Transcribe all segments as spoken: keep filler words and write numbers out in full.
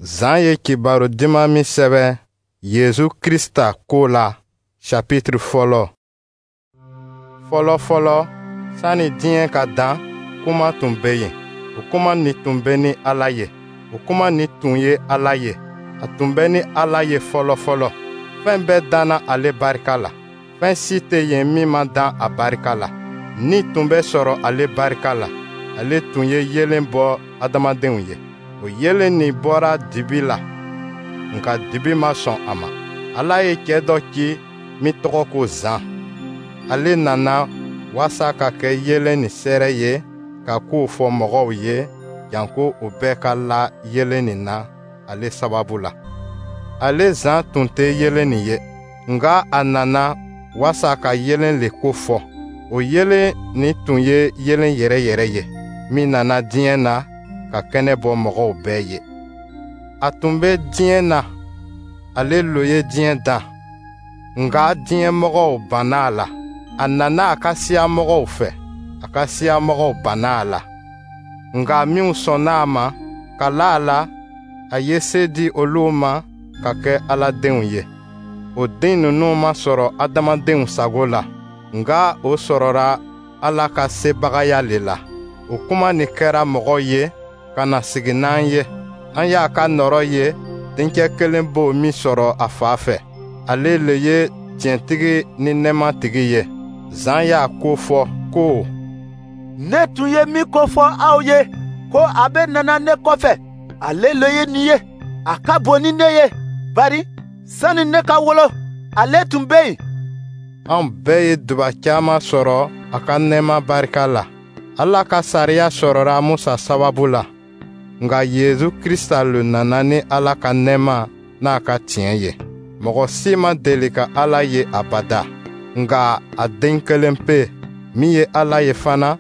Zan ye kibaru diman min sɛbɛn Yezu Krista ko la, chapitre fɔlɔ. Fɔlɔ fɔlɔ, sani diɲɛ ka dan, kuma tun bɛ yen. O kuma nin tun bɛ ni Ala ye. O kuma nin tun ye Ala ye. A tun bɛ ni Ala ye fɔlɔ fɔlɔ. Fɛn bɛɛ danna ale barika la. Fɛn si tɛ yen min ma dan a barika la. Ni tun bɛ sɔrɔ ale barika la. Ale tun ye yeelen bɔ adamadenw ye. O yeelen nin bɔra dibi la, nka dibi ma sɔn a ma. Ala ye cɛ dɔ ci min tɔgɔ ko Zan. Ale nana waasa ka kɛ yeelen nin seere ye, ka kow fɔ mɔgɔw ye, janko u bɛɛ ka la yeelen nin na ale sababu la. Ale Zan tun tɛ yeelen nin ye, nka a nana waasa ka yeelen le ko fɔ. O yeelen nin tun ye yeelen yɛrɛ yɛrɛ ye, min nana diɲɛ na ka kɛnɛ bɔ mɔgɔw bɛɛ ye. A tun bɛ diɲɛ na, ale lo ye diɲɛ dan, nka diɲɛmɔgɔw banna a la. A nana a ka siyamɔgɔw fɛ, a ka siyamɔgɔw banna a la. Nka minw sɔnna a ma ka la a la, a ye se di olu ma ka kɛ Ala denw ye. O den ninnu ma sɔrɔ adamadenw sago la, nka o sɔrɔra Ala ka sebagaya le la. O kuma nin kɛra mɔgɔ ye ka na sigi n'an ye. An y'a ka nɔɔrɔ ye, dencɛ kelen b'o min sɔrɔ a fa fɛ. Ale le ye tiɲɛtigi ni nɛɛmatigi ye. Zan y'a ko fɔ ko: Ne tun ye min ko fɔ aw ye ko a bɛ nana ne kɔfɛ, ale le ye nin ye. A ka bon ni ne ye, bari sani ne ka wolo, ale tun bɛ yen. Anw bɛɛ ye duba caman sɔrɔ a ka nɛɛma barika la. Ala ka sariya sɔrɔra Musa sababu la, nka Yezu Krista le nana ni Ala ka nɛɛma n'a ka tiɲɛ ye. Mɔgɔ si ma deli ka Ala ye abada, nka a den kelen pe min ye Ala ye fana,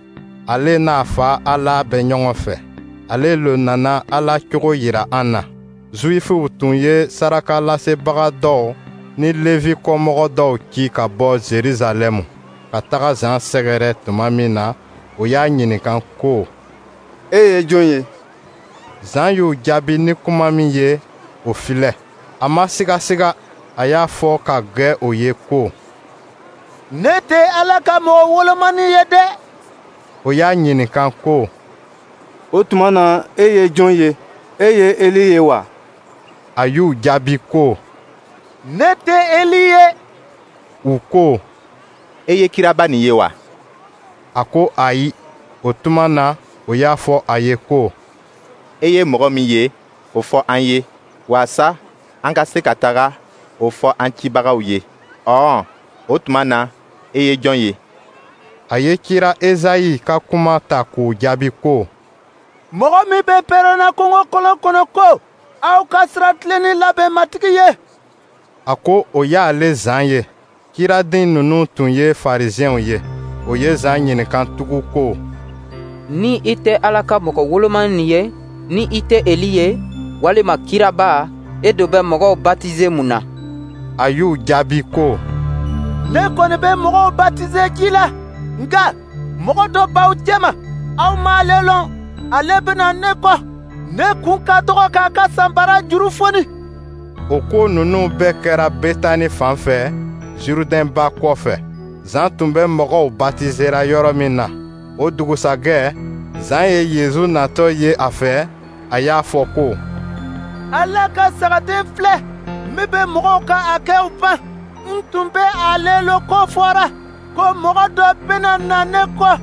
ale n'a fa Ala bɛ ɲɔgɔn fɛ. Ale le nana Ala cogo yira an na. Zuwifuw tun ye sarakalasebaga dɔw ni Levi kɔmɔgɔ dɔw ci ka bɔ Jerusalɛmu ka taga Zan sɛgɛrɛ tuma min na, o y'a ɲininka ko: E ye jɔn ye? Zan y'u jaabi ni kuma min ye, o filɛ. A ma sigasiga, a y'a fɔ ka gwɛ o ye ko: Ne tɛ Ala ka mɔgɔ wolomani ye dɛ. O y'a ɲininka ko: O tuma na, e ye jɔn ye? E ye Eli ye wa? A y'u jaabi ko: Ne tɛ Eli ye. U ko: E ye kiraba nin ye wa? A ko ayi. O tuma na, o y'a fɔ a ye ko: E ye mɔgɔ min ye, o fɔ an ye, waasa an ka se ka taga o fɔ an cibagaw ye. Ɔwɔ, o tuma na, e ye jɔn ye? A ye kira Ezayi ka kuma ta k'o jaabi ko: Mɔgɔ min bɛ pɛrɛnna kungo kolon kɔnɔ ko: Aw ka sira tilennen labɛn Matigi ye. A ko o y'ale Zan ye. Kiraden ninnu tun ye Farisiɛnw ye. O ye Zan ɲininka tugun ko: Ni i tɛ Ala ka mɔgɔ wolomani ye, ni i tɛ Eli ye, walima kiraba, e do bɛ mɔgɔw batize mun na? A y'u jaabi ko: Ne kɔni bɛ mɔgɔw batize ji la, nka mɔgɔ dɔ b'aw cɛma, aw m'ale lɔn. Ale bɛna ne kɔ. Ne kun ka dɔgɔ k'a ka sanbara juru foni. O ko ninnu bɛɛ kɛra Betani fan fɛ, Zurudɛn ba kɔfɛ. Zan tun bɛ mɔgɔw batizera yɔrɔ min na. O dugusajɛ, Zan ye Yezu natɔ ye a fɛ, a y'a fɔ ko: Ala ka sagaden filɛ min bɛ mɔgɔw ka hakɛw ban. N tun bɛ ale lo ko fɔra ko mɔgɔ dɔ bɛna na ne kɔ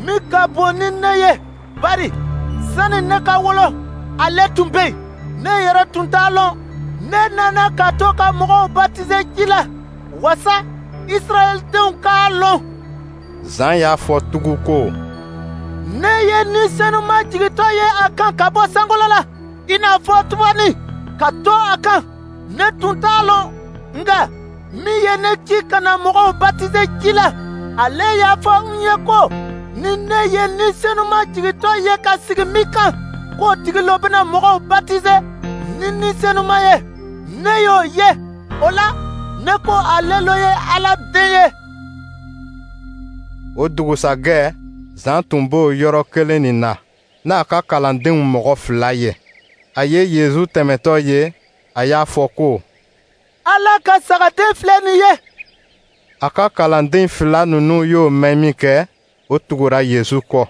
min ka bon ni ne ye, bari sani ne ka wolo, ale tun bɛ yen. Ne yɛrɛ tun t'a lɔn. Ne nana ka to ka mɔgɔw batize ji la, wasa Israɛldenw k'a lɔn. Zan y'a fɔ tugun ko: Ne ye Ni Senuma jigintɔ ye a kan ka bɔ sankolo la, i n'a fɔ tubani, ka to a kan. Ne tun t'a lɔn, nka min ye ne ci ka na mɔgɔw batize ji la, ale y'a fɔ n ye ko: Ni ne ye Ni Senuma jigintɔ ye ka sigi min kan, k'o tigi lo bɛna mɔgɔw batize ni Ni Senuma ye. Ne y'o ye, o la ne ko ale lo ye Ala den ye. O dugusajɛ, Zan tun b'o yɔrɔ kelen nin na, n'a ka kalandenw mɔgɔ fila ye. A ye Yezu tɛmɛtɔ ye, a y'a fɔ ko: Ala ka sagaden filɛ nin ye. A ka kalanden fila ninnu y'o mɛn minkɛ, o tugura Yezu kɔ.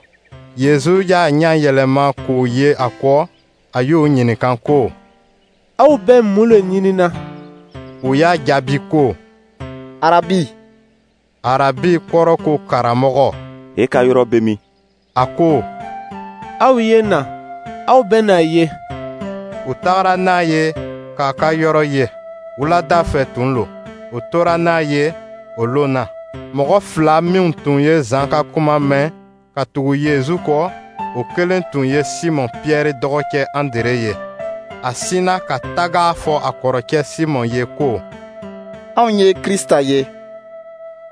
Yezu y'a ɲɛ yɛlɛma k'o ye a kɔ, a y'o ɲininka ko: Aw bɛ mun le ɲinina? U y'a jaabi ko: Arabi. Arabi kɔrɔ ko karamɔgɔ. E ka yɔrɔ bɛ min? A ko: Aw ye na, aw bɛna a ye. U tagara n'a ye k'a ka yɔrɔ ye. Wulada fɛ tun lo. U tora n'a ye o lon na. Mɔgɔ fila minw tun ye Zan ka kuma mɛn ka tugu Yezu kɔ, o kelen tun ye Simɔn Piyɛri dɔgɔkɛ Andre ye. A sinna ka taga a fɔ a kɔrɔkɛ Simɔn ye ko: Anw ye Krista ye.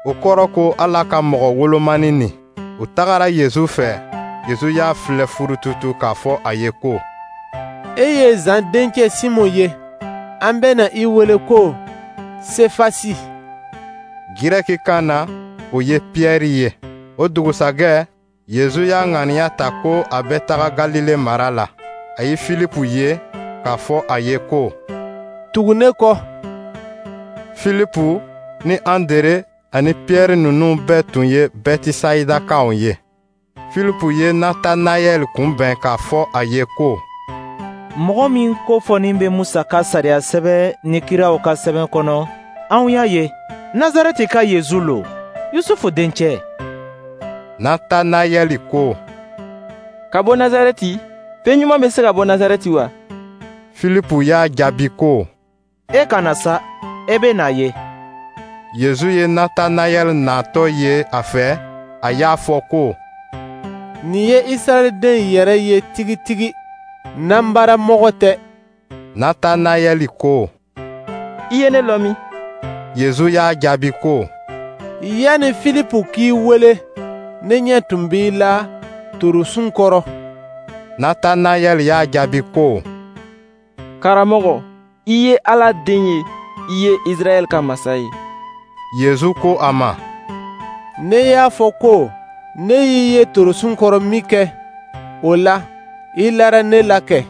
O kɔrɔ ko Ala ka mɔgɔ wolomani nin. U tagara Yezu fɛ. Yezu y'a filɛ furututu k'a fɔ a ye ko: E ye Zan denkɛ Simɔn ye. An bɛna i wele ko Sefasi. Girɛkikan na, o ye Piyɛri ye. O dugusajɛ, Yezu y'a ŋaniya ta ko a bɛ taga Galile mara la. A ye Filipu ye k'a fɔ a ye ko: Tugu ne kɔ. Filipu ni Andere ani Piyɛri ninnu bɛɛ tun ye Bɛtisayidakaw ye. Filipu ye Natanayɛli kunbɛn k'a fɔ a ye ko: Mɔgɔ min ko fɔnin bɛ Musa ka sariya sɛbɛn ni kiraw ka sɛbɛn kɔnɔ, anw y'a ye, Nazarɛti ka Yezu lo, Yusufu dencɛ. Natanayɛli ko: Ka bɔ Nazarɛti, fɛn ɲuman bɛ se ka bɔ Nazarɛti wa? Filipu y'a jaabi ko: E ka na sa, e bɛ n'a ye. Yezu ye Natanayɛli natɔ ye a fɛ, a y'a fɔ ko: Nin ye Israɛl den yɛrɛ ye tigitigi, nanbaramɔgɔ tɛ. Natanayɛli ko: I ye ne lɔn min? Yezu y'a jaabi ko: Yanni Filipu k'i wele, ne ɲɛ tun b'i la torosun kɔrɔ. Natanayɛli y'a jaabi ko: Karamɔgɔ, i ye Ala den ye, i ye Israɛl ka masa ye. Yezu ko a ma: Ne y'a fɔ ko ne y'i ye torosun kɔrɔ minkɛ, o la, i lara ne la kɛ.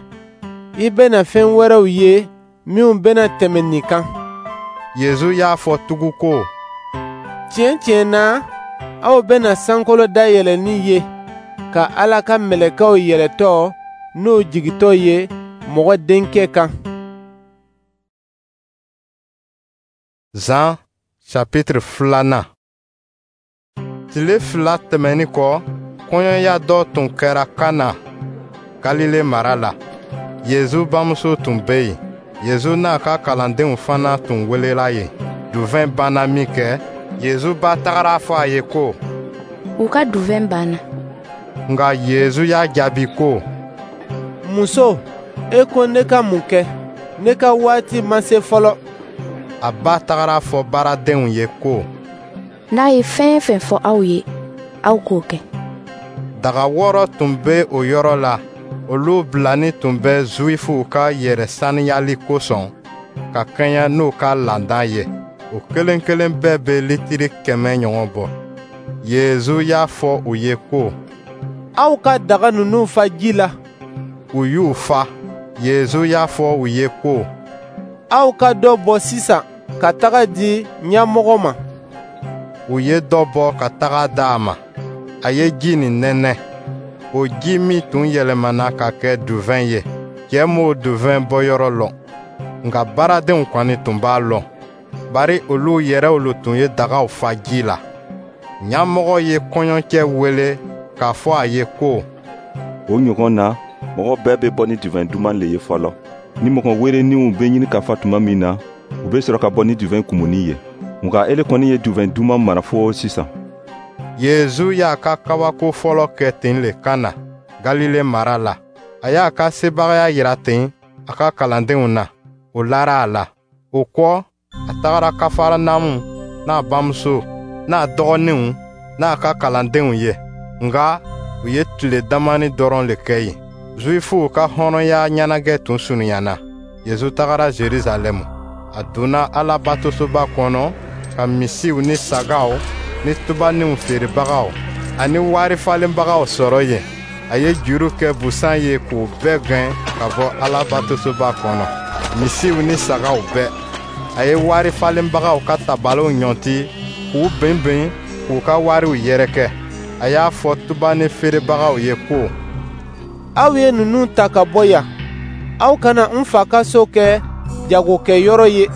I bɛna fɛn wɛrɛw ye minnu bɛna tɛmɛ nin kan. Yezu y'a fɔ tugun ko: Tiɲɛ tiɲɛ na, aw bɛna sankolo dayɛlɛnni ye, ka Ala ka mɛlɛkɛw yɛlɛtɔ n'u jigintɔ ye Mɔgɔ Denkɛ kan. Zan chapitre filanan. Tile fila tɛmɛnin kɔ, kɔɲɔya dɔ tun kɛra Kana, Galile mara la. Yezu bamuso tun bɛ yen. Yezu n'a ka kalandenw fana tun welela yen. Duvɛn banna minkɛ, Yezu ba tagara a fɔ a ye ko: U ka duvɛn banna. Nka Yezu y'a jaabi ko: Muso, e ko ne ka mun kɛ? Ne ka waati ma se fɔlɔ. A ba tagara a fɔ baaradenw ye ko: N'a ye fɛn fɛn fɔ aw ye, aw k'o kɛ. Daga wɔɔrɔ tun bɛ o yɔrɔ la. Olu bilani tun bɛ Zuwifuw ka yɛrɛ saniyali kosɔn ka kɛɲɛ n'u ka laada ye. O kelen kelen bɛɛ bɛ litiri kɛmɛ ɲɔgɔn bɔ. Yezu y'a fɔ u ye ko: Aw ka daga ninnu fa ji la. U y'u fa. Yezu y'a fɔ u ye ko: Aw ka dɔ bɔ sisan ka taga di ɲɛmɔgɔ ma. U ye dɔ bɔ ka taga di a ma. A ye ji nin nɛnɛ. O ji min tun yɛlɛmana ka kɛ duvɛn ye, cɛ m'o duvɛn bɔyɔrɔ lɔn, nka baaradenw kɔni tun b'a lɔn, bari olu yɛrɛw lo tun ye dagaw fa ji la. Ɲɛmɔgɔ ye kɔɲɔcɛ wele k'a fɔ a ye ko: O ɲɔgɔn na, mɔgɔ bɛɛ bɛ bɔ ni duvɛn duman le ye fɔlɔ. Ni mɔgɔ weeleninw bɛ ɲini ka fa tuma min na, u bɛ sɔrɔ ka bɔ ni duvɛn kumuni ye. Nka ele kɔni ye duvɛn duman mara fo sisan. Yezu y'a ka kabako fɔlɔ kɛ ten le Kana, Galile mara la. A y'a ka sebagaya yira ten a ka kalandenw na. O lara a la. O kɔ, a tagara Kafaranamu n'a bamuso, n'a dɔgɔninw, n'a ka kalandenw ye. Nka u ye tile damani dɔrɔn le kɛ yen. Zuwifuw ka hɔrɔnya ɲɛnajɛ tun surunyana. Yezu tagara Jerusalɛmu. A donna Alabatosoba kɔnɔ ka misiw ni sagaw ni tubaniw feerebagaw ani wari falenbagaw sɔrɔ yen. A ye juru kɛ busan ye k'u bɛɛ gɛn ka bɔ Alabatosoba kɔnɔ, misiw ni sagaw bɛɛ. A ye wari falenbagaw ka tabaliw ɲɔnti k'u binbin k'u ka wariw yɛrɛkɛ. A y'a fɔ tubani feerebagaw ye ko: Aw ye ninnu ta ka bɔ yan. Aw kana n Fa ka so kɛ jagokɛyɔrɔ ye.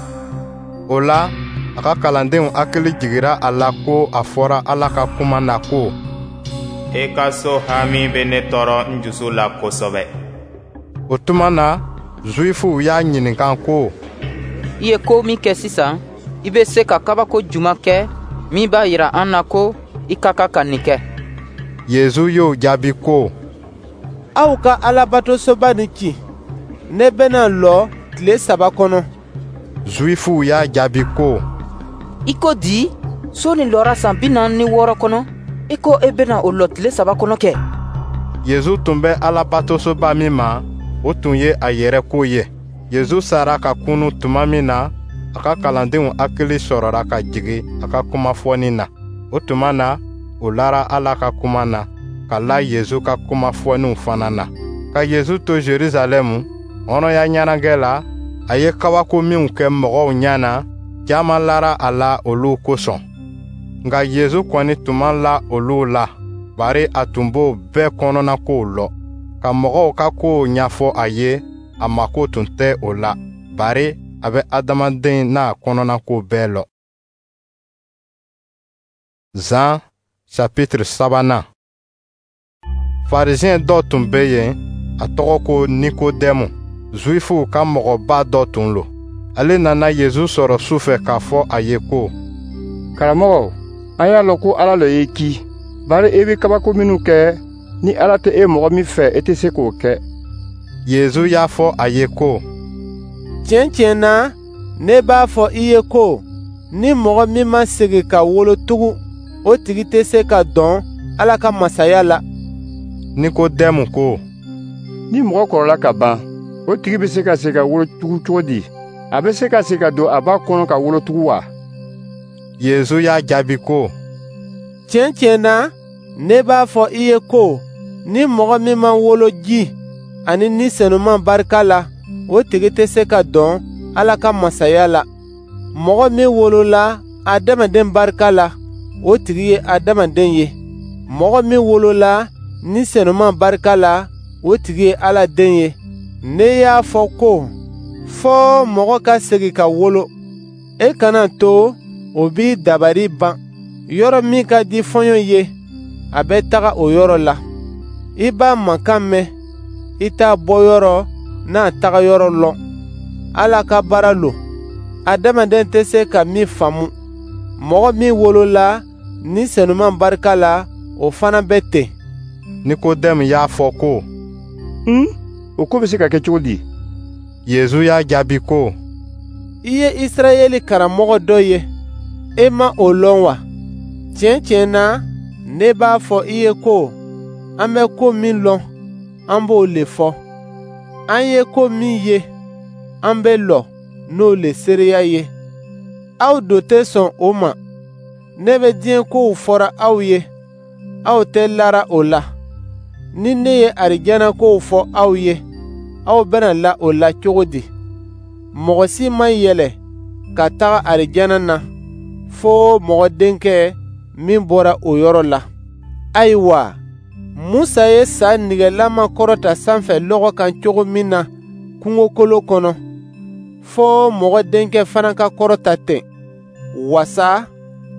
O la, a ka kalandenw hakili jiginna a la ko a fɔra Ala ka kuma na ko: E ka so hami bɛ ne tɔɔrɔ n jusu la kosɛbɛ. O tuma na, Zuwifuw y'a ɲininka ko: I ye ko min kɛ sisan, i bɛ se ka kabako jumɛn kɛ min b'a jira an na ko i ka kan ka nin kɛ? Yezu y'o jaabi ko: Aw ka Alabatosoba nin ci, ne bɛna lɔ tile saba kɔnɔ. Zuwifuw y'a jaabi ko: I ko di? So nin lɔra san bi naani ni wɔɔrɔ kɔnɔ, i ko e bɛna o lɔ tile saba kɔnɔ kɛ? Yezu tun bɛ Alabatosoba min ma, o tun ye a yɛrɛ ko ye. Yezu sara ka kunun tuma min na, a ka kalandenw hakili sɔrɔla ka jigin a ka kuma fɔni na. O tuma na, u lara Ala ka kuma na, ka la Yezu ka kuma fɔniw fana na. Ka Yezu to Jerusalɛmu, hɔrɔnya ɲɛnajɛ la, a ye kabako minw kɛ mɔgɔw ɲɛ na, caman lara a la olu kosɔn. Nka Yezu kɔni tun ma la olu la, bari a tun b'o bɛɛ kɔnɔnakow lɔn. Ka mɔgɔw ka kow ɲɛfɔ a ye, a mako tun tɛ o la, bari a bɛ adamaden n'a kɔnɔnako bɛɛ lɔn. Zan chapitre sabanan. Farisiyɛn dɔ tun bɛ yen, a tɔgɔ ko Nikodɛmu, Zuwifuw ka mɔgɔba dɔ tun lo. Ale nana Yezu sɔrɔ su fɛ k'a fɔ a ye ko: Karamɔgɔ, an y'a lɔn ko Ala le y'i ci, bari i bɛ kabako minnu kɛ, ni Ala tɛ e mɔgɔ min fɛ, i tɛ se k'o kɛ. Yezu y'a fɔ a ye ko: Tiɲɛ tiɲɛ na, ne b'a fɔ i ye ko, ni mɔgɔ min ma segin ka wolo tugun, o tigi tɛ se ka dɔn Ala ka masaya la. Nikodɛmu ko: Ni mɔgɔ kɔrɔla ka ban, o tigi bɛ se ka segin ka wolo tugun cogo di? A bɛ se ka segin ka don a ba kɔnɔ ka wolo tugun wa? Yezu y'a jaabi ko: Tiɲɛ tiɲɛ na, ne b'a fɔ i ye ko, ni mɔgɔ min ma wolo ji ani Ni Senuma barika la, o tigi tɛ se ka dɔn Ala ka masaya la. Mɔgɔ min wolola adamaden barika la, o tigi ye adamaden ye. Mɔgɔ min wolola Ni Senuma barika la, o tigi ye Ala den ye. Ne y'a fɔ ko, fɔ mɔgɔ ka segin ka wolo. E kana to o b'i dabari ban. Yɔrɔ min ka di fɔɲɔ ye, a bɛ taga o yɔrɔ la. I b'a mankan mɛn, i t'a bɔyɔrɔ n'a tagayɔrɔ lɔn. Ala ka baara lo, adamaden tɛ se ka min faamu. Mɔgɔ min wolola Ni Senuma barika la, o fana bɛ ten. Nikodɛmu y'a fɔ ko: Un, o ko bɛ se ka kɛ cogo di? Yezu y'a jaabi ko: I ye Isirayɛli karamɔgɔ dɔ ye, e ma o lɔn wa? Tiɲɛ tiɲɛ na, ne b'a fɔ i ye ko, an bɛ ko min lɔn, an b'o le fɔ. An ye ko min ye, an bɛ lɔ n'o le seereya ye. Aw do tɛ sɔn o ma. Ne bɛ diɲɛ kow fɔra aw ye, aw tɛ lara o la. Ni ne ye arijana kow fɔ aw ye, aw bɛna la o la cogo di? Mɔgɔ si ma yɛlɛ ka taga arijana na, fo mɔgɔ denkɛ min bɔra o yɔrɔ la. Ayiwa, Musa ye sa nɛgɛlama kɔrɔta sanfɛ lɔgɔ kan cogo min na kungokolo kɔnɔ, fo mɔgɔ denkɛ fana ka kɔrɔta ten, wasa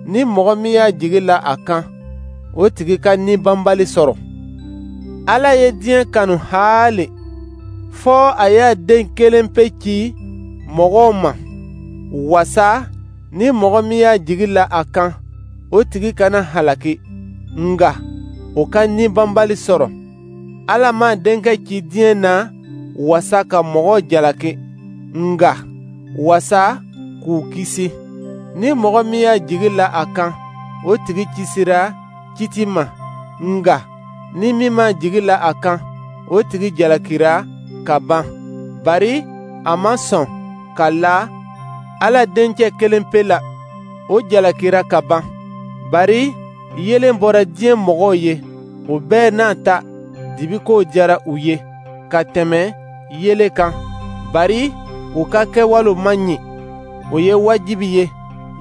ni mɔgɔ min y'a jigi la a kan, o tigi ka ni banbali sɔrɔ. Ala ye diɲɛ kanu haali, fɔ a y'a den kelen pe ci mɔgɔw ma, wasa ni mɔgɔ min y'a jigi la a kan, o tigi kana halaki, nka o ka ni banbali sɔrɔ. Ala m'a denkɛ ci diɲɛ na wasa ka mɔgɔw jalaki, nka wasa k'u kisi. Ni mɔgɔ min y'a jigi la a kan, o tigi kisira kiti ma, nka ni min m'a jigi la a kan, o tigi jalakira ka ban, bari a ma sɔn ka la Ala dencɛ kelen pe la, o jalakira ka ban. Bari yeelen bɔra diɲɛ mɔgɔw ye, o bɛɛ n'a ta, Dibi ko diyara u ye ka tɛmɛ yeelen kan, bari u ka kɛwalew man ɲi. O ye wajibi ye.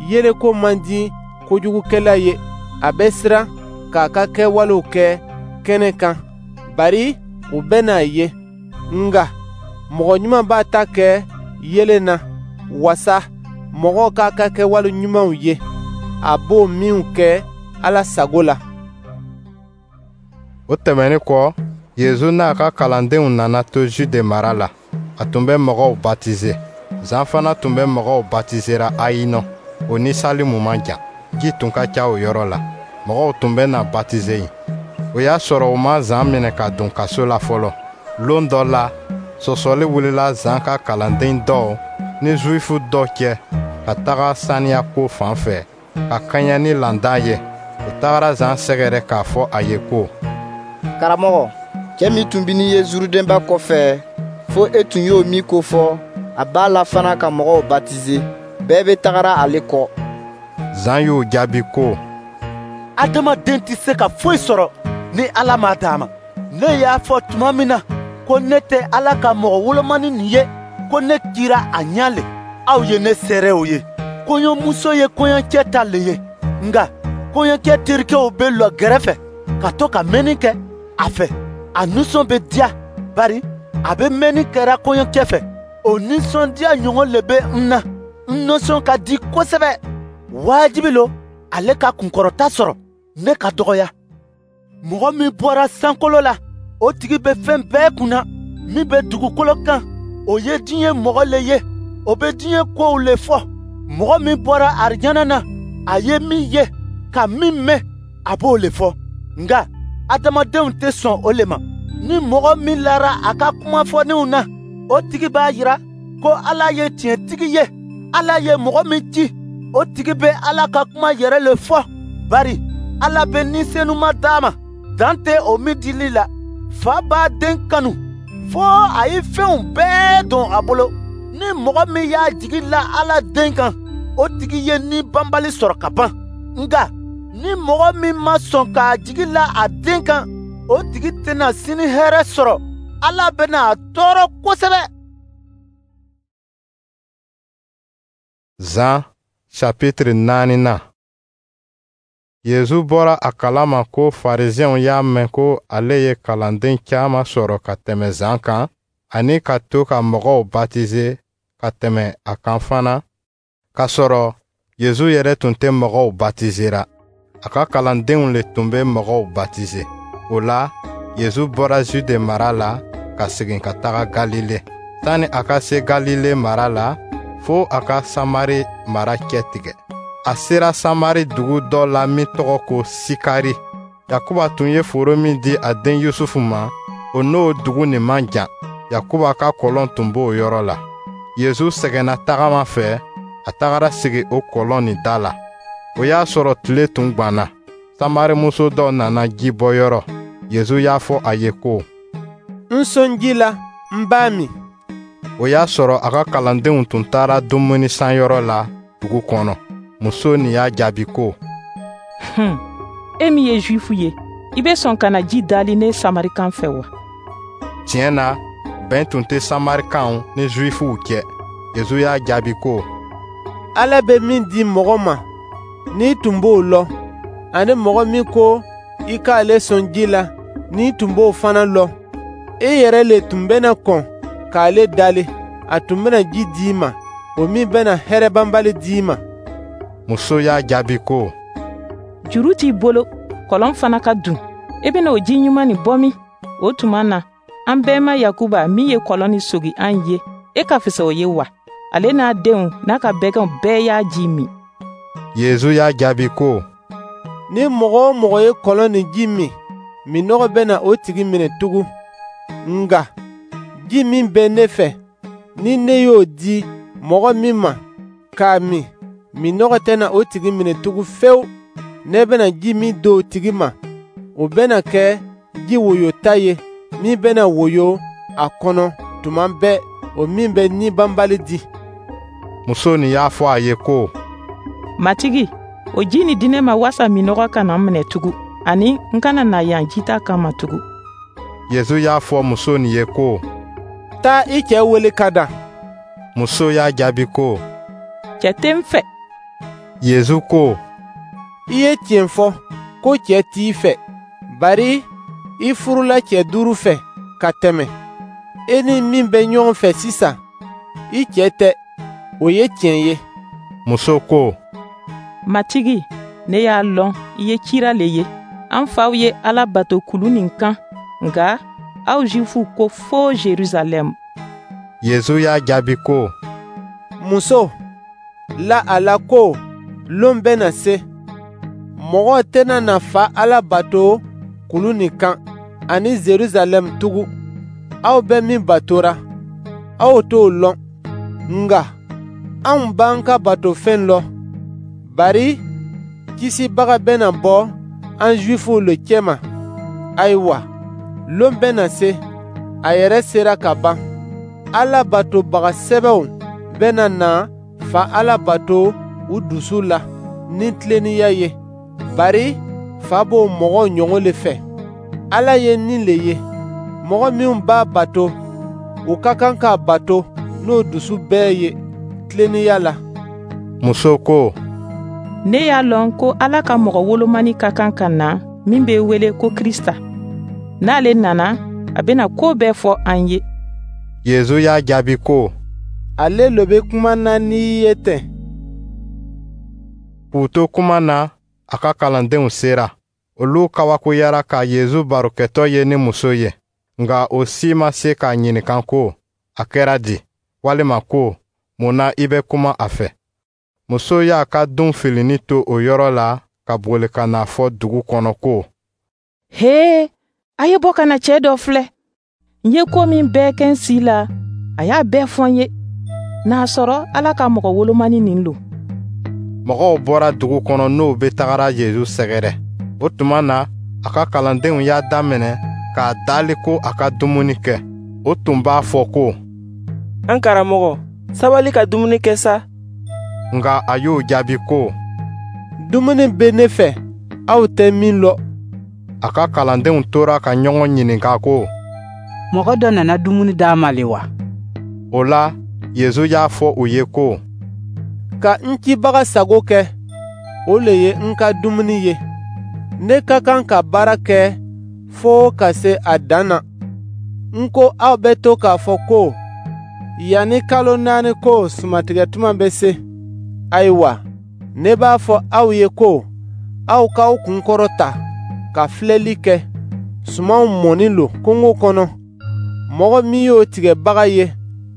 Yeelen ko man di kojugukɛla ye. A bɛ siran k'a ka kɛwalew kɛ kɛnɛ kan, bari u bɛna a ye. Nka mɔgɔ ɲuman b'a ta kɛ yeelen na, wasa mɔgɔw k'a ka kɛwale ɲumanw ye, a b'o minw kɛ Ala sago la. O tɛmɛnin kɔ, Yezu n'a ka kalandenw nana to Jude mara la. A tun bɛ mɔgɔw batize. Zan fana tun bɛ mɔgɔw batizera Ayinɔ, o ni Salimu man jan. Ji tun ka ca o yɔrɔ la. Mɔgɔw tun bɛ na batize yen. O y'a sɔrɔ u ma Zan minɛ ka don kaso la fɔlɔ. Lon dɔ la, sɔsɔli wulila Zan ka kalanden dɔw ni Zuwifu dɔ cɛ ka taga saniya ko fan fɛ ka kɛɲɛ ni laada ye. U tagara Zan sɛgɛrɛ k'a fɔ a ye ko: Karamɔgɔ, cɛ min tun bɛ n'i ye Zurudɛnba kɔfɛ, fo e tun y'o min ko fɔ, a b'a la fana ka mɔgɔw batize. Bɛɛ bɛ tagara ale kɔ. Zan y'o jaabi ko: Adamaden tɛ se ka foyi sɔrɔ ni Ala m'a d'a ma. Ne y'a fɔ tuma min na ko ne tɛ Ala ka mɔgɔ wolomani nin ye, ko ne cira a ɲɛ le, aw ye ne seerew ye. Kɔɲɔmuso ye kɔɲɔcɛ ta le ye, nka kɔɲɔcɛ terikɛw bɛ lɔ gɛrɛfɛ ka to ka mɛnni kɛ a fɛ. A nisɔn bɛ diya, bari a bɛ mɛnni kɛra kɔɲɔcɛ fɛ. O nisɔndiya ɲɔgɔn le bɛ n na. N nisɔn ka di kosɛbɛ. Wajibi lo ale ka kunkɔrɔta sɔrɔ, ne ka dɔgɔya. Mɔgɔ min bɔra sankolo la, o tigi bɛ fɛn bɛɛ kunna. Min bɛ dugukolo kan, o ye diɲɛ mɔgɔ le ye, o bɛ diɲɛ kow le fɔ. Mɔgɔ min bɔra arijana na, a ye min ye, ka min mɛn, a b'o le fɔ. Nka adamadenw tɛ sɔn o le ma. Ni mɔgɔ min lara a ka kuma fɔlenw na, o tigi b'a jira ko Ala ye tiɲɛtigi ye. Ala ye mɔgɔ min ci, o tigi bɛ Ala ka kuma yɛrɛ le fɔ, bari Ala bɛ Ni Senuma d'a ma, dan tɛ o min dili la. Fa b'a den kanu fo a ye fɛnw bɛɛ don a bolo. Ni mɔgɔ min y'a jigi la Ala den kan, o tigi ye ni banbali sɔrɔ ka ban. Nka ni mɔgɔ min ma sɔn k'a jigi la a den kan, o tigi tɛna sini hɛrɛ sɔrɔ. Ala bɛna a tɔɔrɔ kosɛbɛ. Zan chapitre naaninan. Yezu bɔra a kalama ko Farisiɛnw y'a mɛn ko ale ye kalanden caman sɔrɔ ka tɛmɛ Zan kan, ani ka to ka mɔgɔw batize ka tɛmɛ a kan fana, k'a sɔrɔ Yezu yɛrɛ tun tɛ mɔgɔw batizera. A ka kalandenw le tun bɛ mɔgɔw batize. O la, Yezu bɔra Jude mara la ka segin ka taga Galile. Sani a ka se Galile mara la, fo a ka Samari mara cɛtigɛ. A sera Samari dugu dɔ la min tɔgɔ ko Sikari. Yakuba tun ye foro min di a den Yusufu ma, o n'o dugu nin man jan. Yakuba ka kɔlɔn tun b'o yɔrɔ la. Yezu sɛgɛnna tagama fɛ, a tagara sigi o kɔlɔn nin da la. O y'a sɔrɔ tile tun gwanna. Samarimuso dɔ nana ji bɔ yɔrɔ. Yezu y'a fɔ a ye ko: N sɔn ji la, n b'a min. O y'a sɔrɔ a ka kalandenw tun taara dumuni sanyɔrɔ la dugu kɔnɔ. Muso nin y'a jaabi ko: Hun, e min ye Juifu ye, i bɛ sɔn ka na ji dali ne Samarikan fɛ wa? Tiɲɛ na, bɛn tun tɛ Samarikanw ni Juifuw cɛ. Yezu y'a jaabi ko: Ala bɛ min di mɔgɔ ma, n'i tun b'o lɔn, ani mɔgɔ min ko i k'ale sɔn ji la, n'i tun b'o fana lɔn, e yɛrɛ le tun bɛna kɔn k'ale dali, a tun bɛna ji d'i ma, o min bɛna hɛrɛ banbali d'i ma. Muso y'a jaabi ko: Juru t'i bolo, kɔlɔn fana ka dun. E bɛna o ji ɲuman nin bɔ min? O tuma na, an bɛnba Yakuba min ye kɔlɔn nin sogi an ye, e ka fisa o ye wa? Ale n'a denw n'a ka bɛgɛnw bɛɛ y'a ji min. Yezu y'a jaabi ko: Ni mɔgɔ o mɔgɔ ye kɔlɔn nin ji min, minnɔgɔ bɛna o tigi minɛ tugun. Nka ji min bɛ ne fɛ, ni ne y'o di mɔgɔ min ma k'a min, minnɔgɔ tɛna o tigi minɛ tugun fewu. Ne bɛna ji min d'o tigi ma, o bɛna kɛ ji woyota ye min bɛna woyo a kɔnɔ tuma bɛɛ, o min bɛ ni banbali di. Muso nin y'a fɔ a ye ko: Matigi, o ji nin di ne ma wasa minnɔgɔ kana n minɛ tugun, ani n kana na yan jita kama tugun. Yezu y'a fɔ muso nin ye ko: Taa i cɛ wele ka na. Muso y'a jaabi ko: Cɛ tɛ n fɛ. Yezu ko: I ye tiɲɛ fɔ ko cɛ t'i fɛ, bari i furula cɛ duuru fɛ ka tɛmɛn. E ni min bɛ ɲɔgɔn fɛ sisan, i cɛ tɛ, o ye tiɲɛ ye. Muso ko: Matigi, ne y'a lɔn i ye kira le ye. An faw ye Ala bato kulu nin kan, nka aw Jufuw ko fo Jerusalɛm. Yezu y'a jaabi ko: Muso, la a la ko lon bɛna se, mɔgɔ tɛna na Fa Ala bato kulu nin kan ani Jerusalɛm tugun. Aw bɛ min batora, aw t'o lɔn, nka anw b'an ka batofɛn lɔn, bari Kisibaga bɛna bɔ an Jufuw le cɛma. Ayiwa, lon bɛna se, a yɛrɛ sera ka ban. Ala batobaga sɛbɛw bɛna na Fa Ala bato u dusu la ni tilennenya ye, bari Fa b'o mɔgɔ ɲɔgɔn le fɛ. Ala ye ni le ye. Mɔgɔ minw b'a bato, u ka kan k'a bato n'o dusu bɛɛ ye tilennenya la. Muso ko: Ne y'a lɔn ko Ala ka mɔgɔ wolomani ka kan ka na min bɛ wele ko Krista. N'ale nana, a bɛna ko bɛɛ fɔ an ye. Yezu y'a jaabi ko: Ale le bɛ kuma na n'i ye ten. K'u to kuma na, a ka kalandenw sera. Olu kabakoyara ka Yezu barokɛtɔ ye ni muso ye, nka o si ma se k'a ɲininka ko: A kɛra di? Walima ko: Mun na i bɛ kuma a fɛ? Muso y'a ka dun filinin to o yɔrɔ la ka boli ka n'a fɔ dugu kɔnɔ ko: He, a ye bɔ ka na cɛ dɔ filɛ. N ye ko min bɛɛ kɛ n si la, a y'a bɛɛ fɔ n ye. N'a sɔrɔ Ala ka mɔgɔ wolomani nin lo. Mɔgɔw bɔra dugu kɔnɔ n'o bɛ tagara Yezu sɛgɛrɛ. O tuma na, a ka kalandenw y'a daminɛ k'a dali ko a ka dumuni kɛ. O tun b'a fɔ ko: An karamɔgɔ, sabali ka dumuni kɛ sa. Nka a y'o jaabi ko: Dumuni bɛ ne fɛ, aw tɛ min lɔn. A ka kalandenw tora ka ɲɔgɔn ɲininka ko: Mɔgɔ dɔ nana dumuni d'a ma le wa? O la, Yezu y'a fɔ u ye ko: Ka n cibaga sago kɛ, o le ye n ka dumuni ye. Ne ka kan ka baara kɛ fo ka se a dan na. N ko aw bɛ to k'a fɔ ko yanni kalo naani ko sumantigɛ tuma bɛ se. Ayiwa, ne b'a fɔ aw ye ko aw k'aw kun kɔrɔta ka filɛli kɛ. Sumanw mɔni lo kungo kɔnɔ. Mɔgɔ min y'o tigɛbaga ye,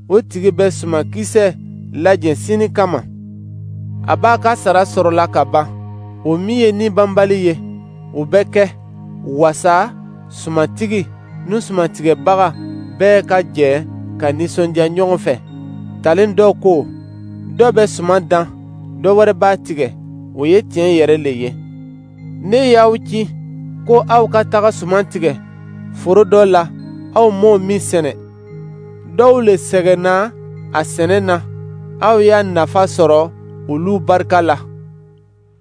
o tigi bɛ sumankisɛ lajɛ sini kama. A b'a ka sara sɔrɔla ka ban. O min ye ni banbali ye, o bɛ kɛ wasa sumantigi ni sumantigɛbaga bɛɛ ka jɛ ka nisɔndiya ɲɔgɔn fɛ. Talen dɔ ko: Dɔ bɛ suman dan, dɔ wɛrɛ b'a tigɛ. O ye tiɲɛ yɛrɛ le ye. Ne y'aw ci ko aw ka taga suman tigɛ foro dɔ la, aw m'o min sɛnɛ. Dɔw le sɛgɛnna a sɛnɛ na, aw y'a nafa sɔrɔ olu barika la.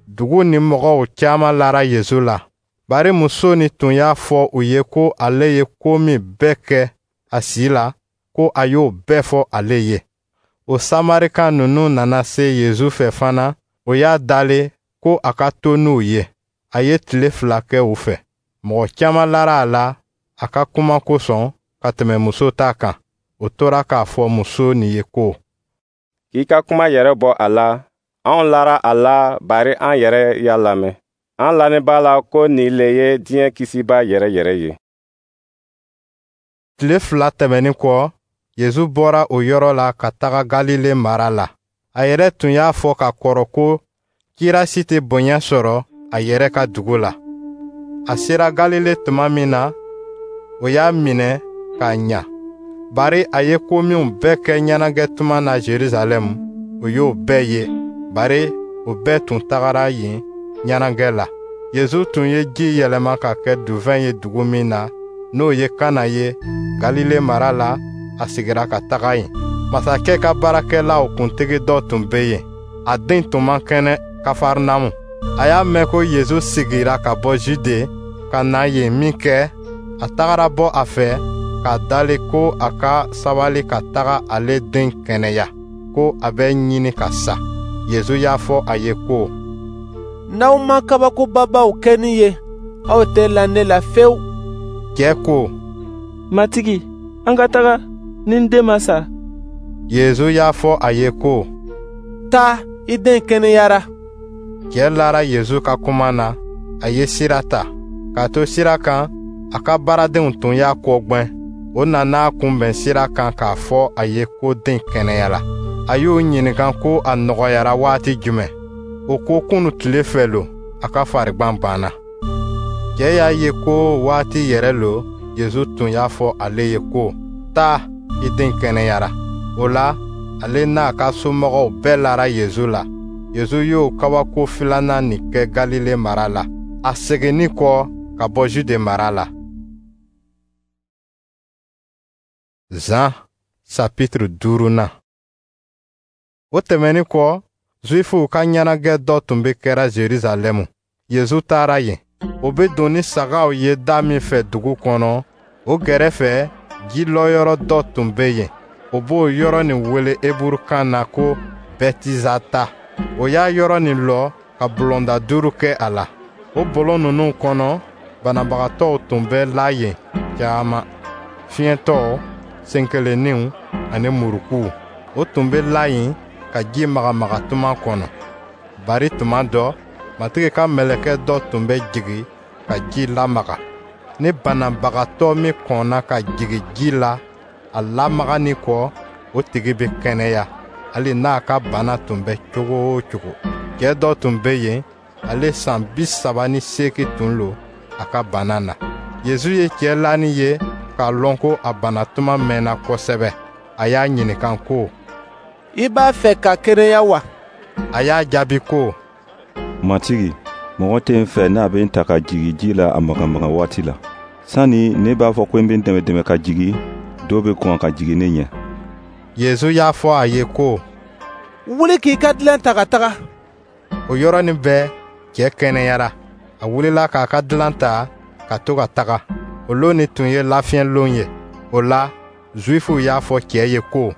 Dugu ni mɔgɔw caman lara Yezu la, bari muso nin tun y'a fɔ u ye ko ale ye ko min bɛɛ kɛ a si la, ko a y'o bɛɛ fɔ ale ye. O Samarika ninnu nana se Yezu fɛ fana, o y'a dali ko a ka to n'u ye. A ye tile fila kɛ u fɛ. Mɔgɔ caman lara a la a ka kuma kosɔn ka tɛmɛ muso ta kan. O tora k'a fɔ muso nin ye ko: K'i ka kuma yɛrɛ bɔ a la, anw lara a la bari an yɛrɛ y'a lamɛn. An lanin b'a la ko nin le ye diɲɛ Kisiba yɛrɛ yɛrɛ ye. Tile fila tɛmɛnin kɔ, Yezu bɔra o yɔrɔ la ka taga Galile mara la. A yɛrɛ tun y'a fɔ ka kɔrɔ ko kira si tɛ bonya sɔrɔ a yɛrɛ ka dugu la. A sera Galile tuma min na, o y'a minɛ k'a ɲa, bari a ye ko minw bɛɛ kɛ ɲɛnajɛ tuma na Jerusalɛm, o y'o bɛɛ ye, bari o bɛɛ tun tagara yen ɲɛnajɛ la. Yezu tun ye ji yɛlɛma ka kɛ duvɛn ye dugu min na, n'o ye Kana ye Galile mara la, a sigira ka taga yen. Masakɛ ka baarakɛlaw kuntigi dɔ tun bɛ yen, a den tun man kɛnɛ Kafarnamu. A y'a mɛn ko Yezu sigira ka bɔ Jude ka na yen minkɛ, A tagara bɔ a fɛ k'a dali ko a ka sabali ka taga ale den kɛnɛya, ko a bɛ ɲini ka sa. Yezu y'a fɔ a ye ko, N'aw ma kabakobabaw kɛ ne ye, aw tɛ la ne la fewu. Cɛ ko, Matigi, an ka taga, ni n den ma sa. Yezu y'a fɔ a ye ko, Taa, i den kɛnɛyara. Cɛ lara Yezu ka kuma na, a ye sira ta. K'a to sira kan, a ka baaradenw tun y'a kɔgbɛn. O nana a kunbɛn sira kan k'a fɔ a ye ko den kɛnɛyara. A y'o ɲininka ko a nɔgɔyara waati jumɛn. O ko kunun tile fɛ lo, a ka farigban banna. Cɛ y'a ye ko waati yɛrɛ lo, Yezu tun y'a fɔ ale ye ko, Taa, i den kɛnɛyara. O la, ale n'a ka somɔgɔw bɛɛ lara Yezu la. Yezu y'o kabako filanan nin kɛ Galile mara la, a seginnin kɔ ka bɔ Jude mara la. Zan chapitre duurunan. O tɛmɛnin kɔ, Zuwifuw ka ɲɛnajɛ dɔ tun bɛ kɛra Jerusalɛmu. Yezu taara yen. O bɛ don ni sagaw ye da min fɛ dugu kɔnɔ, o gɛrɛfɛ ji lɔyɔrɔ dɔ tun bɛ yen. O b'o yɔrɔ nin wele Heburukan na ko Bɛtizata. O y'a yɔrɔ nin lɔ ka bulonda duuru kɛ a la. O bulon ninnu kɔnɔ, banabagatɔw tun bɛ la yen caman, fiɲɛtɔw, senkelenninw ani murukuw. O tun bɛ la yen ka ji magamaga tuma kɔnɔ. Bari tuma dɔ, Matigi ka mɛlɛkɛ dɔ tun bɛ jigin ka ji lamaga. Ni banabagatɔ min kɔnna ka jigin ji la, a lamagani kɔ, o tigi bɛ kɛnɛya, hali n'a ka bana tun bɛ cogo o cogo. Cɛ dɔ tun bɛ yen, ale san bi saba ni seegin tun lo a ka bana na. Yezu ye cɛ lanin ye k'a lɔn ko a bana tuma mɛnna kosɛbɛ. A y'a ɲininka ko, I b'a fɛ ka kɛnɛya wa? A y'a jaabi ko, Matigi, mɔgɔ tɛ n fɛ n'a bɛ n ta ka jigin ji la a magamaga waati la. Sani ne b'a fɔ ko n bɛ n dɛmɛ dɛmɛ ka jigin, dɔ bɛ kɔn ka jigin ne ɲɛ. Yezu y'a fɔ a ye ko, Wuli k'i ka dilan ta ka taga. O yɔrɔnin bɛɛ, cɛ kɛnɛyara. A wulila k'a ka dilan ta ka to ka taga. O lon nin tun ye lafiɲɛlon ye. O la, Zuwifuw y'a fɔ cɛ ye ko,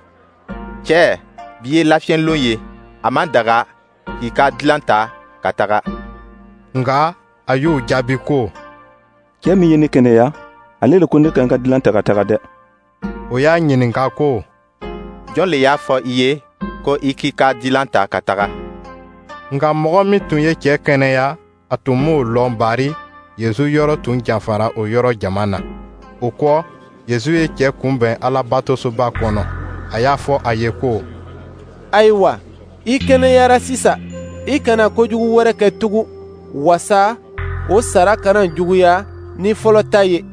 Cɛ, bi ye lafiɲɛlon ye, a man daga k'i ka dilan ta ka taga. Nka a y'u jaabi ko, Cɛ min ye ne kɛnɛya, ale le ko ne ka n ka dilan ta ka taga dɛ. O y'a ɲininka ko, Jɔn le y'a fɔ i ye ko i k'i ka dilan ta ka taga? Nka mɔgɔ min tun ye cɛ kɛnɛya, a tun m'o lɔn, bari Yezu yɔrɔ tun janfara o yɔrɔ jama na. O kɔ, Yezu ye cɛ kunbɛn Alabatosoba kɔnɔ. A y'a fɔ a ye ko, Ayiwa, i kɛnɛyara sisan. I kana kojugu wɛrɛ kɛ tugun, wasa o sara kana juguya ni fɔlɔ ta ye.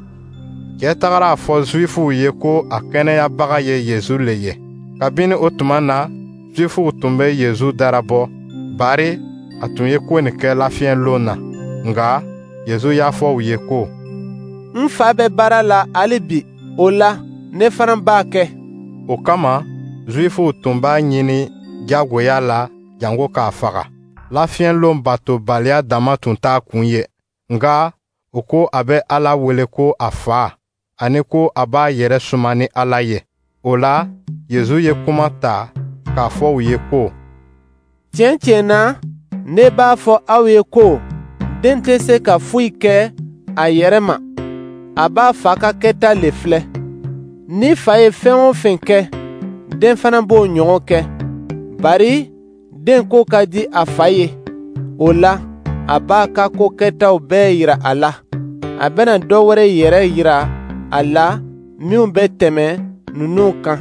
Cɛ tagara a fɔ Zuwifuw ye ko a kɛnɛyabaga ye Yezu le ye. Kabini o tuma na, Zuwifuw tun bɛ Yezu darabɔ, bari a tun ye ko nin kɛ lafiɲɛlon na. Nka Yezu y'a fɔ u ye ko, N fa bɛ baara la hali bi, o la ne fana b'a kɛ. O kama, Zuwifuw tun b'a ɲini jagoya la jango k'a faga. Lafiɲɛlon batobaliya dama tun t'a kun ye, nka o ko a bɛ Ala wele ko a fa, ani ko a b'a yɛrɛ suma ni Ala ye. O la, Yezu ye kuma ta k'a fɔ u ye ko, Tiɲɛ tiɲɛ na, ne b'a fɔ aw ye ko den tɛ se ka foyi kɛ a yɛrɛ ma, a b'a fa ka kɛta le filɛ. Ni fa ye fɛn o fɛn kɛ, den fana b'o ɲɔgɔn kɛ. Bari den ko ka di a fa ye, o la a b'a ka ko kɛtaw bɛɛ yira a la. A bɛna dɔ wɛrɛ yɛrɛ yira a la minw bɛ tɛmɛ ninnu kan,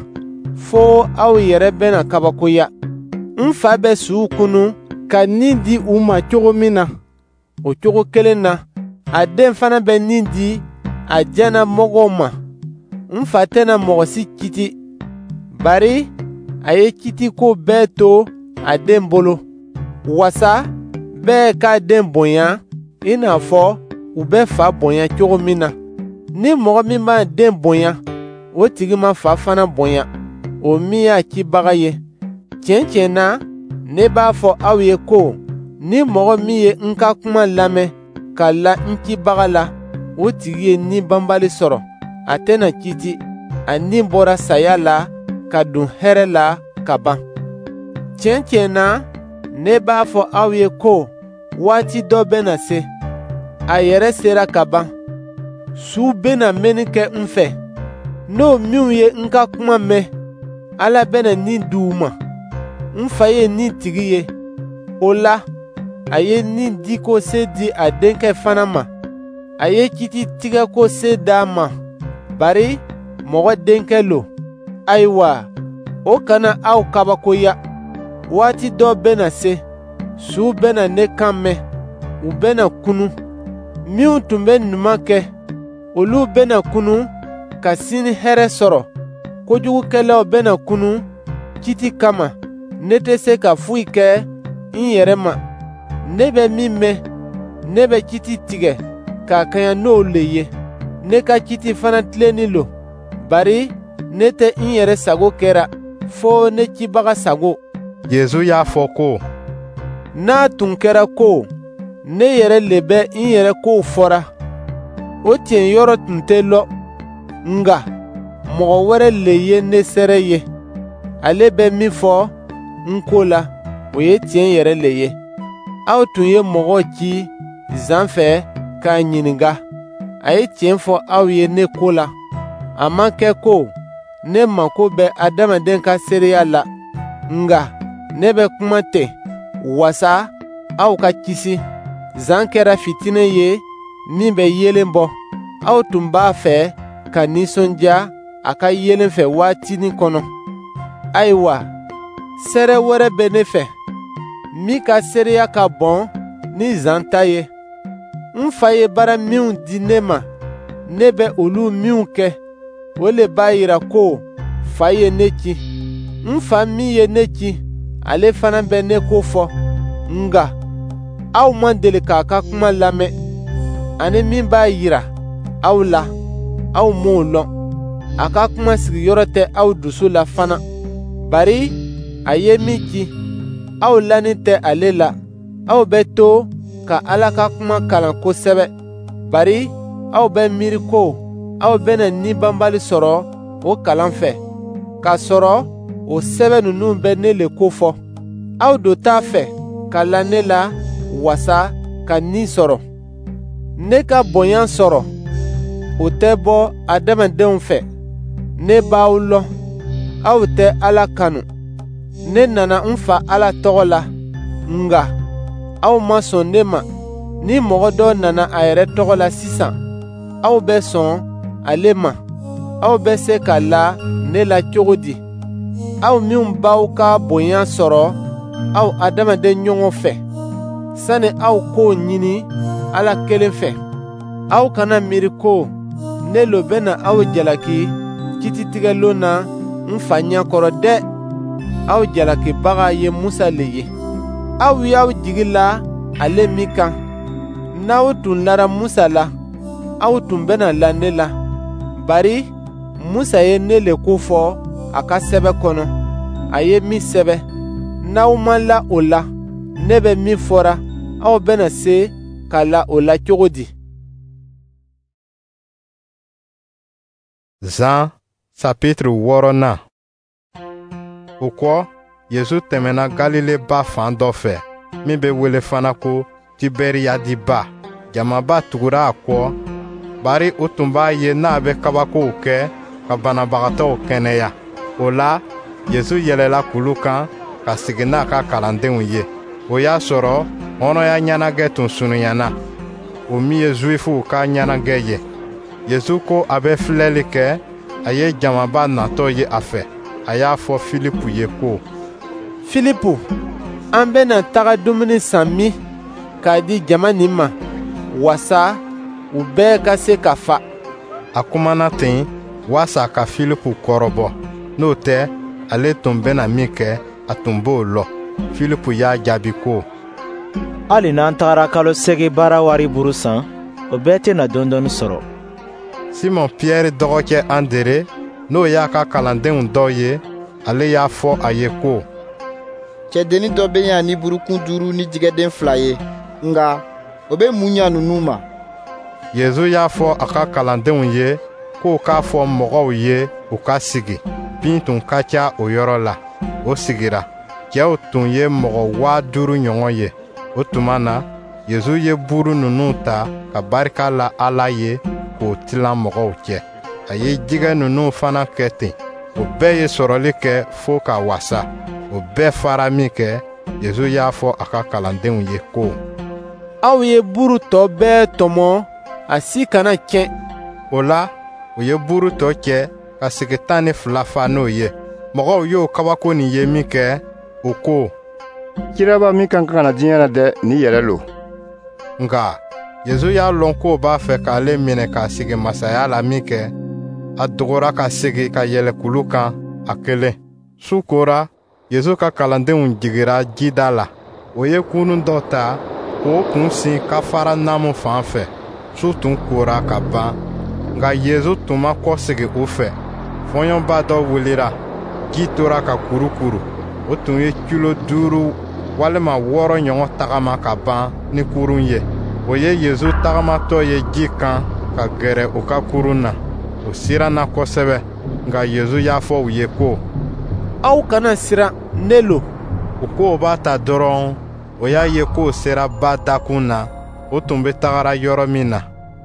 fo aw yɛrɛ bɛna kabakoya. N fa bɛ suw kunun ka ni di u ma cogo min na, o cogo kelen na, a den fana bɛ ni di a diyannamɔgɔw ma. N fa tɛna mɔgɔ si kiti, bari a ye kitiko bɛɛ to a den bolo, wasa bɛɛ k'a den bonya i n'a fɔ u bɛ fa bonya cogo min na. Ni mɔgɔ min b'a den bonya, o tigi ma fa fana bonya, o min y'a cibaga ye. Tiɲɛ tiɲɛ na, ne b'a fɔ aw ye ko ni mɔgɔ min ye n ka kuma lamɛn ka la n cibaga la, o tigi ye ni banbali sɔrɔ, a tɛna kiiti. A ni bɔra saya la ka don hɛrɛ la ka ban. Tiɲɛ tiɲɛ na, ne b'a fɔ aw ye ko waati dɔ bɛna se, a yɛrɛ sera ka ban. Su bɛna mɛnni kɛ n fɛ, n'o minw ye n ka kuma mɛn, Ala bɛna ni di u ma. N fa ye ni tigi ye, o la a ye ni diko se di a denkɛ fana ma. A ye kiti tigɛko se d'a ma, bari mɔgɔ denkɛ lo. Ayiwa, o kana aw kabakoya. Waati dɔ bɛna se, su bɛna ne kan mɛn, u bɛna kunu. Minw tun bɛ ɲuman kɛ, olu bɛna kunu ka sini hɛrɛ sɔrɔ. Kojugukɛlaw bɛna kunu kiti kama. Ne tɛ se ka foyi kɛ n yɛrɛ ma. Ne bɛ min mɛn, ne bɛ kiti tigɛ ka kaɲa n'o le ye. Ne ka kiti fana tilennin lo, bari ne tɛ n yɛrɛ sago kɛra, fo ne cibaga sago. Yezu y'a fɔ ko: N'a tun kɛra ko ne yɛrɛ le bɛ n yɛrɛ kow fɔra, o tiɲɛ yɔrɔ tun tɛ lɔ. Nka mɔgɔ wɛrɛ le ye ne seere ye. Ale bɛ min fɔ n ko la, o ye tiɲɛ yɛrɛ le ye. Aw tun ye mɔgɔ ci Zan fɛ k'a ɲininka. A ye tiɲɛ fɔ aw ye ne ko la. A ma kɛ ko ne mako bɛ adamaden ka seereya la, nka ne bɛ kuma ten wasa aw ka kisi. Zan kɛra fitinɛ ye min bɛ yeelen bɔ. Aw tun b'a fɛ ka nisɔndiya a ka yeelen fɛ waatinin kɔnɔ. Ayiwa, seere wɛrɛ bɛ ne fɛ, min ka seereya ka bon ni Zan ta ye. N fa ye baara minw di ne ma, ne bɛ olu minw kɛ, o le b'a yira ko fa ye ne ci. N fa min ye ne ci, ale fana bɛ ne ko fɔ. Nka aw ma deli k'a ka kuma lamɛn, ani min b'a yira aw la, aw m'o lɔn. A ka kuma sigiyɔrɔ tɛ aw dusu la fana, bari a ye min ci, aw lanin tɛ ale la. Aw bɛ to ka Ala ka kuma kalan kosɛbɛ, bari aw bɛ miiri ko aw bɛna ni banbali sɔrɔ o kalan fɛ, k'a sɔrɔ o sɛbɛ ninnu bɛ ne le ko fɔ. Aw do t'a fɛ ka la ne la wasa ka ni sɔrɔ. Ne ka bonya sɔrɔ, o tɛ bɔ adamadenw fɛ. Ne b'aw lɔn, aw tɛ Ala kanu. Ne nana n fa Ala tɔgɔ la, nka aw ma sɔn ne ma. Ni mɔgɔ dɔ nana a yɛrɛ tɔgɔ la sisan, aw bɛ sɔn ale ma. Aw bɛ se ka la ne la cogo di? Aw minw b'aw ka bonya sɔrɔ aw adamaden ɲɔgɔn fɛ, sani aw k'o ɲini Ala kelen fɛ. Aw kana miiri ko ne lo bɛna aw jalaki kititigɛlon na n fa ɲɛkɔrɔ dɛ. Aw jalakibaga ye Musa le ye. Aw y'aw jigi la ale min kan. N'aw tun lara Musa la, aw tun bɛna la ne la, bari Musa ye ne le ko fɔ a ka sɛbɛ kɔnɔ, a ye min sɛbɛ. N'aw ma la o la, ne bɛ min fɔra, aw bɛna se ka la o la cogo di? Zan chapitre wɔɔrɔnan. O kɔ, Yezu tɛmɛna Galile ba fan dɔ fɛ, min bɛ wele fana ko Tiberiyadi ba. Jamaba tugura a kɔ, bari u tun b'a ye n'a bɛ kabakow kɛ ka banabagatɔw kɛnɛya. O la, Yezu yɛlɛla kulu kan ka sigi n'a ka kalandenw ye. O y'a sɔrɔ hɔrɔnya ɲɛnajɛ tun surunyana, o min ye Zuwifuw ka ɲɛnajɛ ye. Yezu ko a bɛ filɛli kɛ, a ye jamaba natɔ ye a fɛ. A y'a fɔ Filipu ye ko: Filipu, an bɛna taga dumuni san min k'a di jama nin ma, wasa u bɛɛ ka se ka fa? A kumana ten waasa ka Filipu kɔrɔbɔ. N'o tɛ, ale tun bɛna min kɛ, a tun b'o lɔn. Filipu y'a jaabi ko: Hali n'an tagara kalo seegin baara wari buru san, o bɛɛ tɛna dɔɔnin sɔrɔ. Simɔn Piyɛri dɔgɔkɛ Andere, n'o y'a ka kalandenw dɔ ye, ale y'a fɔ a ye ko: Cɛdennin dɔ bɛ yan ni burukun duuru ni jɛgɛden fila ye, nka o bɛ mun ɲa ninnu ma? Yezu y'a fɔ a ka kalandenw ye k'u k'a fɔ mɔgɔw ye u ka sigi. Bin tun ka ca o yɔrɔ la. O sigira. Cɛw tun ye mɔgɔ waa duuru ɲɔgɔn ye. O tuma na, Yezu ye buru ninnu ta ka barika la Ala ye k'o tilan mɔgɔw cɛ. A ye jɛgɛ ninnu fana kɛ ten. O bɛɛ ye sɔrɔli kɛ fo ka wasa. O bɛɛ fara minkɛ, Yezu y'a fɔ a ka kalandenw ye ko: Aw ye buru tɔ bɛɛ tɔmɔ, a si kana tiɲɛ. O la, u ye buru tɔ cɛ ka segi tan ni fila fa n'o ye. Mɔgɔw y'o kabako nin ye minkɛ, u ko: Kiraba min ka kan ka na diɲɛ na dɛ, nin yɛrɛ lo. Nka Yezu y'a lɔn k'o b'a fɛ k'ale minɛ k'a sigi masaya la minkɛ, a dogora ka segin ka yɛlɛ kulu kan a kelen. Su kora, Yezu ka kalandenw jigira jida la. O ye kurun dɔ ta k'o kun sin Kafaranamu fan fɛ. Su tun kora ka ban, nka Yezu tun ma kɔsegin u fɛ. Fɔɲɔba dɔ wulila, ji tora ka kurukuru. O tun ye kilo duuru walima wɔɔrɔ ɲɔgɔn tagama ka ban ni kurun ye. O ye Yezu tagamatɔ ye ji kan ka gɛrɛ u ka kurun na. O siranna kosɛbɛ, nka Yezu y'a fɔ u ye ko: Aw kana siran, ne lo. U k'o b'a ta dɔrɔn, o y'a ye k'o sera ba dakun na, o tun bɛ tagara yɔrɔ min na.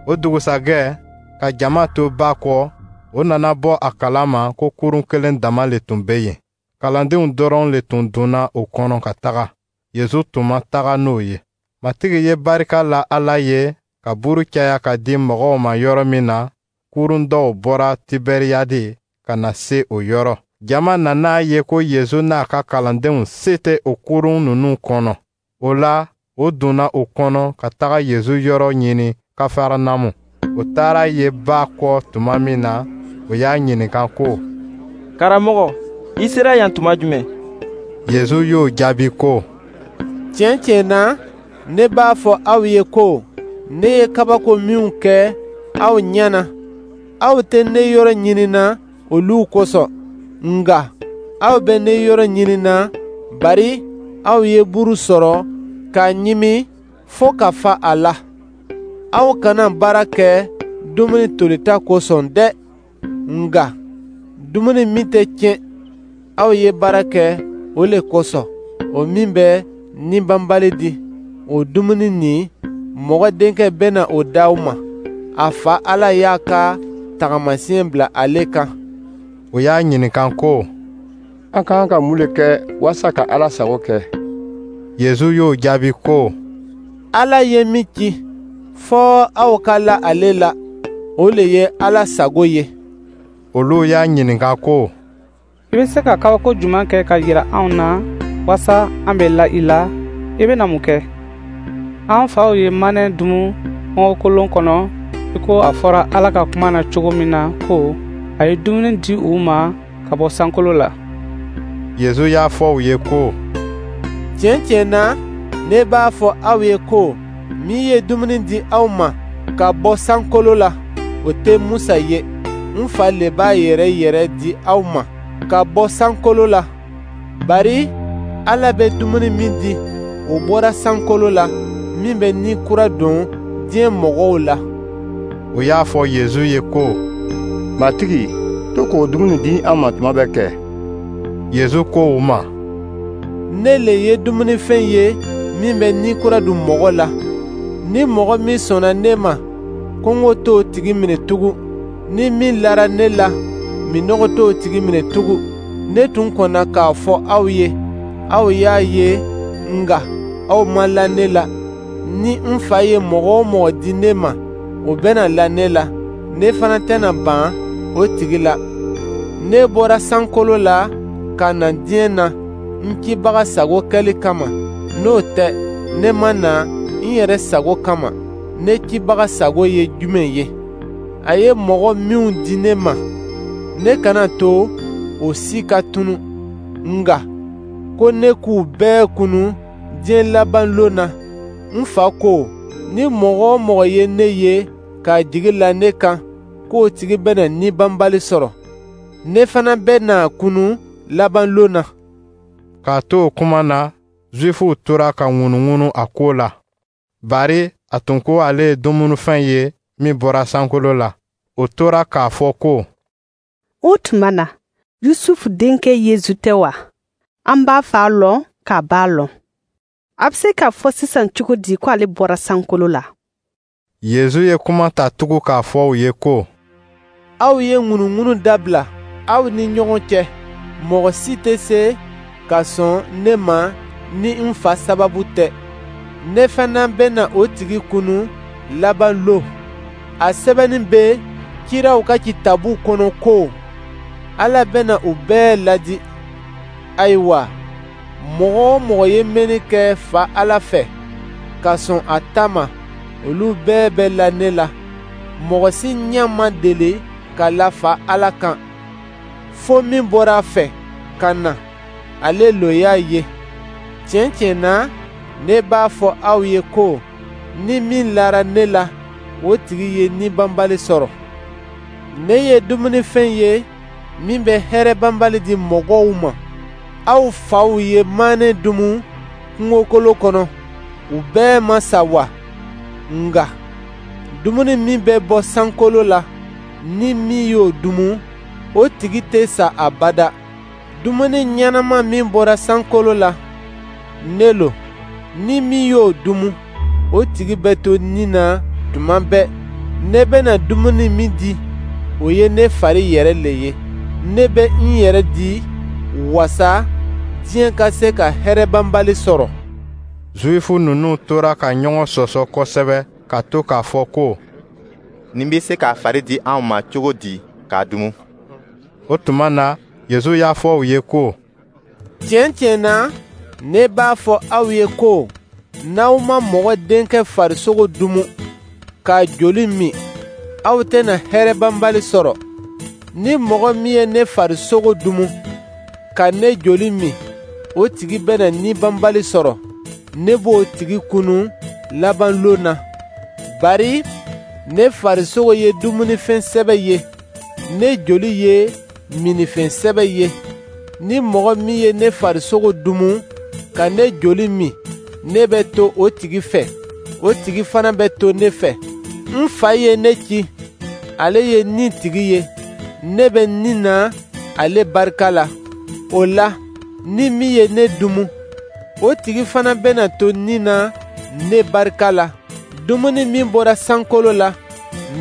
O dugusajɛ, ka jama to ba kɔ, o nana bɔ a kalama ko kurun kelen dama le tun bɛ yen. Kalandenw dɔrɔn le tun donna o kɔnɔ ka taga. Yezu tun ma taga n'o ye. Matigi ye barika la Ala ye ka buru caya ka di mɔgɔw ma yɔrɔ min na, kurun dɔw bɔra Tiberiyadi ka na se o yɔrɔ. Jama nana a ye ko Yezu n'a ka kalandenw se tɛ o kurun ninnu kɔnɔ. O la, o donna o kɔnɔ ka taga Yezu yɔrɔ ɲini Kafaranamu. O taara ye ba kɔ tuma min na, o y'a ɲininka ko: Karamɔgɔ, i sera yan tuma jumɛn? Yezu y'o jaabi ko: Tiɲɛ tiɲɛ na, ne b'a fɔ aw ye ko ne ye kabako minw kɛ aw ɲɛ na, aw tɛ ne yɔrɔ ɲinina olu kosɔn, nka aw bɛ ne yɔrɔ ɲinina bari aw ye buru sɔrɔ k'a ɲimi fo ka fa a la. Aw kana baara kɛ dumuni tolita kosɔn dɛ, nka dumuni min tɛ tiɲɛ, aw ye baara kɛ o le kosɔn, o min bɛ ni banbali di. O dumuni nin, Mɔgɔ Denkɛ bɛna o d'aw ma. A Fa Ala y'a ka tagamasiyɛn bila ale kan. O y'a ɲininka ko: An ka kan ka mun le kɛ walasa ka Ala sago kɛ? Yezu y'o jaabi ko: Ala ye min ci, fɔ aw ka la ale la, o le ye Ala sago ye. Olu y'a ɲininka ko: I bɛ se ka kabako jumɛn kɛ ka jira anw na walasa an bɛ la i la? I bɛna mun kɛ? An faw ye manɛ dumu kungokolon kɔnɔ, i ko a fɔra Ala ka kuma na cogo min na ko a ye dumuni di u ma ka bɔ sankolo la. Yezu y'a fɔ u ye ko: Tiɲɛ tiɲɛ na, ne b'a fɔ aw ye ko min ye dumuni di aw ma ka bɔ sankolo la, o tɛ Musa ye. N Fa le b'a yɛrɛ yɛrɛ di aw ma ka bɔ sankolo la. Bari Ala bɛ dumuni min di, o bɔra sankolo la, min bɛ ni kura don diɲɛ mɔgɔw la. O y'a fɔ Yezu ye ko: Matigi, to k'o dumuni di an ma tuma bɛɛ kɛ. Yezu ko u ma: Ne le ye dumunifɛn ye min bɛ ni kura don mɔgɔ la. Ni mɔgɔ min sɔnna ne ma, kɔngɔ t'o tigi minɛ tugun. Ni min lara ne la, minnɔgɔ t'o tigi minɛ tugun. Ne tun kɔnna k'a fɔ aw ye, aw y'a ye, nka aw ma la ne la. Ni n Fa ye mɔgɔ o mɔgɔ di ne ma, o bɛna la ne la. Ne fana tɛna ban o tigi la. Ne bɔra sankolo la ka na diɲɛ na n cibaga sago kɛli kama. N'o tɛ, ne ma na n yɛrɛ sago kama. Ne cibaga sago ye jumɛn ye? A ye mɔgɔ minw di ne ma, ne kana to o si ka tunu, nka ko ne k'u bɛɛ kunu diɲɛ laban lon na. N Fa ko, ni mɔgɔ o mɔgɔ ye ne ye k'a jigi la ne kan, k'o tigi bɛna ni banbali sɔrɔ. Ne fana bɛna kunu laban lon na. K'a to o kuma na, Zuwifuw tora ka ŋunuŋunu a ko la, bari a tun ko ale ye dumunifɛn ye min bɔra sankolo la. O tora k'a fɔ ko: O tuma na, Yusufu denkɛ Yezu tɛ wa? An b'a fa lɔn k'a ba lɔn. A bɛ se k'a fɔ sisan cogo di ko ale bɔra sankolo la? Yezu ye kuma ta tugun k'a fɔ u ye ko: Aw ye ŋunuŋunu dabila aw ni ɲɔgɔn cɛ. Mɔgɔ si tɛ se ka sɔn ne ma ni n fa sababu tɛ. Ne fana bɛna o tigi kunu laban lon. A sɛbɛnnin bɛ kiraw ka kitabu kɔnɔ ko Ala bɛna u bɛɛ ladi. Ayiwa, mɔgɔ o mɔgɔ ye mɛnni kɛ Fa Ala fɛ, ka sɔn a ta ma, olu bɛɛ bɛ la ne la. Mɔgɔ si ɲɛ ma deli ka la Fa Ala kan, fo min bɔra a fɛ ka na, ale lo y'a ye. Tiɲɛ tiɲɛ na, ne b'a fɔ aw ye ko ni min lara ne la, o tigi ye ni banbali sɔrɔ. Ne ye dumunifɛn ye min bɛ hɛrɛ banbali di mɔgɔw ma. Aw faw ye manɛ dumu kungokolon kɔnɔ, u bɛɛ ma sa wa? Nka dumuni min bɛ bɔ sankolo la, ni min y'o dumu, o tigi tɛ sa abada. Dumuni ɲɛnama min bɔra sankolo la, ne lo. Ni min y'o dumu, o tigi bɛ to ni na tuma bɛɛ. Ne bɛna dumuni min di, o ye ne fari yɛrɛ le ye. Ne bɛ n yɛrɛ di wasa diɲɛ ka se ka hɛrɛ banbali sɔrɔ. Zuwifu ninnu tora ka ɲɔgɔn sɔsɔ kosɛbɛ ka to k'a fɔ ko: Nin bɛ se k'a fari di anw ma cogo di k'a dumu? O tuma na, Yezu y'a fɔ u ye ko: Tiɲɛ tiɲɛ na, ne b'a fɔ aw ye ko n'aw ma Mɔgɔ Denkɛ farisogo dumu, k'a joli min, aw tɛna hɛrɛ banbali sɔrɔ. Ni mɔgɔ min ye ne farisogo dumu, ka ne joli min, o tigi bɛna ni banbali sɔrɔ. Ne b'o tigi kunu laban lon na. Bari ne farisogo ye dumunifɛn sɛbɛ ye, ne joli ye minnifɛn sɛbɛ ye. Ni mɔgɔ min ye ne farisogo dumu, ka ne joli min, ne bɛ to o tigi fɛ, o tigi fana bɛ to ne fɛ. N fa ye ne ci, ale ye ni tigi ye, ne bɛ ni na ale barika la. O la, ni min ye ne dumu, o tigi fana bɛna to ni na ne barika la. Dumuni min bɔra sankolo la,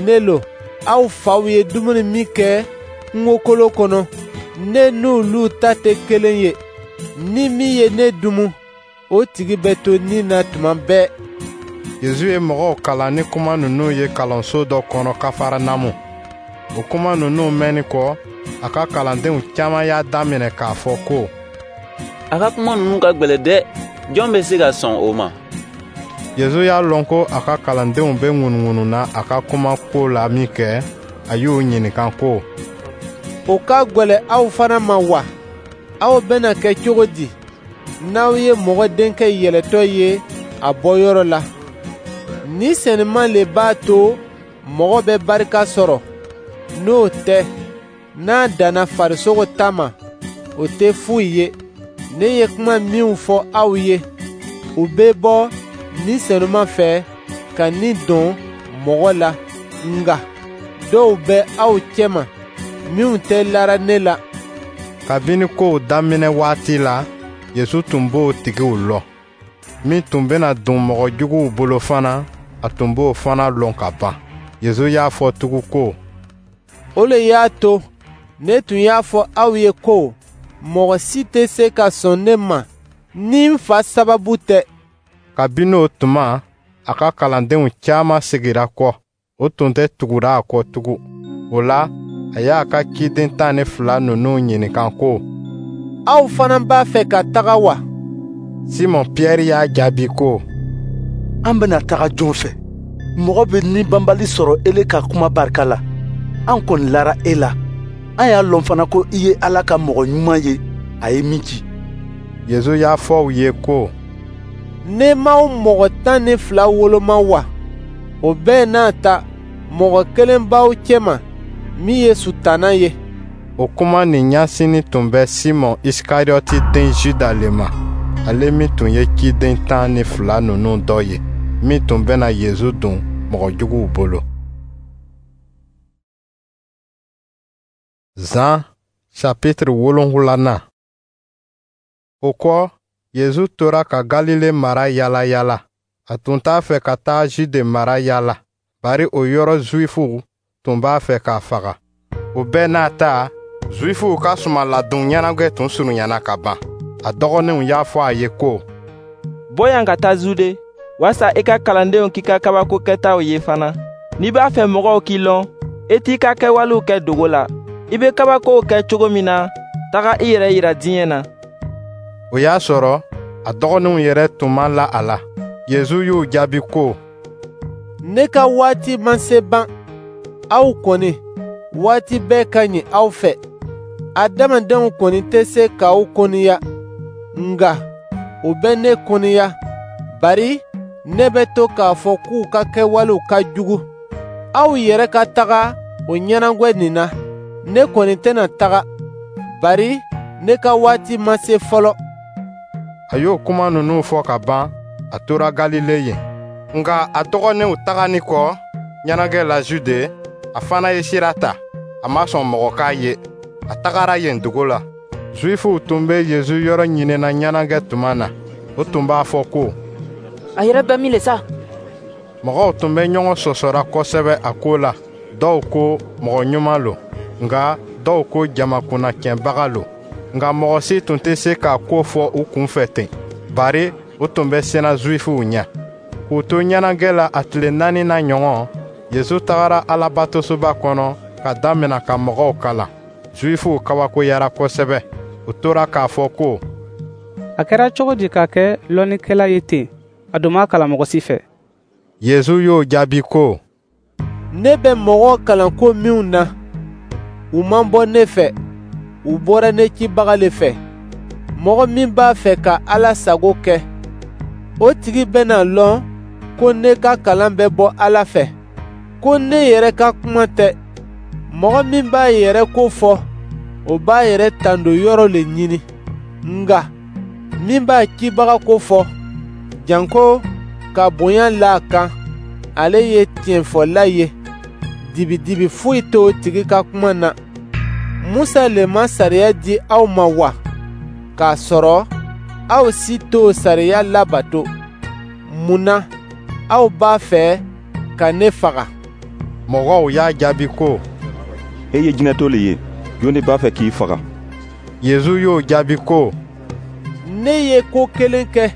ne lo. Aw faw ye dumuni min kɛ kungokolon kɔnɔ, ne n'olu ta tɛ kelen ye. Ni min ye ne dumu, o tigi bɛ to ni na tuma bɛɛ. Yezu ye mɔgɔw kalan ni kuma ninnu ye kalanso dɔ kɔnɔ Kafaranamu. O kuma ninnu mɛnni kɔ, a ka kalandenw caman y'a daminɛ k'a fɔ ko: A ka kuma ninnu ka gwɛlɛ dɛ! Jɔn bɛ se ka sɔn o ma? Yezu y'a lɔn ko a ka kalandenw bɛ ŋunuŋununa a ka kuma ko la minkɛ, a y'u ɲininka ko: O ka gwɛlɛ aw fana ma wa? Aw bɛna kɛ cogo di n'aw ye Mɔgɔ Denkɛ yɛlɛtɔ ye a bɔyɔrɔ la? Ni senuma le b'a to mɔgɔ bɛ barika sɔrɔ. N'o tɛ, n'a danna farisogo ta ma, o tɛ foyi ye. Ne ye kuma minw fɔ aw ye, u bɛ bɔ Ni Senuma fɛ ka ni don mɔgɔ la. Nka dɔw bɛ aw cɛma minw tɛ lara ne la. Kabini kow daminɛ waati la, Yezu tun b'o tigiw lɔn. Min tun bɛna don mɔgɔ juguw bolo fana, a tun b'o fana lɔn ka ban. Yezu y'a fɔ tugun ko: O le y'a to ne tun y'a fɔ aw ye ko mɔgɔ si tɛ se ka sɔn ne ma ni n fa sababu tɛ. Kabini o tuma, a ka kalandenw caman segira kɔ, o tun tɛ tugura a kɔ tugun. O la, a y'a ka ciden tan ni fila ninnu ɲininka ko: Aw fana b'a fɛ ka taga wa? Simɔn Piyɛri y'a jaabi ko: An bɛna taga jɔn fɛ? Mɔgɔ bɛ ni banbali sɔrɔ ele ka kuma barika la. An kɔni lara e la. An y'a lɔn fana ko i ye Ala ka mɔgɔ ɲuman ye, a ye min ci. Yezu y'a fɔ u ye ko: Ne m'aw mɔgɔ tan ni fila woloma wa? O bɛɛ n'a ta, mɔgɔ kelen b'aw cɛma min ye Sutana ye. O kuma nin ɲɛsinnin tun bɛ Simɔn Isikariyɔti den Juda le ma, ale min tun ye ciden tan ni fila ninnu dɔ ye, min tun bɛna Yezu don mɔgɔ juguw bolo. Zan chapitre wolonwulanan. O kɔ, Yezu tora ka Galile mara yala yala. A tun t'a fɛ ka taa Jude mara yala, bari o yɔrɔ Zuwifuw tun b'a fɛ k'a faga. O bɛɛ n'a ta, Zuwifuw ka sumanladon ɲɛnajɛ tun surunyana ka ban. A dɔgɔninw y'a fɔ a ye ko: «Bɔ yan ka taa Zude, waasa i ka kalandenw k'i ka kabako kɛtaw ye fana. N'i b'a fɛ mɔgɔw k'i lɔn, i t'i ka kɛwalew kɛ dogo la. I bɛ kabakow kɛ cogo min na, taga i yɛrɛ yira diɲɛ na.» O y'a sɔrɔ a dɔgɔninw yɛrɛ tun ma la a la. Yezu y'u jaabi ko: «Ne ka waati ma se ban. Aw kɔni, waati bɛɛ ka ɲi aw fɛ. Adamadenw kɔni tɛ se k'aw kɔniya, nka u bɛ ne kɔniya, bari ne bɛ to k'a fɔ k'u ka kɛwalew ka jugu. Aw yɛrɛ ka taga o ɲɛnajɛ nin na. Ne kɔni tɛna taga, bari ne ka waati ma se fɔlɔ.» A y'o kuma ninnu fɔ ka ban, a tora Galile yen. Nka a dɔgɔninw taganin kɔ ɲɛnajɛ la Jude, a fana ye sira ta. A ma sɔn mɔgɔ k'a ye. A tagara yen dogo la. Zuwifuw tun bɛ Yezu yɔrɔ ɲinina ɲɛnajɛ tuma na. O tun b'a fɔ ko: «A yɛrɛ bɛ min le sa?» Mɔgɔw tun bɛ ɲɔgɔn sɔsɔra kosɛbɛ a ko la. Dɔw ko mɔgɔ ɲuman lo, nka dɔw ko jama kunnacɛnbaga lo. Nka mɔgɔ si tun tɛ se k'a ko fɔ u kunfɛ ten, bari o tun bɛ siran Zuwifuw ɲɛ. K'u to ɲɛnajɛ la a tile naaninan ɲɔgɔn, Yezu tagara Alabatosoba kɔnɔ ka damina ka mɔgɔw kalan. Zuwifuw kabakoyara kosɛbɛ. U tora k'a fɔ ko: «A kɛra cogo di ka kɛ lɔnnikɛla ye ten? A dun ma kalan mɔgɔ si fɛ.» Yezu y'o jaabi ko: «Ne bɛ mɔgɔw kalan ko minw na, u ma bɔ ne fɛ, u bɔra ne cibaga le fɛ. Mɔgɔ min b'a fɛ ka Ala sago kɛ, o tigi bɛna lɔn ko ne ka kalan bɛ bɔ Ala fɛ, ko ne yɛrɛ ka kuma tɛ. Mɔgɔ min b'a yɛrɛ ko fɔ, o b'a yɛrɛ tando yɔrɔ le ɲini. Nka min b'a cibaga ko fɔ, janko ka bonya la a kan, ale ye tiɲɛfɔla ye. Dibidibi foyi t'o tigi ka kuma na. Musa le ma sariya di aw ma wa? K'a sɔrɔ aw si t'o sariya labato. Mun na aw b'a fɛ ka ne faga?» Mɔgɔw y'a jaabi ko: «E ye jinɛtɔ le ye. Jɔn de b'a fɛ k'i faga?» Yezu y'o jaabi ko: «Ne ye ko kelen kɛ,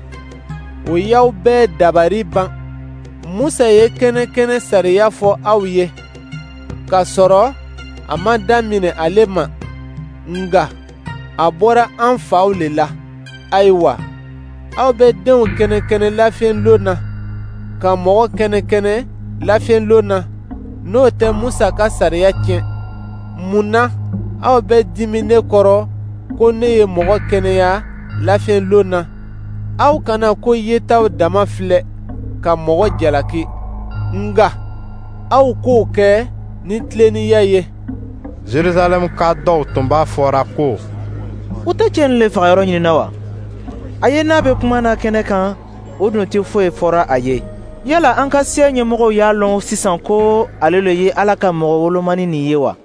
o y'aw bɛɛ dabari ban. Musa ye kɛnɛ-kɛnɛ sariya fɔ aw ye, k'a sɔrɔ a ma daminɛ ale ma, nka a bɔra an faw le la. Ayiwa, aw bɛ denw kɛnɛ-kɛnɛ lafiɲɛlon na, ka mɔgɔ kɛnɛ-kɛnɛ lafiɲɛlon na, n'o tɛ Musa ka sariya tiɲɛ. Mun na aw bɛ dimin ne kɔrɔ ko ne ye mɔgɔ kɛnɛya lafiɲɛlon na? Aw kana ko yetaw dama filɛ ka mɔgɔ jalaki, nka aw k'o kɛ ni tilennenya ye.» Jerusalɛmka dɔw tun b'a fɔra ko: «U tɛ cɛ nin le fagayɔrɔ ɲinina wa? A ye n'a bɛ kuma na kɛnɛ kan, o dun tɛ foyi fɔra a ye. Yala an ka siya ɲɛmɔgɔw y'a lɔn sisan ko ale le ye Ala ka mɔgɔ wolomani nin ye wa?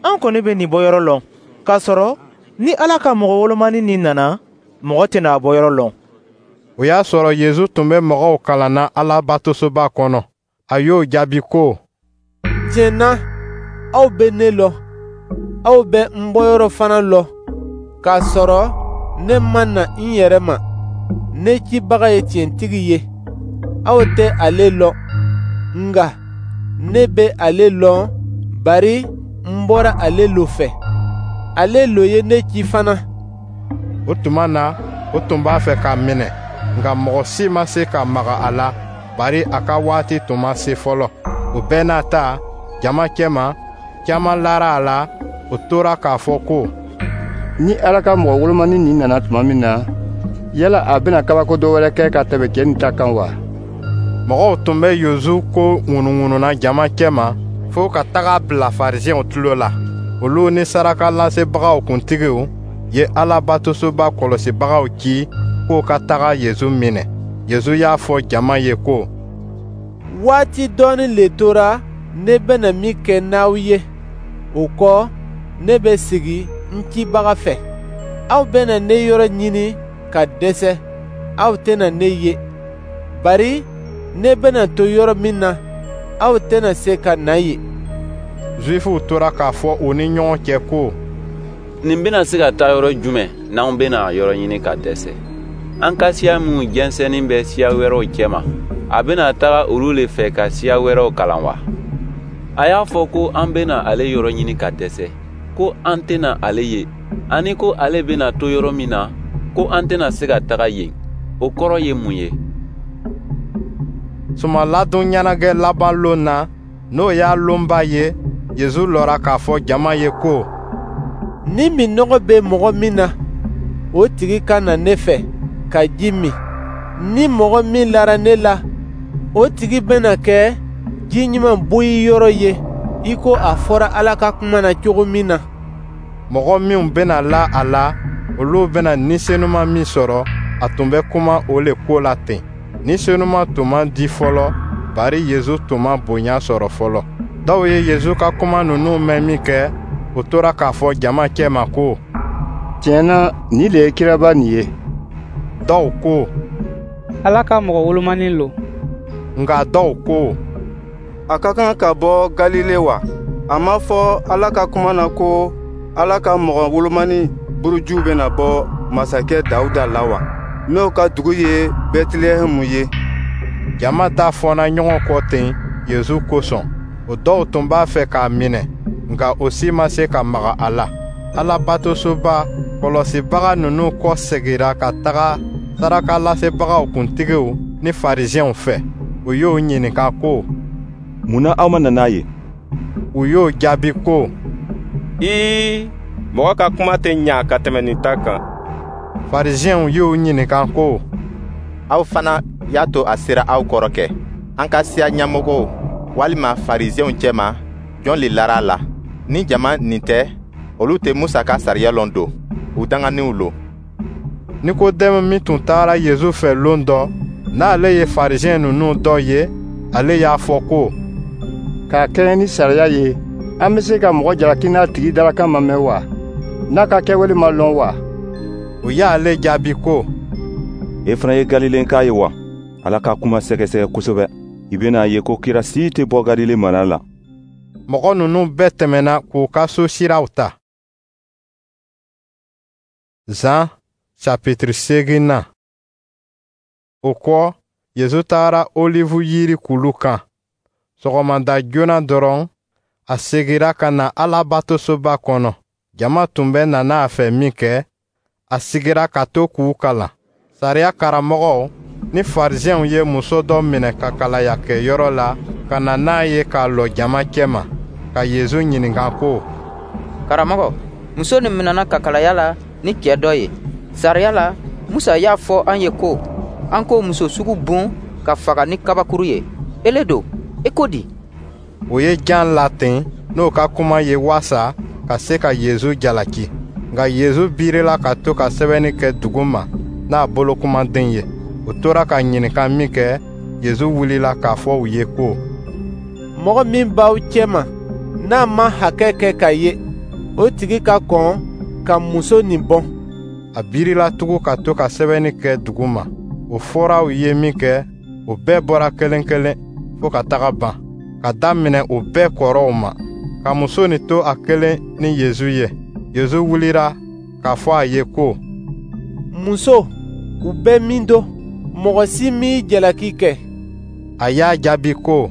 An kɔni bɛ nin bɔyɔrɔ lɔn, k'a sɔrɔ ni Ala ka mɔgɔ wolomani nin nana, mɔgɔ tɛna a bɔyɔrɔ lɔn.» O y'a sɔrɔ Yezu tun bɛ mɔgɔw kalanna Alabatosoba kɔnɔ. A y'o jaabi ko: «Tiɲɛ na, aw bɛ ne lɔn, aw bɛ n bɔyɔrɔ fana lɔn, k'a sɔrɔ ne ma na n yɛrɛ ma. Ne cibaga ye tiɲɛtigi ye, aw tɛ ale lɔn, nka ne bɛ ale lɔn, bari n bɔra ale lo fɛ. Ale lo ye ne ci fana.» O tuma na, o tun b'a fɛ k'a minɛ, nka mɔgɔ si ma se ka maga a la, bari a ka waati tun ma se fɔlɔ. O bɛɛ n'a ta, jama cɛma, caman lara a la, o tora k'a fɔ ko: «Ni Ala ka mɔgɔ wolomani nin nana tuma min na, yala a bɛna kabako dɔ wɛrɛ kɛ ka tɛmɛ cɛ nin ta kan wa?» Mɔgɔw tun bɛ Yezu ko ŋunuŋununa jama cɛma fo ka taga bila Farisiɛnw tulo la. Olu ni sarakalasebagaw kuntigiw ye Alabatosoba kɔlɔsibagaw ci k'o ka taga Yezu minɛ. Yezu y'a fɔ jama ye ko: «Waati dɔɔnin le tora ne bɛna min kɛ n'aw ye, o kɔ, ne bɛ sigi n cibaga fɛ. Aw bɛna ne yɔrɔ ɲini ka dɛsɛ, aw tɛna ne ye. Bari ne bɛna to yɔrɔ min na, aw tɛna se ka na yen. Zuwifuw tora k'a fɔ u ni ɲɔgɔn cɛ ko: Nin bɛna se ka taa yɔrɔ jumɛn n'anw bɛna a yɔrɔ ɲini ka dɛsɛ? An ka siya minw jɛnsɛnnin bɛ siya wɛrɛw cɛma, a bɛna taga olu le fɛ ka siya wɛrɛw kalan wa? A y'a fɔ ko an bɛna ale yɔrɔ ɲini ka dɛsɛ, ko an tɛna ale ye, ani ko ale bɛna to yɔrɔ min na, ko an tɛna se ka taga yen. O kɔrɔ ye mun ye? Sumanladon ɲɛnajɛ laban lon na, n'o y'a lonba ye, Yezu lɔra k'a fɔ jama ye ko: Ni minnɔgɔ bɛ mɔgɔ min na, o tigi ka na ne fɛ ka ji min. Ni mɔgɔ min lara ne la, o tigi bɛna kɛ ji ɲuman boyi yɔrɔ ye, i ko a fɔra Ala ka kuma na cogo min na. Mɔgɔ minw bɛna la a la, olu bɛna Ni Senuma min sɔrɔ, a tun bɛ kuma o le ko la ten. Ni Senuma tun ma di fɔlɔ, bari Yezu tun ma bonya sɔrɔ fɔlɔ. Dɔw ye Yezu ka kuma ninnu mɛn minkɛ, u tora k'a fɔ jama cɛma ko: Tiɲɛ na, nin le ye kiraba nin ye. Dɔw ko: Ala ka mɔgɔ wolomanin lo. Nka dɔw ko: A ka kan ka bɔ Galile wa? A ma fɔ Ala ka kuma na ko Ala ka mɔgɔ wolomani buruju bɛna bɔ masakɛ Dawuda la wa, n'o ka dugu ye Bɛtilɛhɛmu ye? Jama da fɔna ɲɔgɔn kɔ ten Yezu kosɔn. O dɔw tun b'a fɛ k'a minɛ, nka o si ma se ka maga a la. Alabatosoba kɔlɔsibaga ninnu kɔsegira ka taga sarakalasebagaw kuntigiw ni Farisiɛnw fɛ. U y'o ɲininka ko: Mun na aw ma na n'a ye? U y'o jaabi ko: Ii, mɔgɔ ka kuma tɛ ɲa ka tɛmɛ nin ta kan. Farisiɛnw y'u ɲininka ko: Aw fana y'a to a sera aw kɔrɔ kɛ? An ka siya ɲɛmɔgɔw walima Farisiɛnw cɛma, jɔn le lara a la? Ni jama nin tɛ, olu tɛ Musa ka sariya lɔn don, u danganinw lo. Nikodɛmu min tun tagara Yezu fɛ lon dɔ, n'ale ye Farisiɛn ninnu dɔ ye, ale y'a fɔ ko: K'a kɛɲɛ ni sariya ye, an bɛ se ka mɔgɔ jalaki n'a tigi dalakan ma mɛn wa, n'a ka kɛwale ma lɔn wa? U y'ale jaabi ko: E fana ye Galilenka ye wa? Ala ka kuma sɛgɛsɛgɛ kosɛbɛ, i bɛna a ye ko kira si tɛ bɔ Galile mara la. Mɔgɔ ninnu bɛɛ tɛmɛna k'u ka so siraw ta. Zan chapitre seeginnan. O kɔ, Yezu tagara Olivu yiri kulu kan. Sɔgɔmada joona dɔrɔn, a segira ka na Alabatosoba kɔnɔ. Jama tun bɛ nana a fɛ minkɛ, a sigira ka to k'u kalan. Sariya karamɔgɔw ni Farisiɛnw ye muso dɔ minɛ ka kalaya kɛ yɔrɔ la ka na n'a ye k'a lɔ jama cɛma, ka Yezu ɲininka ko: Karamɔgɔ, muso nin minɛna kakalaya la ni cɛ dɔ ye. Sariya la, Musa y'a fɔ an ye ko an k'o muso sugu bon ka faga ni kabakuru ye. Ele don, i ko di? O ye jan laten n'o ka kuma ye waasa ka se ka Yezu jalaki. Nka Yezu birila ka to ka sɛbɛnni kɛ duguma n'a bolokumaden ye. U tora ka ɲininka minkɛ, Yezu wulila k'a fɔ u ye ko: Mɔgɔ min b'aw cɛma, n'a ma hakɛ kɛ ka ye, o tigi ka kɔn ka muso nin bɔn. A birila tugun ka to ka sɛbɛnni kɛ duguma. O fɔra u ye minkɛ, o bɛɛ bɔra kelen kelen fo ka taga ban, ka daminɛ o bɛɛ kɔrɔw ma, ka muso nin to a kelen ni Yezu ye. Yezu wulila k'a fɔ a ye ko: Muso, u bɛ min don? Mɔgɔ si m'i jalaki kɛ. A y'a jaabi ko: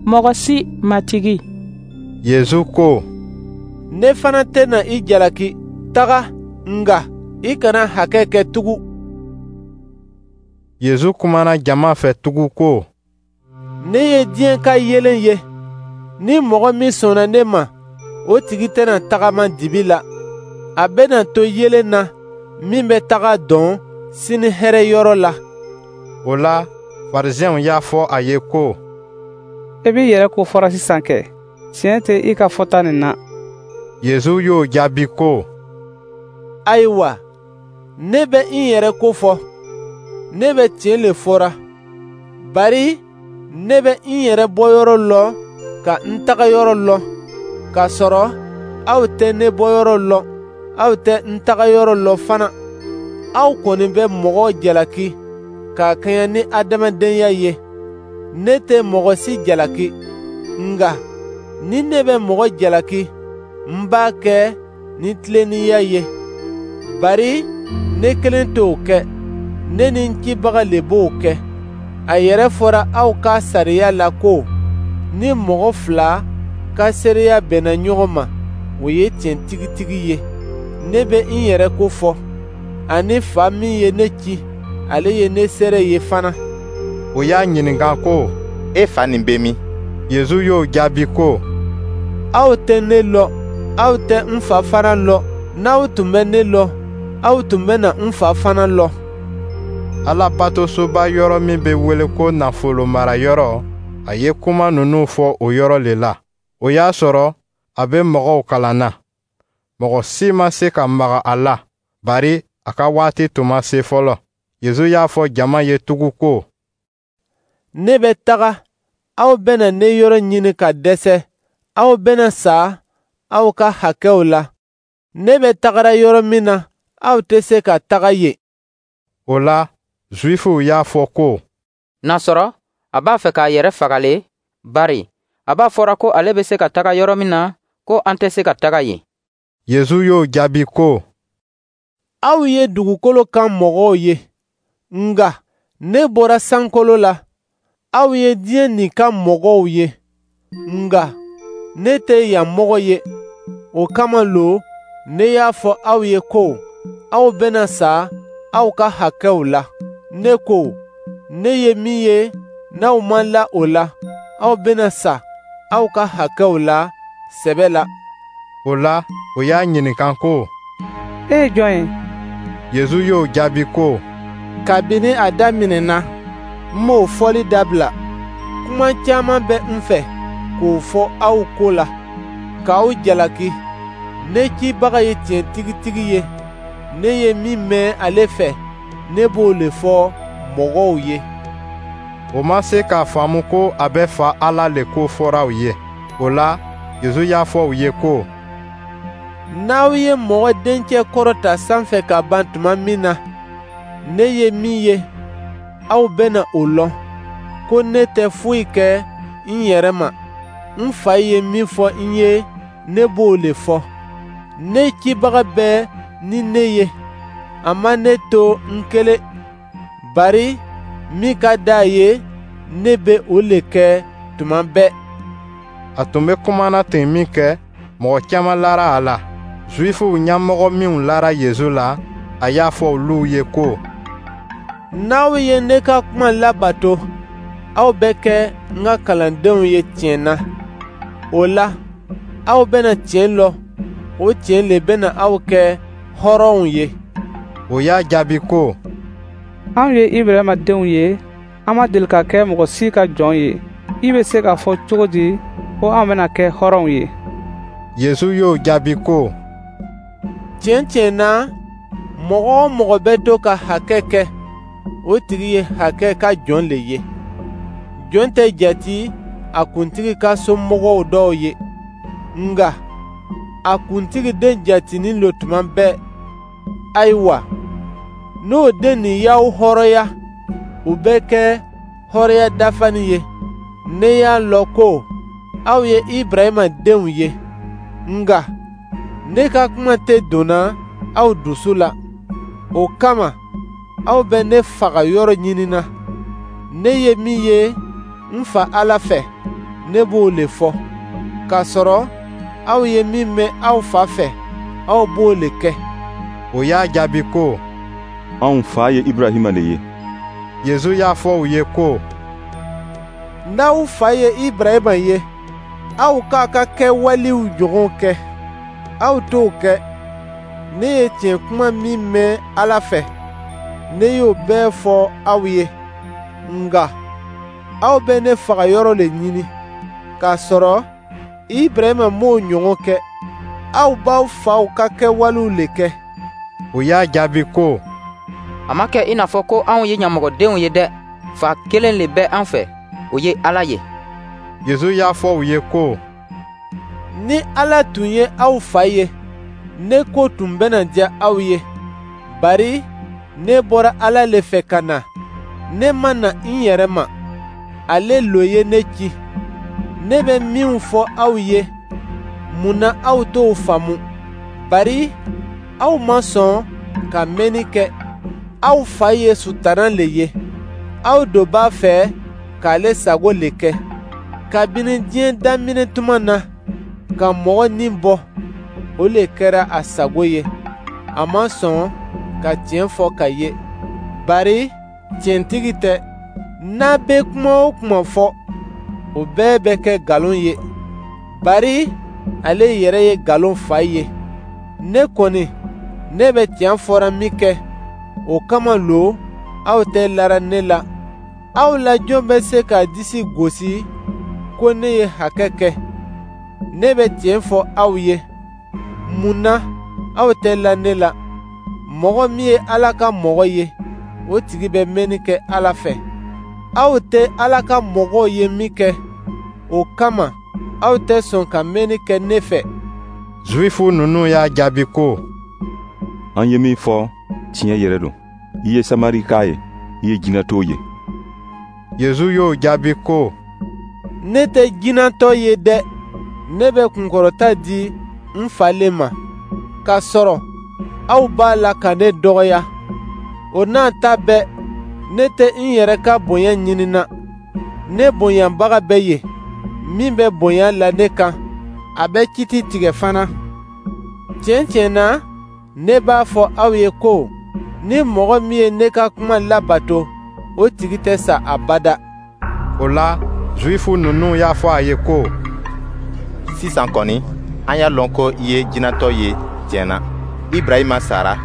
Mɔgɔ si, Matigi. Yezu ko: Ne fana tɛna i jalaki. Taga, nka i kana hakɛ kɛ tugun. Yezu kumana jama fɛ tugun ko: Ne ye diɲɛ ka yeelen ye. Ni mɔgɔ min sɔnna ne ma, o tigi tɛna tagama dibi la. A bɛna to yeelen na min bɛ taga dɔn sini hɛrɛ yɔrɔ la. O la, Farisiɛnw y'a fɔ a ye ko: E b'i yɛrɛ ko fɔra sisan kɛ, tiɲɛ tɛ i ka fɔta nin na. Yezu y'o jaabi ko: Ayiwa, ne bɛ n yɛrɛ ko fɔ, ne bɛ tiɲɛ le fɔra, bari ne bɛ n yɛrɛ bɔyɔrɔ lɔn ka n tagayɔrɔ lɔn, k'a sɔrɔ Aw tɛ ne bɔyɔrɔ lɔn, aw tɛ n tagayɔrɔ lɔn fana. Aw kɔni bɛ mɔgɔ jalaki ka kɛɲɛ ni adamadenya ye. Ne tɛ mɔgɔ si jalaki, nka ni ne bɛ mɔgɔ jalaki, n b'a kɛ ni tilennenya ye, bari ne kelen t'o kɛ, ne ni n cibaga le b'o kɛ. A yɛrɛ fɔra aw ka sariya la ko ni mɔgɔ fila ka seereya bɛnna ɲɔgɔn ma, o ye tiɲɛ tigitigi ye. Ne bɛ n yɛrɛ ko fɔ, ani Fa min ye ne ci, ale ye ne seere ye fana. O y'a ɲininka ko, E fa nin bɛ min? Yezu y'o jaabi ko, Aw tɛ ne lɔn, aw tɛ n Fa fana lɔn. N'aw tun bɛ ne lɔn, aw tun bɛna n Fa fana lɔn. Alabatosoba yɔrɔ min bɛ wele ko nafolo marayɔrɔ, a ye kuma ninnu fɔ o yɔrɔ le la. O y'a sɔrɔ a bɛ mɔgɔw kalan na. Mɔgɔ si ma se ka maga a la, bari a ka waati tun ma se fɔlɔ. Yezu y'a fɔ jama ye tugun ko, Ne bɛ taga, aw bɛna ne yɔrɔ ɲini ka dɛsɛ, aw bɛna sa aw ka hakɛw la. Ne bɛ tagara yɔrɔ min na, aw tɛ se ka taga yen. O la, Zuwifuw y'a fɔ ko, N'a sɔrɔ a b'a fɛ k'a yɛrɛ faga le, bari a b'a fɔra ko ale bɛ se ka taga yɔrɔ min na, ko an tɛ se ka taga yen. Yezu y'o jaabi ko, Aw ye dugukolo kan mɔgɔw ye, nka ne bɔra sankolo la. Aw ye diɲɛ nin kan mɔgɔw ye, nka ne tɛ yan mɔgɔ ye. O kama lo ne y'a fɔ aw ye ko aw bɛna sa aw ka hakɛw la. Ne ko, ne ye min ye, n'aw ma la o la, aw bɛna sa aw ka hakɛw la sɛbɛ la. O la, o y'a ɲininka ko, E ye jɔn ye? Yezu y'o jaabi ko, Kabini a daminɛna, n m'o fɔli dabila. Kuma caman bɛ n fɛ k'o fɔ aw ko la, k'aw jalaki. Ne cibaga ye tiɲɛ tigitigi ye. Ne ye min mɛn ale fɛ, ne b'o le fɔ mɔgɔw ye. O ma se k'a faamu ko a bɛ Fa Ala le ko fɔra u ye. O la, Yezu y'a fɔ u ye ko, N'aw ye mɔgɔ dencɛ kɔrɔta sanfɛ ka ban tuma min na, ne ye min ye, aw bɛna o lɔn, ko ne tɛ foyi kɛ n yɛrɛ ma. N Fa ye min fɔ n ye, ne b'o le fɔ. Ne cibaga bɛ ni ne ye, a ma ne to n kelen, bari min ka di a ye, ne bɛ o le kɛ tuma bɛɛ. A tun bɛ kuma na ten minkɛ, mɔgɔ caman lara a la. Zuwifuw ɲɛmɔgɔ minw lara Yezu la, a y'a fɔ olu ye ko, N'aw ye ne ka kuma labato, aw bɛ kɛ n ka kalandenw ye tiɲɛ na. O la, aw bɛna tiɲɛ lɔn, o tiɲɛ le bɛna aw kɛ hɔrɔnw ye. O y'a jaabi ko, Anw ye Ibrahima denw ye, an ma deli ka kɛ mɔgɔ si ka jɔn ye. I bɛ se k'a fɔ cogo di ko an bɛna kɛ hɔrɔnw ye? Yezu y'o jaabi ko, Tiɲɛ tiɲɛ na, mɔgɔ o mɔgɔ bɛ to ka hakɛ kɛ, o tigi ye hakɛ ka jɔn le ye. Jɔn tɛ jate a kuntigi ka somɔgɔw dɔw ye, nka a kuntigi den jatinin lo tuma bɛɛ. Ayiwa, n'o den nin y'aw hɔrɔnya, o bɛ kɛ hɔrɔnya dafalen ye. Ne y'a lɔn ko aw ye Ibrahima denw ye, nka ne ka kuma tɛ donna aw dusu la. O kama, aw bɛ ne faga yɔrɔ ɲinina. Ne ye min ye n Fa Ala fɛ, ne b'o le fɔ. K'a sɔrɔ aw ye min mɛn aw fa fɛ, aw b'o le kɛ. O y'a jaabi ko, Anw fa ye Ibrahima le ye. Yezu y'a fɔ u ye ko, N'aw fa ye Ibrahima ye, aw k'a ka kɛwalew ɲɔgɔn kɛ. Aw t'o kɛ. Ne ye tiɲɛ kuma min mɛn Ala fɛ, ne y'o bɛɛ fɔ aw ye. Nka aw bɛ ne faga yɔrɔ le ɲini, k'a sɔrɔ Ibrahima m'o ɲɔgɔn kɛ. Aw b'aw faw ka kɛwalew le kɛ. O y'a jaabi ko, A ma kɛ i n'a fɔ ko anw ye ɲamɔgɔdenw ye dɛ. Fa kelen le bɛ an fɛ, o ye Ala ye. Yezu y'a fɔ u ye ko, Ni Ala tun ye aw fa ye, ne ko tun bɛna diya aw ye, bari ne bɔra Ala le fɛ ka na. Ne ma na n yɛrɛ ma, ale lo ye ne ci. Ne bɛ minw fɔ aw ye, mun na aw t'o faamu? Bari aw ma sɔn ka mɛnni kɛ. Aw fa ye Sutana le ye, aw do b'a fɛ k'ale sago le kɛ. Kabini diɲɛ daminɛ tuma na, ka mɔgɔ ni bɔ, o le kɛra a sago ye. A ma sɔn ka tiɲɛ fɔ ka ye, bari tiɲɛtigi tɛ. N'a bɛ kuma o kuma fɔ, o bɛɛ bɛ kɛ nkalon ye, bari ale yɛrɛ ye nkalon fa ye. Ne kɔni, ne bɛ tiɲɛ fɔra min kɛ, o kama lo aw tɛ lara ne la. Aw la jɔn bɛ se k'a disi gosi ko ne ye hakɛ kɛ? Ne bɛ tiɲɛ fɔ aw ye. Mun na aw tɛ la ne la? Mɔgɔ min ye Ala ka mɔgɔ ye, o tigi bɛ mɛnni kɛ Ala fɛ. Aw tɛ Ala ka mɔgɔw ye min kɛ, o kama aw tɛ sɔn ka mɛnni kɛ ne fɛ. Zuwifu ninnu y'a jaabi ko: An ye min fɔ, tiɲɛ yɛrɛ don. I ye Samarika ye, i ye jinɛtɔ ye. Yezu y'o jaabi ko: Ne tɛ jinɛtɔ ye dɛ, ne bɛ kunkɔrɔta di n fa le ma, k'a sɔrɔ aw b'a la ka ne dɔgɔya. O n'a ta bɛɛ, ne tɛ n yɛrɛ ka bonya ɲinina. Ne bonyabaga bɛ yen, min bɛ bonya la ne kan, a bɛ kiti tigɛ fana. Tiɲɛ tiɲɛ na, ne b'a fɔ aw ye ko ni mɔgɔ min ye ne ka kuma labato, o tigi tɛ sa abada. O la, Zuwifu ninnu y'a fɔ a ye ko: Sisan kɔni, an y'a lɔn ko i ye jinɛtɔ ye tiɲɛ na. Ibrahima sara,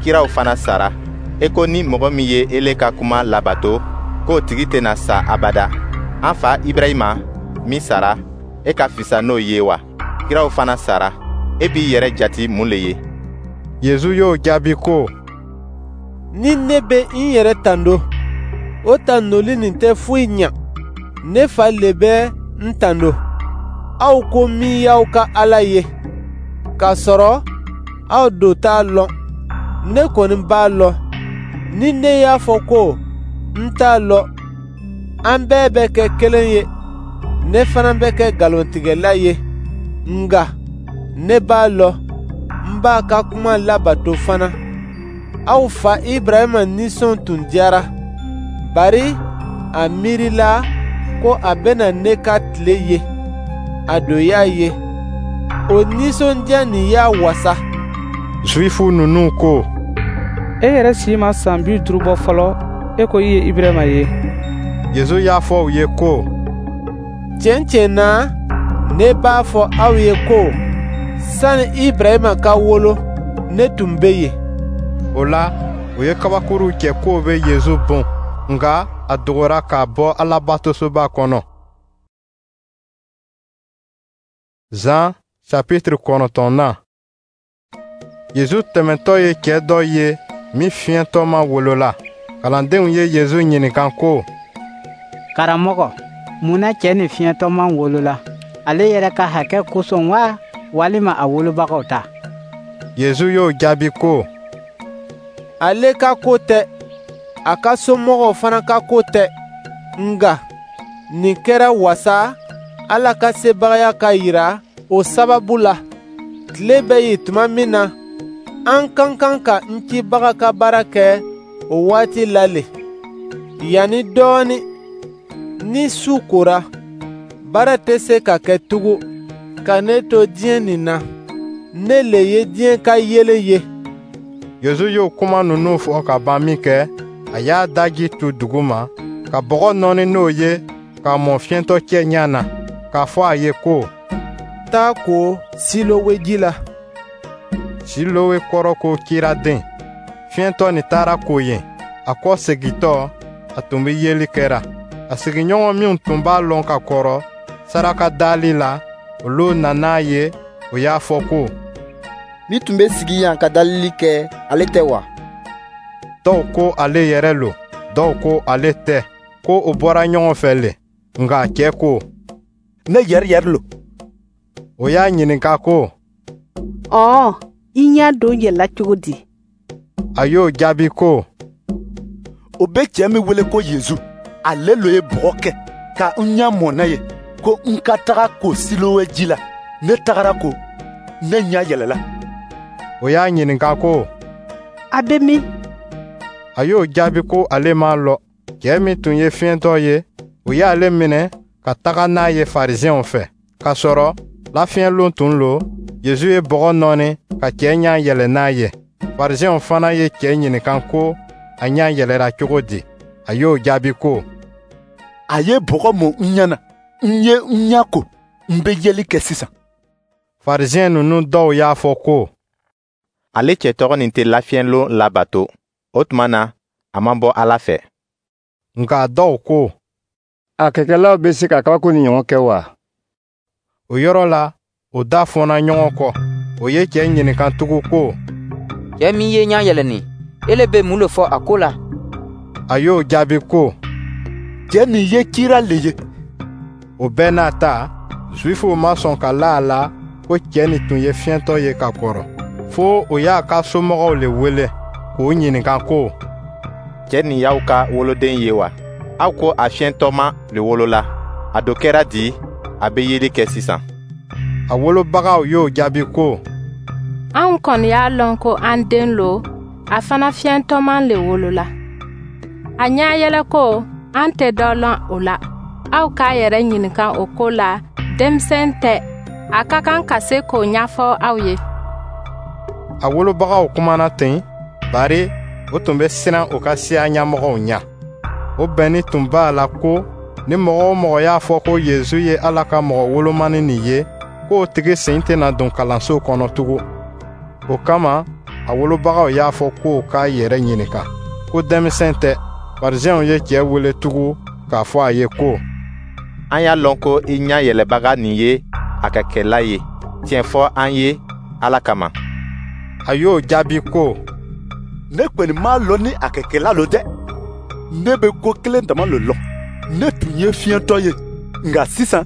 kiraw fana sara. E ko ni mɔgɔ min ye ele ka kuma labato, k'o tigi tɛna sa abada. An fa Ibrahima min sara, e ka fisa n'o ye wa? Kiraw fana sara. E b'i yɛrɛ jati mun le ye? Yezu y'o jaabi ko: Ni ne bɛ n yɛrɛ tando, o tandoli nin tɛ foyi ɲa. Ne fa le bɛ n tando, aw ko min y'aw ka Ala ye, k'a sɔrɔ aw do t'a lɔn. Ne kɔni b'a lɔn. Ni ne y'a fɔ ko n t'a lɔn, an bɛɛ bɛ kɛ kelen ye. Ne fana bɛ kɛ nkalontigɛla ye. Nka ne b'a lɔn, n b'a ka kuma labato fana. Aw fa Ibrahima nisɔn tun diyara, bari a miirila ko a bɛna ne ka tile ye. A do y'a ye. O nisɔndiya nin y'a wasa. Zuwifu ninnu ko: E yɛrɛ si ma san bi duuru bɔ fɔlɔ, e ko i ye Ibrahima ye. Yezu y'a fɔ u ye ko: Tiɲɛ tiɲɛ na, ne b'a fɔ aw ye ko sani Ibrahima ka wolo, ne tun bɛ yen. O la, u ye kabakuruw cɛ k'o bɛ Yezu bon, nka a dogora ka bɔ Alabatosoba kɔnɔ. Zan chapitre kɔnɔntɔnnan. Yezu tɛmɛtɔ ye cɛ dɔ ye min fiɲɛtɔma wolola. Kalandenw ye Yezu ɲininka ko: Karamɔgɔ, mun na cɛ nin fiɲɛtɔma wolola? Ale yɛrɛ ka hakɛ kosɔn wa, walima a wolobagaw ta? Yezu y'o jaabi ko: Ale ka ko tɛ, a ka somɔgɔw fana ka ko tɛ. Nka nin kɛra wasa Ala ka sebagaya ka yira o sababu la. Tile bɛ yen tuma min na, an ka kan ka n cibaga ka baara kɛ o waati la le. Yanni dɔɔnin, ni su kora, baara tɛ se ka kɛ tugun. Ka ne to diɲɛ nin na, ne le ye diɲɛ ka yeelen ye. Yezu y'o kuma ninnu fɔ ka ban minkɛ, a y'a daji tu duguma, ka bɔgɔ nɔɔni n'o ye k'a mɔ fiyɛntɔ cɛ ɲɛ na, k'a fɔ a ye ko: Taa ko Silowe ji la. Silowe kɔrɔ ko ciraden. Fiyɛntɔ nin taara ko yen. A kɔ segintɔ, a tun bɛ yeli kɛra. A sigiɲɔgɔn minw tun b'a lɔn ka kɔrɔ saraka dali la, olu nana ye, o y'a fɔ ko: Min tun bɛ sigi yan ka dalili kɛ, ale tɛ wa? Dɔw ko ale yɛrɛ lo, dɔw ko ale tɛ, ko o bɔra ɲɔgɔn fɛ le. Nka cɛ ko: Ne yɛrɛ yɛrɛ lo. O y'a ɲininka ko: Ɔɔ, i ɲɛ don yɛlɛla cogo di? A y'o jaabi ko: O bɛ cɛ min wele ko Yezu, ale lo ye bɔgɔ kɛ ka n ɲɛ mɔ n'a ye, ko n ka taga ko Silowe ji la. Ne tagara ko, ne ɲɛ yɛlɛla. O y'a ɲininka ko: A bɛ min? A y'o jaabi ko ale m'a lɔn. Cɛ min tun ye fiyentɔ ye, o y'ale minɛ ka taga n'a ye Farisiɛnw fɛ. K'a sɔrɔ lafiɲɛlon tun lo, Yezu ye bɔgɔ nɔɔni ka cɛ ɲɛ yɛlɛ n'a ye. Farisiɛnw fana ye cɛ ɲininka ko a ɲɛ yɛlɛra cogo di. A y'o jaabi ko: A ye bɔgɔ mɔ n ɲɛ na, n ye n ɲɛ ko, n bɛ yeli kɛ sisan. Farisiɛn ninnu dɔw y'a fɔ ko: Ale cɛ tɔgɔ nin tɛ lafiɲɛlon labato, o tuma na a ma bɔ Ala fɛ. Nka dɔw ko: A kɛkɛlaw bɛ se ka kabako nin ɲɔgɔn kɛ wa? O yɔrɔ la, o da fɔna ɲɔgɔn kɔ. O ye cɛ ɲininka tugun ko: Cɛ min ye ɲɛ yɛlɛnin, ele bɛ mun le fɔ a ko la? A y'o jaabi ko: Cɛ nin ye kira le ye. O bɛɛ n'a ta, Zuwifuw ma sɔn ka la a la ko cɛ nin tun ye fiyentɔ ye ka kɔrɔ, fo o y'a ka somɔgɔw le wele k'o ɲininka ko: Cɛ nin y'aw ka woloden ye wa? Aw ko a fiyentɔma le wolola. A do kɛra di, a bɛ yeli kɛ sisan? A wolobagaw y'o jaabi ko: Anw kɔni y'a lɔn ko an den lo, a fana fiyentɔman le wolola. A ɲɛyɛlɛko, an tɛ dɔ lɔn o la. Aw k'a yɛrɛ ɲininka o ko la, denmisɛn tɛ, a ka kan ka se k'o ɲɛfɔ aw ye. A wolobagaw kumana ten, bari o tun bɛ siran u ka siya ɲɛmɔgɔw ɲɛ. O bɛnni tun b'a la ko ni mɔgɔ o mɔgɔ y'a fɔ ko Yezu ye Ala ka mɔgɔ wolomani nin ye, k'o tigi sen tɛna don kalanso kɔnɔ tugun. O kama, a wolobagaw y'a fɔ k'o k'a yɛrɛ ɲininka, ko denmisɛn tɛ. Farisiɛnw ye cɛ wele tugun k'a fɔ a ye ko: An y'a lɔn ko i ɲɛ yɛlɛbaga nin ye a ka kɛla ye. Tiɲɛ fɔ an ye Ala kama. A y'o jaabi ko: Ne kɔni m'a lɔn ni a kɛkɛla lo dɛ. Ne bɛ ko kelen dama lo lɔn: ne tun ye fiyentɔ ye, nka sisan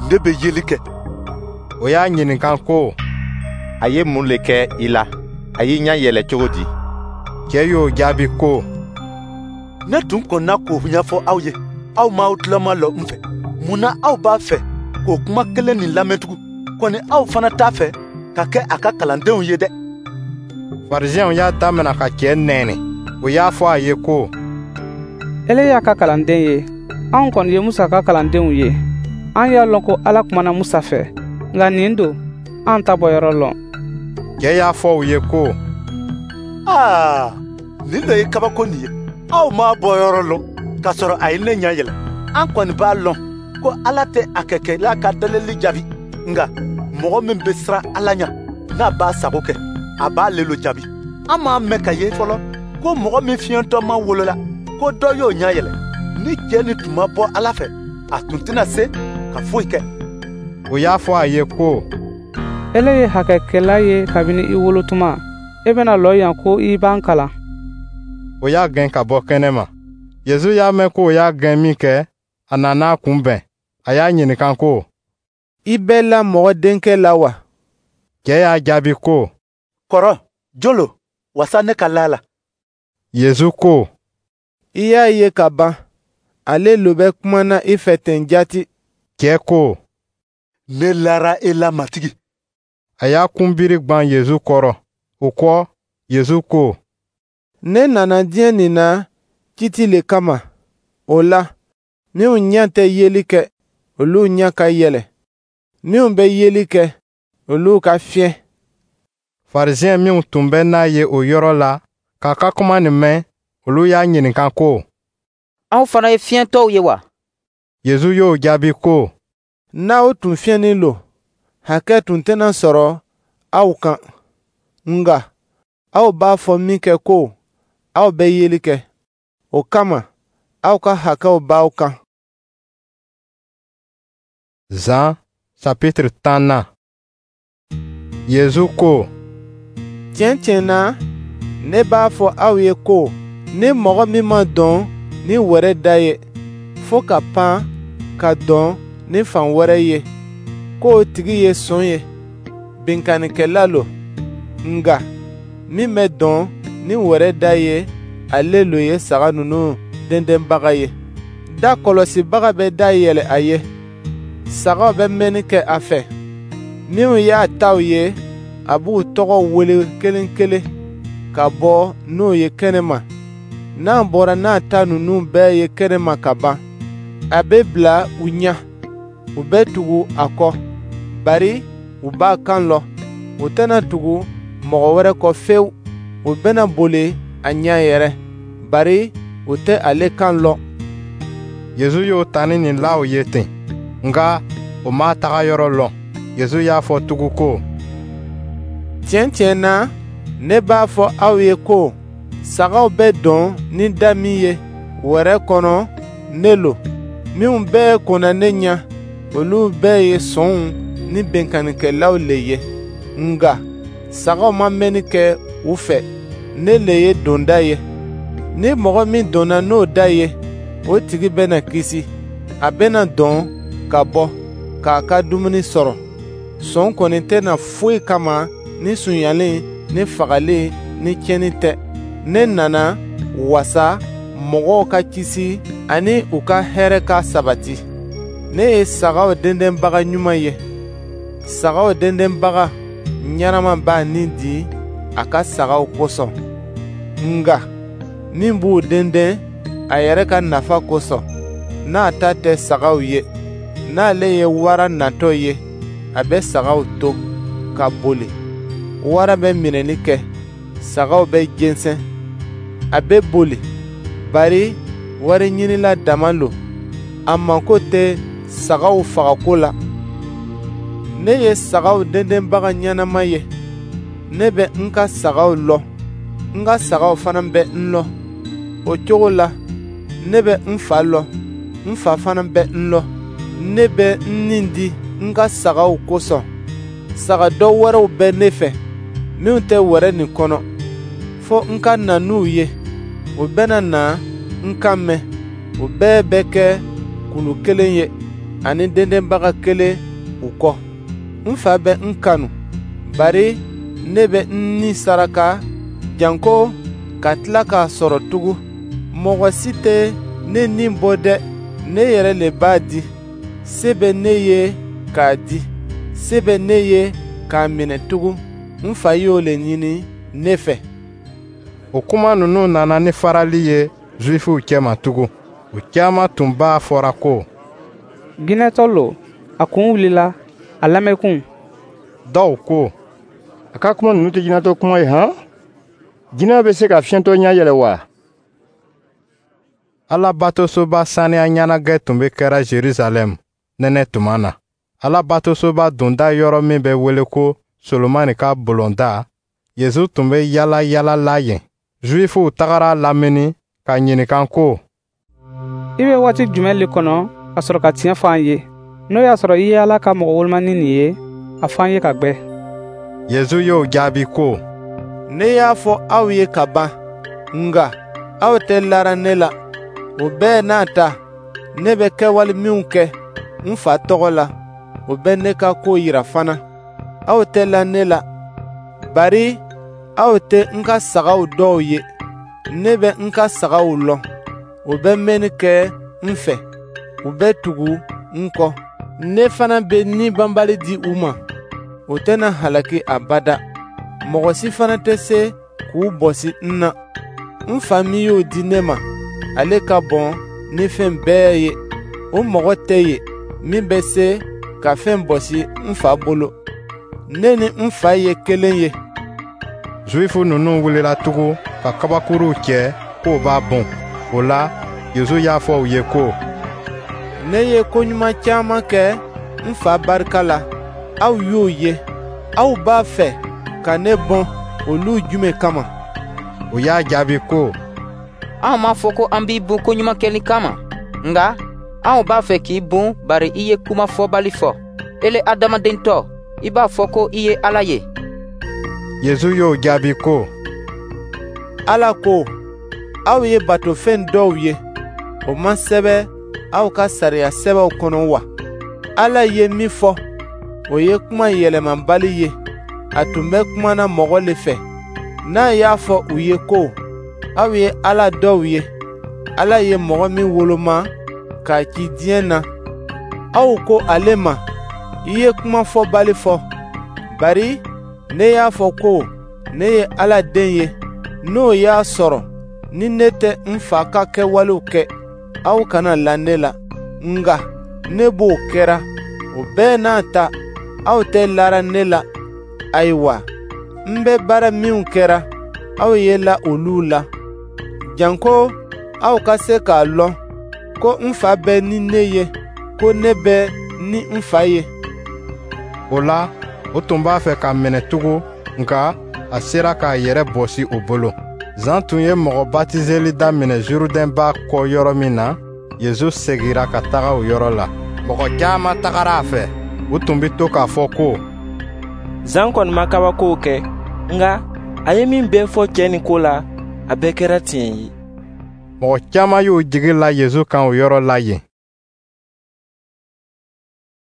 ne bɛ yeli kɛ. O y'a ɲininka ko: A ye mun le kɛ i la? A y'i ɲɛ yɛlɛ cogo di? Cɛ y'o jaabi ko: Ne tun kɔnna k'o ɲɛfɔ aw ye, aw m'aw tulo malɔ n fɛ. Mun na aw b'a fɛ k'o kuma kelen nin lamɛn tugun? Kɔni aw fana t'a fɛ ka kɛ a ka kalandenw ye dɛ. Farisiɛnw y'a damina ka cɛ nɛni. O y'a fɔ a ye ko: Ele y'a ka kalanden ye, anw kɔni ye Musa ka kalandenw ye. An y'a lɔn ko Ala kumana Musa fɛ, nka nin don, an t'a bɔyɔrɔ lɔn. Cɛ y'a fɔ u ye ko: Aa, nin lo ye kabako nin ye. Aw m'a bɔyɔrɔ lɔn, k'a sɔrɔ a ye ne ɲɛ yɛlɛ. An kɔni b'a lɔn ko Ala tɛ a kɛkɛla ka delili jaabi, nka mɔgɔ min bɛ siran Ala ɲɛ, n'a b'a sago kɛ, a b'ale lo jaabi. An m'a mɛn ka ye fɔlɔ ko mɔgɔ min fiyentɔma wolola, ko dɔ y'o ɲɛ yɛlɛ. Ni cɛ nin tun ma bɔ Ala fɛ, a tun tɛna se ka foyi kɛ. O y'a fɔ a ye ko: Ele ye hakɛkɛla ye kabini i wolotuma. E bɛna lɔ yan ko i b'an kalan. O y'a gɛn ka bɔ kɛnɛ ma. Yezu y'a mɛn k'o y'a gɛn minkɛ, a nana a kunbɛn. A y'a ɲininka ko: I bɛ la Mɔgɔ Denkɛ la wa? Cɛ y'a jaabi ko: Kɔrɔ, jɔn lo, wasa ne ka la a la? Yezu ko: I y'a ye ka ban, ale lo bɛ kumana i fɛ ten jaati. Cɛ ko: Ne lara e la, Matigi. A y'a kunbiri gwan Yezu kɔrɔ. O kɔ, Yezu ko: Ne nana diɲɛ nin na kiti le kama. O la, minnu ɲɛ tɛ yeli kɛ, olu ɲɛ ka yɛlɛ. Minnu bɛ yeli kɛ, olu ka fiɲɛ. Farisiɛn minw tun bɛ n'a ye o yɔrɔ la, k'a ka kuma nin mɛn, olu y'a ɲininka ko: Anw fana ye fiyentɔw ye wa? Yezu y'o jaabi ko: N'aw tun fiyɛnnin lo, hakɛ tun tɛna sɔrɔ aw kan. Nka aw b'a fɔ minkɛ ko aw bɛ yeli kɛ, o kama aw ka hakɛw b'aw kan. Zan chapitre tan na. Yezu ko: Tiɲɛ tiɲɛ na, ne b'a fɔ aw ye ko ni mɔgɔ min ma don ni wɛrɛ da ye, fo ka pan ka don ni fan wɛrɛ ye, k'o tigi ye son ye, binkannikɛla lo. Nka min bɛ don ni wɛrɛ da ye, ale lo ye saga ninnu dendenbaga ye. Da kɔlɔsibaga bɛ da yɛlɛ a ye. Sagaw bɛ mɛnni kɛ a fɛ. Minnu y'a taw ye, a b'u tɔgɔ wele kelen kelen ka bɔ n'u ye kɛnɛma. N'a bɔra n'a ta ninnu bɛɛ ye kɛnɛma ka ban, a bɛ bila u ɲɛ. U bɛ tugu a kɔ, bari u b'a kan lɔn. U tɛna tugu mɔgɔ wɛrɛ kɔ fewu. U bɛna boli a ɲɛ yɛrɛ, bari u tɛ ale kan lɔn. Yezu y'o tani nin la u ye ten, nka o m'a taga yɔrɔ lɔn. Yezu y'a fɔ tugun ko: Tiɲɛ tiɲɛ na, ne b'a fɔ aw ye ko sagaw bɛ don ni da min ye wɛrɛ kɔnɔ, ne lo. Minnu bɛɛ kɔnna ne ɲɛ, olu bɛɛ ye sonw ni binkannikɛlaw le ye. Nka sagaw ma mɛnni kɛ u fɛ. Ne le ye donda ye. Ni mɔgɔ min donna n'o da ye, o tigi bɛna kisi. A bɛna don ka bɔ, k'a ka dumuni sɔrɔ. Son kɔni tɛ na foyi kama ni sonyali ni fagali ni tiɲɛni tɛ. Ne nana wasa mɔgɔw ka kisi ani u ka hɛrɛ ka sabati. Ne ye sagaw dendenbaga ɲuman ye. Sagaw dendenbaga ɲɛnama b'a ni di a ka sagaw kosɔn. Nka min b'u denden a yɛrɛ ka nafa kosɔn, n'a ta tɛ sagaw ye, n'ale ye wara natɔ ye, a bɛ sagaw to ka boli. Wara bɛ minɛni kɛ, sagaw bɛ jɛnsɛn. A bɛ boli, bari wariɲinila dama lo. A mako tɛ sagaw fagako la. Ne ye sagaw dendenbaga ɲɛnama ye. Ne bɛ n ka sagaw lɔn, n ka sagaw fana bɛ n lɔn. O cogo la, ne bɛ n fa lɔn, n fa fana bɛ n lɔn. Ne bɛ n ni di n ka sagaw kosɔn. Saga dɔ wɛrɛw bɛ ne fɛ, minnu tɛ wɛrɛ nin kɔnɔ, fo n ka na n'u ye. U bɛna na n kan mɛn. U bɛɛ bɛ kɛ kulu kelen ye, ani dendenbaga kelen u kɔ. N fa bɛ n kanu, bari ne bɛ n ni saraka janko ka tila k'a sɔrɔ tugun. Mɔgɔ si tɛ ne ni bɔ dɛ, ne yɛrɛ le b'a di. Se bɛ ne ye k'a di, se bɛ ne ye k'a minɛ tugun. N fa y'o le ɲini ne fɛ. O kuma ninnu nana ni farali ye Zuwifuw cɛma tugun. U caman tun b'a fɔra ko: Jinɛtɔ lo, a kun wulila, a lamɛnkun. Dɔw ko: A ka kuma ninnu tɛ jinɛtɔ kuma ye han? Jinɛ bɛ se ka fiyentɔ ɲɛ yɛlɛ wa? Alabatosoba saniya ɲɛnajɛ tun bɛ kɛra Jerusalɛm nɛnɛ tuma na. Alabatosoba donda yɔrɔ min bɛ wele ko Solomani ka bulonda, Yezu tun bɛ yala yala la yen. Zuwifuw tagara a lamini k'a ɲininka ko: I bɛ waati jumɛn le kɔnɔ ka sɔrɔ ka tiɲɛ fɔ an ye? N'o y'a sɔrɔ i ye Ala ka mɔgɔ wolomani nin ye, a fɔ an ye ka gwɛ. Yezu y'o jaabi ko: Ne y'a fɔ aw ye ka ban, nka aw tɛ lara ne la. O bɛɛ n'a ta, ne bɛ kɛwale minw kɛ n fa tɔgɔ la, o bɛ ne ka ko yira fana. Aw tɛ la ne la, bari aw tɛ n ka sagaw dɔw ye. Ne bɛ n ka sagaw lɔn, u bɛ mɛnni kɛ n fɛ, u bɛ tugu n kɔ. Ne fana bɛ ni banbali di u ma, u tɛna halaki abada. Mɔgɔ si fana tɛ se k'u bɔsi n na. N fa min y'o di ne ma, ale ka bon ni fɛn bɛɛ ye. O mɔgɔ tɛ yen min bɛ se ka fɛn bɔsi n fa bolo. Ne ni n fa ye kelen ye. Zuwifu ninnu wulila tugun ka kabakuruw cɛ k'o b'a bon. O la, Yezu y'a fɔ u ye ko: Ne ye koɲuman caman kɛ n fa barika la, aw y'o ye. Aw b'a fɛ ka ne bon olu jumɛn kama? U y'a jaabi ko: Anw m'a fɔ ko an b'i bon koɲuman kɛli kama, nka anw b'a fɛ k'i bon bari i ye kuma fɔbali fɔ. Ele adamadentɔ, i b'a fɔ ko i ye Ala ye. Yezu y'o jaabi ko: Ala ko, aw ye batofɛn dɔw ye, o ma sɛbɛn aw ka sariya sɛbɛnw kɔnɔ wa? Ala ye min fɔ, O ye kuma yɛlɛmabali ye. A tun bɛ kumana mɔgɔ le fɛ, n'a y'a fɔ u ye ko, aw ye Ala dɔw ye, Ala ye mɔgɔ min woloma k'a ci diɲɛ na. Aw ko ale ma, i ye kuma fɔbali fɔ, bari ne y'a fɔ ko ne ye Ala den ye. N'o y'a sɔrɔ ni ne tɛ n fa ka kɛwalew kɛ, aw kana la ne la. Nka ne b'o kɛra, o bɛɛ n'a ta, aw tɛ lara ne la. Ayiwa, n bɛ baara minw kɛra, aw ye la olu la, janko aw ka se k'a lɔn ko n fa bɛ ni ne ye, ko ne bɛ ni n fa ye. O la, o tun b'a fɛ k'a minɛ tugun, nka a sera k'a yɛrɛ bɔsi o bolo. Zan tun ye mɔgɔ batizeli daminɛ Zurudɛn ba kɔ yɔrɔ min na, Yezu segira ka taga o yɔrɔ la. Mɔgɔ caman tagara a fɛ. U tun bɛ to k'a fɔ ko: Zan kɔni ma kabakow kɛ, nka a ye min bɛɛ fɔ cɛ nin ko la, a bɛɛ kɛra tiɲɛ ye. Mɔgɔ caman y'u jigi la Yezu kan o yɔrɔ la yen.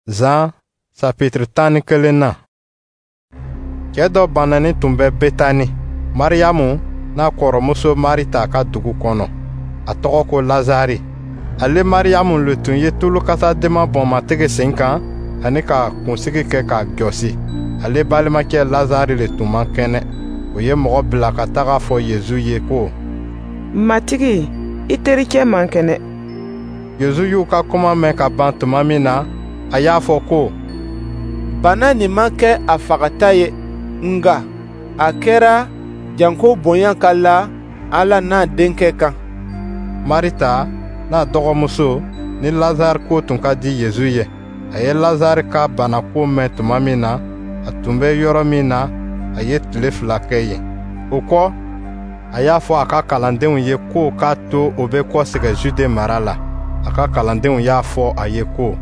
Zan sapitiri tan ni kelen na. Cɛ dɔ bananin tun bɛ Betani, Mariyamu n'a kɔrɔmuso Marita ka dugu kɔnɔ. A tɔgɔ ko Lazari. Ale Mariyamu le tun ye tulu kasadenma bɔn Matigi sen kan ani ka kunsigi kɛ k'a jɔsi. Ale balimakɛ Lazari le tun man kɛnɛ. O ye mɔgɔ bila ka taga fɔ Yezu ye ko: Matigi, i tericɛ man kɛnɛ. Yezu y'u ka kuma mɛn ka ban tuma min na, a y'a fɔ ko: Bana nin ma kɛ a fagata ye, nka a kɛra janko bonya ka la Ala n'a denkɛ kan. Marita n'a dɔgɔmuso ni Lazari ko tun ka di Yezu ye. A ye Lazari ka banako mɛn tuma min na, a tun bɛ yɔrɔ min na, a ye tile fila kɛ yen. O kɔ, a y'a fɔ a ka kalandenw ye k'o k'a to o bɛ kɔsegin Jude mara la. A ka kalandenw y'a fɔ a ye ko: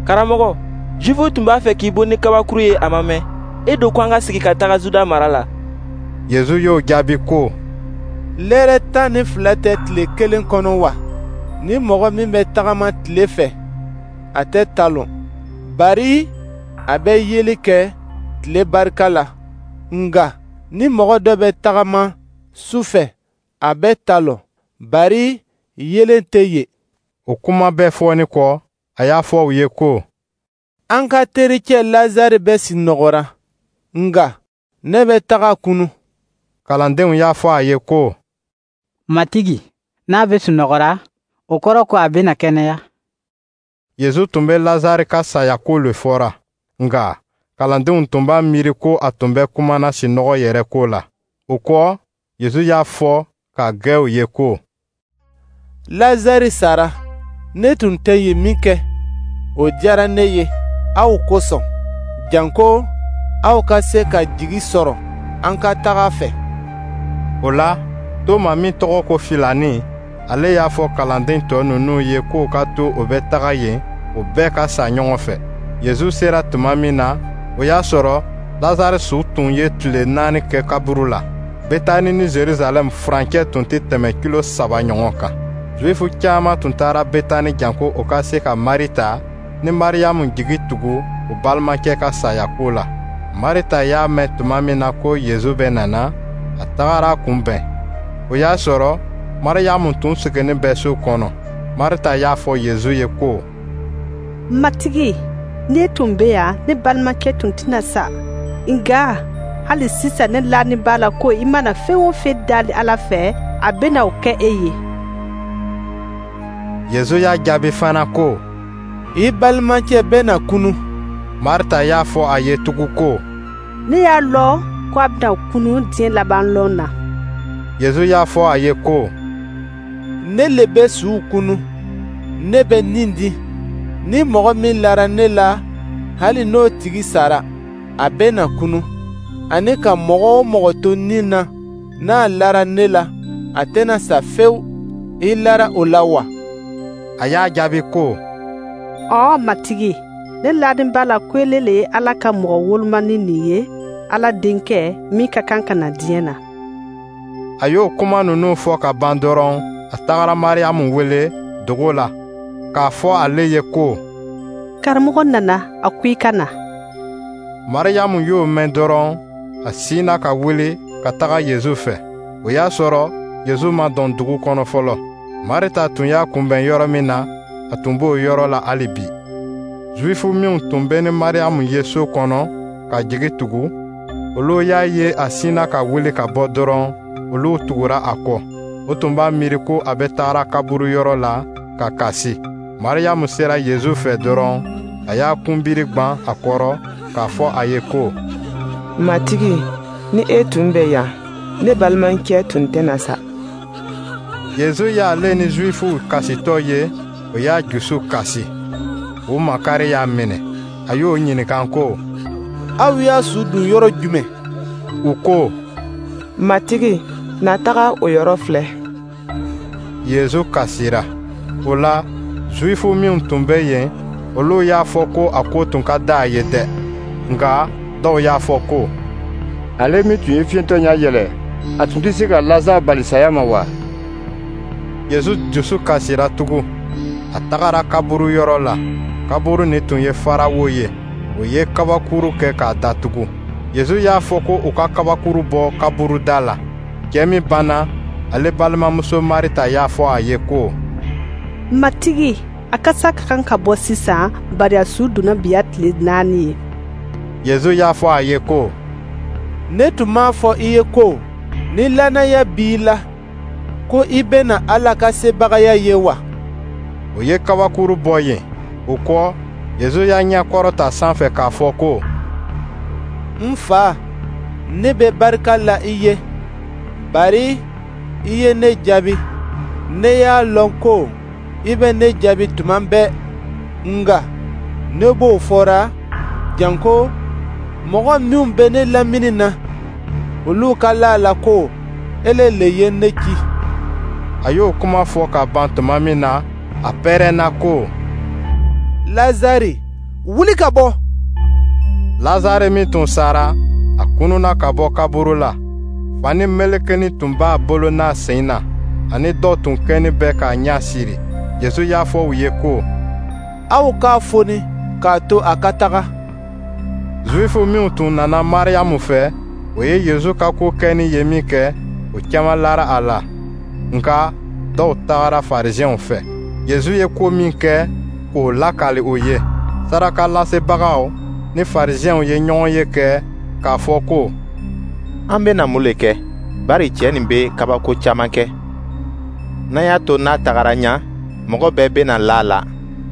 Karamɔgɔ, Jufuw tun b'a fɛ k'i bon ni kabakuru ye a ma mɛn. E do ko an ka sigi ka taga Juda mara la. Yezu y'o jaabi ko: Lɛrɛ tan ni fila tɛ tile kelen kɔnɔ wa? Ni mɔgɔ min bɛ tagama tile fɛ, a tɛ talon, bari a bɛ yeli kɛ tile barika la. Nka ni mɔgɔ dɔ bɛ tagama su fɛ, a bɛ talon, bari yeelen tɛ yen. O kuma bɛɛ fɔni kɔ, a y'a fɔ u ye ko: An ka tericɛ Lazari bɛ sunɔgɔra, nka ne bɛ taga kunu. Kalandenw y'a fɔ a ye ko: Matigi, n'a bɛ sunɔgɔra, o kɔrɔ ko a bɛna kɛnɛya. Yezu tun bɛ Lazari ka saya ko le fɔra, nka kalandenw tun b'a miiri ko a tun bɛ kumana sinɔgɔ yɛrɛ ko la. O kɔ, Yezu y'a fɔ k'a gwɛ u ye ko: Lazari sara, ne tun tɛ yen min kɛ, o diyara ne ye aw kosɔn, janko aw ka se ka jigi sɔrɔ an ka taga fɛ. O la, Toma min tɔgɔ ko Filani, ale y'a fɔ kalanden tɔ ninnu ye k'o ka to o bɛ taga yen, o bɛɛ ka sa ɲɔgɔn fɛ. Yezu sera tuma min na, o y'a sɔrɔ Lazari su tun ye tile naani kɛ kaburu la. Betani ni Jerusalɛm furancɛ tun tɛ tɛmɛ kilo saba ɲɔgɔn kan. Zuwifu caman tun taara Betani janko o ka se ka Marita ni Mariyamu jigi tugu u balimakɛ ka saya ko la. Marita y'a mɛn tuma min na ko Yezu bɛ nana, a tagara a kunbɛn. O y'a sɔrɔ Mariyamu tun sigilen bɛ so kɔnɔ. Marita y'a fɔ Yezu ye ko: Matigi, n'e tun bɛ yan, ne balimakɛ tun tɛna sa. Nka hali sisan ne lanin b'a la ko i mana fɛn o fɛn dali Ala fɛ, a bɛna o kɛ e ye. Yezu y'a jaabi fana ko: I balimakɛ bɛna kunu. Marita y'a fɔ a ye tugun ko: Ne y'a lɔn ko a bɛna kunu diɲɛ laban lon na. Yezu y'a fɔ a ye ko: Ne le bɛ suw kunu, ne bɛ nin di. Ni mɔgɔ min lara ne la, hali n'o tigi sara, a bɛna kunu. Ani ka mɔgɔ o mɔgɔ to ni na, n'a lara ne la, a tɛna sa fewu. I lara o la wa? A y'a jaabi ko: Ɔwɔ Matigi, ne lanin b'a la ko ele le ye Ala ka mɔgɔ wolomani nin ye, Ala denkɛ min ka kan ka na diɲɛ na. A y'o kuma ninnu fɔ ka ban dɔrɔn, a tagara Mariyamu wele dogo la k'a fɔ ale ye ko: Karamɔgɔ nana, a ko i ka na. Mariyamu y'o mɛn dɔrɔn, a sinna ka wuli ka taga Yezu fɛ. O y'a sɔrɔ Yezu ma don dugu kɔnɔ fɔlɔ. Marita tun y'a kunbɛn yɔrɔ min na, a tun b'o yɔrɔ la hali bi. Zuwifu minw tun bɛ ni Mariyamu ye so kɔnɔ ka jigi tugu, olu y'a ye a sinna ka wuli ka bɔ dɔrɔn, olu tugura a kɔ. O tun b'a miiri ko a bɛ taara kaburu yɔrɔ la ka kasi. Mariyamu sera Yezu fɛ dɔrɔn, a y'a kunbiri gwan a kɔrɔ k'a fɔ a ye ko: Matigi, ni e tun bɛ yan, ne balimakɛ tun tɛna sa. Yezu y'ale ni Zuwifuw kasitɔ ye, o y'a jusu kasi. O makari y'a minɛ. A y'o ɲininka ko: Aw y'a su don yɔrɔ jumɛn? U ko: Matigi, na taga o yɔrɔ filɛ. Yezu kasira. O la, Zuwifu minw tun bɛ yen, olu y'a fɔ ko a ko tun ka di a ye dɛ. Nka dɔw y'a fɔ ko: Ale min tun ye fiyentɔ ɲɛ yɛlɛ, a tun tɛ se ka Lazare bali saya ma wa? Yezu dusu kasira tugun. A tagara kaburu yɔrɔ la. Kaburu nin tun ye farawo ye, o ye kabakuru kɛ k'a datugu. Yezu y'a fɔ ko u ka kabakuru bɔ kaburu da la. Cɛ min banna, ale balimamuso Marita y'a fɔ a ye ko: Matigi, a kasa ka kan ka bɔ sisan, bari a su donna bi y'a tile naani ye. Yezu y'a fɔ a ye ko: Ne tun m'a fɔ i ye ko, ni lannaya b'i la, ko i bɛna Ala ka sebagaya ye wa? O ye kabakuru bɔ yen. O kɔ, Yezu y'a ɲɛ kɔrɔta sanfɛ k'a fɔ ko: N Fa, ne bɛ barika la i ye, bari i ye ne jaabi. Ne y'a lɔn ko i bɛ ne jaabi tuma bɛɛ, nka ne b'o fɔra janko mɔgɔ minw bɛ ne lamini na, olu ka la a la ko ele le ye ne ci. A y'o kuma fɔ ka ban tuma min na, a pɛrɛnna ko: Lazare, wuli ka bɔ! Lazare min tun sara, a kununna ka bɔ kaburu la. Fani melekeni tun b'a bolo n'a sen na, ani dɔ tun kɛnin bɛ k'a ɲɛ siri. Yezu y'a fɔ u ye ko: Aw k'a foni k'a to a ka taga. Zuwifu minw tun nana Mariyamu fɛ, o ye Yezu ka ko kɛnin ye min kɛ, o caman lara a la. Nka dɔw tagara Farisiɛnw fɛ. Yezu ye ko min kɛ, k'o lakali o ye. Sarakalasebagaw ni Farisiɛnw ye ɲɔgɔnye kɛ k'a fɔ ko: An bɛna mun le kɛ, bari cɛ nin bɛ kabako caman kɛ? N'an y'a to n'a tagara ɲa, mɔgɔ bɛɛ bɛna la a la.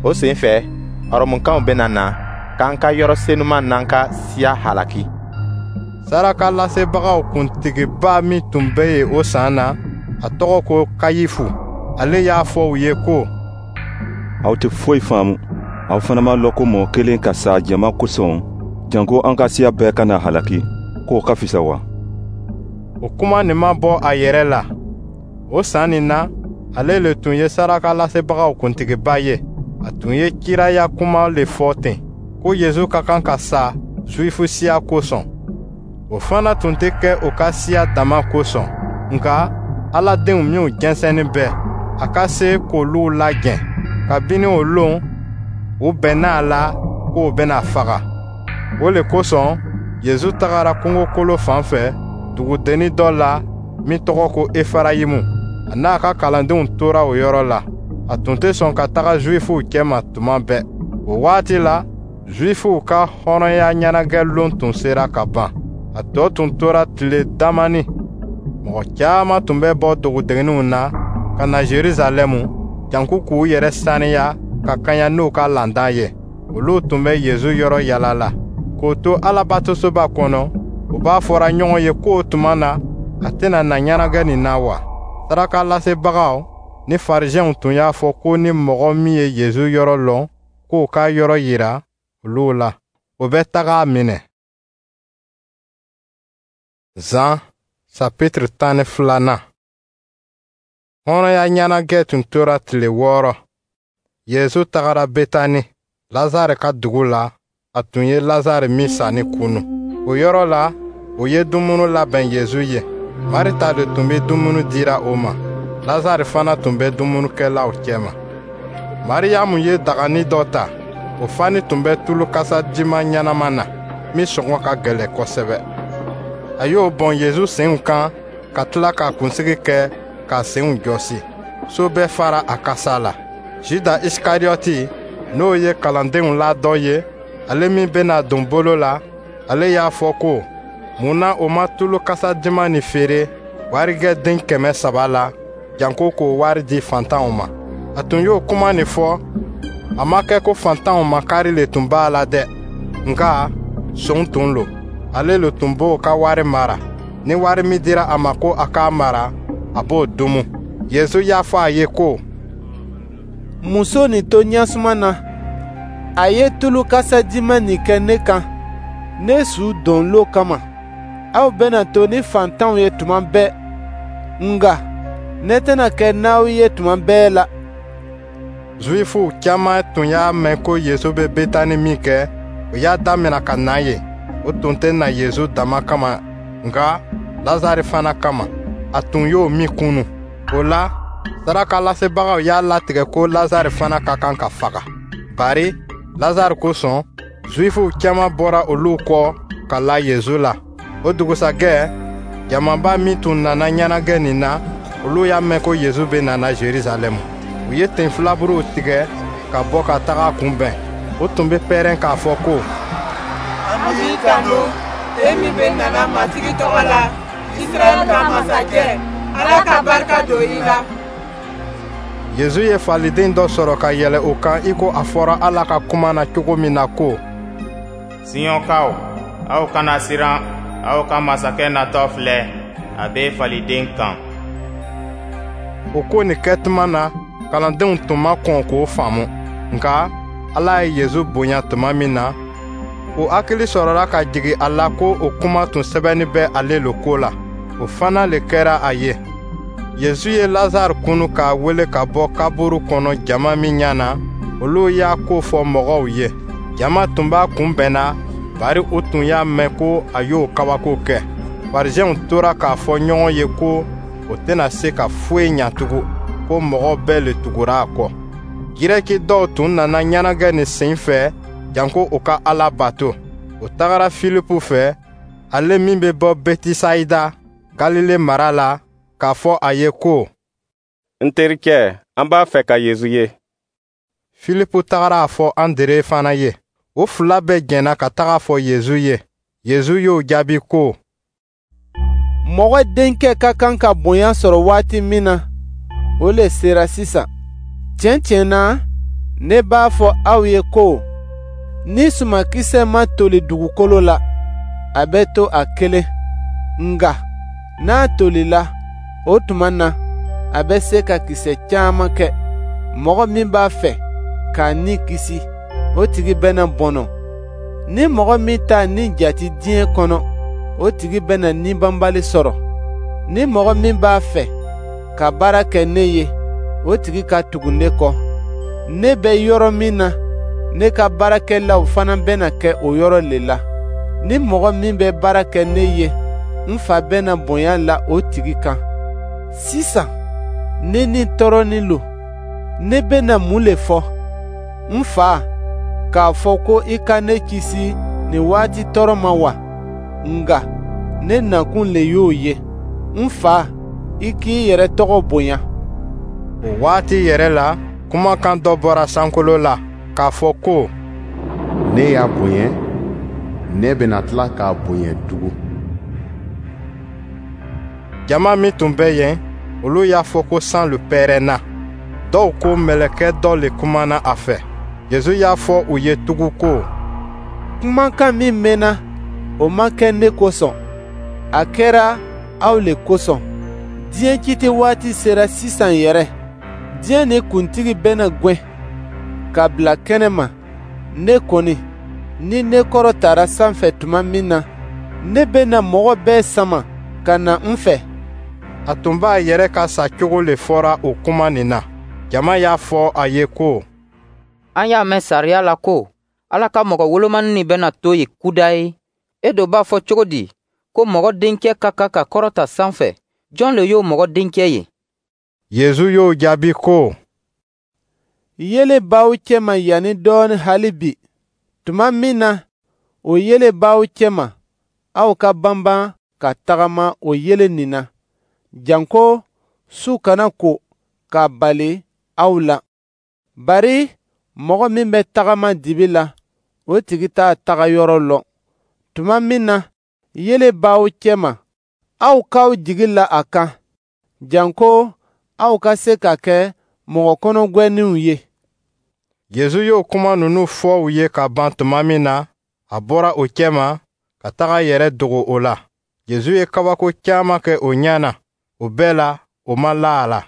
O sen fɛ, Ɔrɔmukaw bɛna na k'an ka yɔrɔ senuma n'an ka siya halaki. Sarakalasebagaw kuntigiba min tun bɛ yen o san na, a tɔgɔ ko Kayifu. Ale y'a fɔ u ye ko: Aw tɛ foyi faamu. Aw fana m'a lɔn ko mɔgɔ kelen ka sa jama kosɔn, janko an ka siya bɛɛ kana halaki, k'o ka fisa wa? O kuma nin ma bɔ a yɛrɛ la. O san nin na, ale le tun ye sarakalasebagaw kuntigiba ye. A tun ye kiraya kuma le fɔ ten, ko Yezu ka kan ka sa Zuwifu siya kosɔn. O fana tun tɛ kɛ o ka siya dama kosɔn, nka Ala denw minw jɛnsɛnnin bɛ, a ka se k'olu lajɛ. Kabini o lon, u bɛnna a la k'o bɛna faga. O le kosɔn, Yezu tagara kungokolo fan fɛ, dugudennin dɔ la min tɔgɔ ko Efarayimu. A n'a ka kalandenw tora o yɔrɔ la. A tun tɛ sɔn ka taga Zuwifuw cɛma tuma bɛɛ. O waati la, Zuwifuw ka hɔrɔnya ɲɛnajɛ lon tun sera ka ban. A tɔ tun tora tile damani. Mɔgɔ caman tun bɛ bɔ dugudenninw na ka na Jerusalɛmu, janko k'u yɛrɛ saniya ka kaɲa n'u ka landan ye. Olu tun bɛ Yezu yɔrɔ yala la. K'o to Alabatosoba kɔnɔ, u b'a fɔra ɲɔgɔn ye k'o tuma na, a tɛna na ɲɛnajɛ nin na wa? Sarakalasebagaw ni Farisiɛnw tun y'a fɔ ko ni mɔgɔ min ye Yezu yɔrɔ lɔn, k'o ka yɔrɔ yira olu la, o bɛ taga a minɛ. Zan chapitre tan ni filanan. Hɔrɔnya ɲɛnajɛ tun tora tile wɔɔrɔ. Yezu tagara Betani, Lazare ka dugu la, a tun ye Lazare min sanni kunu. O yɔrɔ la, o ye dumuni labɛn Yezu ye. Marita de tun bɛ dumuni dira o ma. Lazare fana tun bɛ dumunikɛlaw cɛma. Mariyamu ye dagani dɔ ta, o fani tun bɛ tulu kasadiman ɲɛnama na. min sɔngɔ ka gɛlɛn kosɛbɛ. A y'o bɔn Yezu senw kan ka tila k'a kunsigi kɛ k'a senw jɔsi. So bɛɛ fara a kasa la. Juda Isikariyɔti, n'o ye kalandenw la dɔ ye, ale min bɛna don bolo la, ale y'a fɔ ko, mun na o ma tulu kasa duman nin feere warijɛ den kɛmɛ saba la, janko k'o wari di fantanw ma? A tun y'o kuma nin fɔ, a ma kɛ ko fantanw makari le tun b'a la dɛ, nka son tun lo. Ale le tun b'o ka wari mara. Ni wari min dira a ma ko a k'a mara, a b'o dumu. Yezu y'a fɔ a ye ko, Muso nin to ɲɛsuma na, a ye tulu kasadiman nin kɛ ne kan, ne su don lon kama. Aw bɛna to ni fantanw ye tuma bɛɛ, nka ne tɛna kɛ n'aw ye tuma bɛɛ la. Zuwifuw caman tun y'a mɛn ko Yezu bɛ Betani min kɛ, o y'a damina ka na yen. O tun tɛ na Yezu dama kama, nka Lazare fana kama, a tun y'o min kunu. O la, sarakalasebagaw y'a latigɛ ko Lazare fana ka kan ka faga. Bari Lazare kosɔn, Zuwifuw caman bɔra olu kɔ ka la Yezu la. O dugusajɛ, jamaba min tun nana ɲɛnajɛ nin na, olu y'a mɛn ko Yezu bɛ nana Jerusalɛmu. U ye ten filaburuw tigɛ ka bɔ ka taga a kunbɛn. O tun bɛ pɛrɛn k'a fɔ ko, An b'i tanu, e min bɛ nana Matigi tɔgɔ la, Israɛl ka masakɛ, Ala ka barika don i la. Yezu ye faliden dɔ sɔrɔ ka yɛlɛ o kan i ko a fɔra Ala ka kuma na cogo min na ko, Siyɔnkaw, aw kana siran, aw ka masakɛ natɔ filɛ, a bɛ faliden kan. O ko nin kɛtuma na, kalandenw tun ma kɔn k'o faamu. Nka Ala ye Yezu bonya tuma min na, o hakili sɔrɔla ka jigin a la ko o kuma tun sɛbɛnnin bɛ ale lo ko la. O fana le kɛra a ye. Yezu ye Lazare kunu k'a wele ka bɔ kaburu kɔnɔ jama min ɲɛ na, olu y'a ko fɔ mɔgɔw ye. Jama tun b'a kunbɛnna, bari u tun y'a mɛn ko a y'o kabako kɛ. Farisiɛnw tora k'a fɔ ɲɔgɔn ye ko o tɛna se ka foyi ɲa tugun, ko mɔgɔ bɛɛ le tugura a kɔ. Girɛki dɔw tun nana ɲɛnajɛ nin sen fɛ janko u ka Ala bato. U tagara Filipu fɛ, ale min bɛ bɔ Betisayida, Galile mara la, k'a fɔ a ye ko, N terikɛ, an b'a fɛ ka Yezu ye. Filipu tagara a fɔ Andre fana ye. O fila bɛɛ jɛnna ka taga fɔ Yezu ye. Yezu y'o jaabi ko, Mɔgɔ Denkɛ ka kan ka bonya sɔrɔ waati min na, o le sera sisan. Tiɲɛ tiɲɛ na, ne b'a fɔ aw ye ko, ni sumankisɛ ma toli dugukolo la, a bɛ to a kelen. Nka n'a tolila, o tuma na, a bɛ se ka kisɛ caman kɛ. Mɔgɔ min b'a fɛ k'a ni kisi, o tigi bɛna bɔnɔ. Ni mɔgɔ min t'a ni jate diɲɛ kɔnɔ, o tigi bɛna ni banbali sɔrɔ. Ni mɔgɔ min b'a fɛ ka baara kɛ ne ye, o tigi ka tugu ne kɔ. Ne bɛ yɔrɔ min na, ne ka baarakɛlaw fana bɛna kɛ o yɔrɔ le la. Ni mɔgɔ min bɛ baara kɛ ne ye, n fa bɛna bonya la o tigi kan. Sisan, ne ni tɔɔrɔnin lo. Ne bɛna mun le fɔ? N fa, k'a fɔ ko i ka ne kisi nin waati tɔɔrɔ ma wa? Nka ne nakun le y'o ye. N fa, i k'i yɛrɛ tɔgɔ bonya. O waati yɛrɛ la, kumakan dɔ bɔra sankolo la k'a fɔ ko, Ne y'a bonya, ne bɛna tila k'a bonya tugun. Jama min tun bɛ yen, olu y'a fɔ ko san le pɛrɛnna. Dɔw ko mɛlɛkɛ dɔ le kumana a fɛ. Yezu y'a fɔ u ye tugun ko, Kumakan min mɛnna, o ma kɛ ne kosɔn, a kɛra aw le kosɔn. Diɲɛ kiti waati sera sisan yɛrɛ. Diɲɛ ni kuntigi bɛna gwɛn ka bila kɛnɛma. Ne kɔni, ni ne kɔrɔtara sanfɛ tuma min na, ne bɛna mɔgɔ bɛɛ sama ka na n fɛ. A tun b'a yɛrɛ ka sa cogo le fɔra o kuma nin na. Jama y'a fɔ a ye ko, An y'a mɛn sariya la ko Ala ka mɔgɔ wolomani nin bɛna to yen kudayi. E do b'a fɔ cogo di ko Mɔgɔ Denkɛ ka kan ka kɔrɔta sanfɛ? Jɔn le y'o Mɔgɔ Denkɛ ye? Yezu y'o jaabi ko, Yeelen b'aw cɛma yanni dɔɔnin hali bi. Tuma min na O yeelen b'aw cɛma, aw ka banban ka tagama o yeelen nin na, janko su kana ko k'a bali aw la. Bari mɔgɔ min bɛ tagama dibi la, o tigi t'a taga yɔrɔ lɔn. Tuma min na yeelen b'aw cɛma, aw k'aw jigi la a kan, janko aw ka se ka kɛ mɔgɔ kɔnɔgwɛnninw ye. Yezu y'o kuma ninnu fɔ u ye ka ban tuma min na, a bɔra o cɛma ka taga yɛrɛ dogo o la. Yezu ye kabako caman kɛ o ɲɛ na, o bɛɛ la, o ma la a la.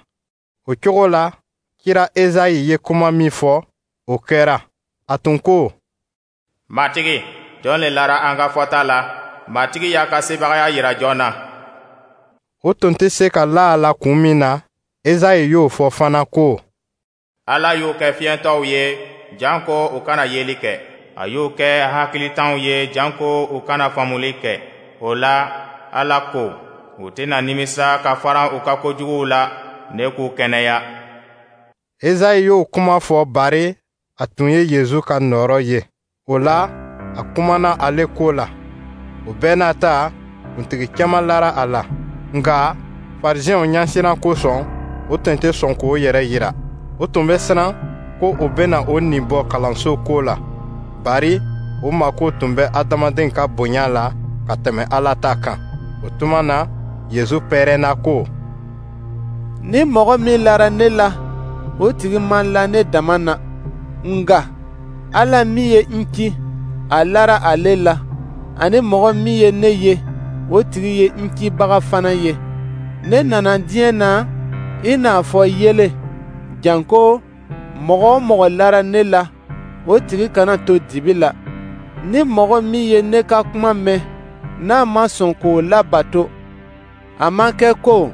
O cogo la, kira Ezayi ye kuma min fɔ, o kɛra. A tun ko: Matigi, jɔn le lara an ka fɔta la? Matigi y'a ka sebagaya yira jɔn na? O tun tɛ se ka la a la kun min na, Ezayi y'o fɔ fana ko: Ala y'u kɛ fiyentɔw ye, janko u kana yeli kɛ. A y'u kɛ hakilitanw ye, janko u kana faamuli kɛ. O la, Ala ko, u tɛna nimisa ka faran u ka kojuguw la, ne k'u kɛnɛya. Ezayi y'o kuma fɔ bari a tun ye Yezu ka nɔɔrɔ ye. O la, a kumana ale ko la. O bɛɛ n'a ta, kuntigi caman lara a la. Nka farisiɛnw ɲɛsiran kosɔn, o tun tɛ sɔn k'o yɛrɛ yira. O tun bɛ siran ko o bɛna o nin bɔ kalanso ko la, bari o mako tun bɛ adamaden ka bonya la ka tɛmɛ Ala ta kan. O tuma na, Yezu pɛrɛnna ko: Ni mɔgɔ min lara ne la, o tigi ma la ne dama na, nka Ala min ye n ci, a lara ale la, ani mɔgɔ min ye ne ye, o tigi ye n cibaga fana ye. Ne nana diɲɛ na i n'a fɔ yeelen, janko mɔgɔ o mɔgɔ lara ne la, o tigi kana to dibi la. Ni mɔgɔ min ye ne ka kuma mɛn, n'a ma sɔn k'o labato, a ma kɛ ko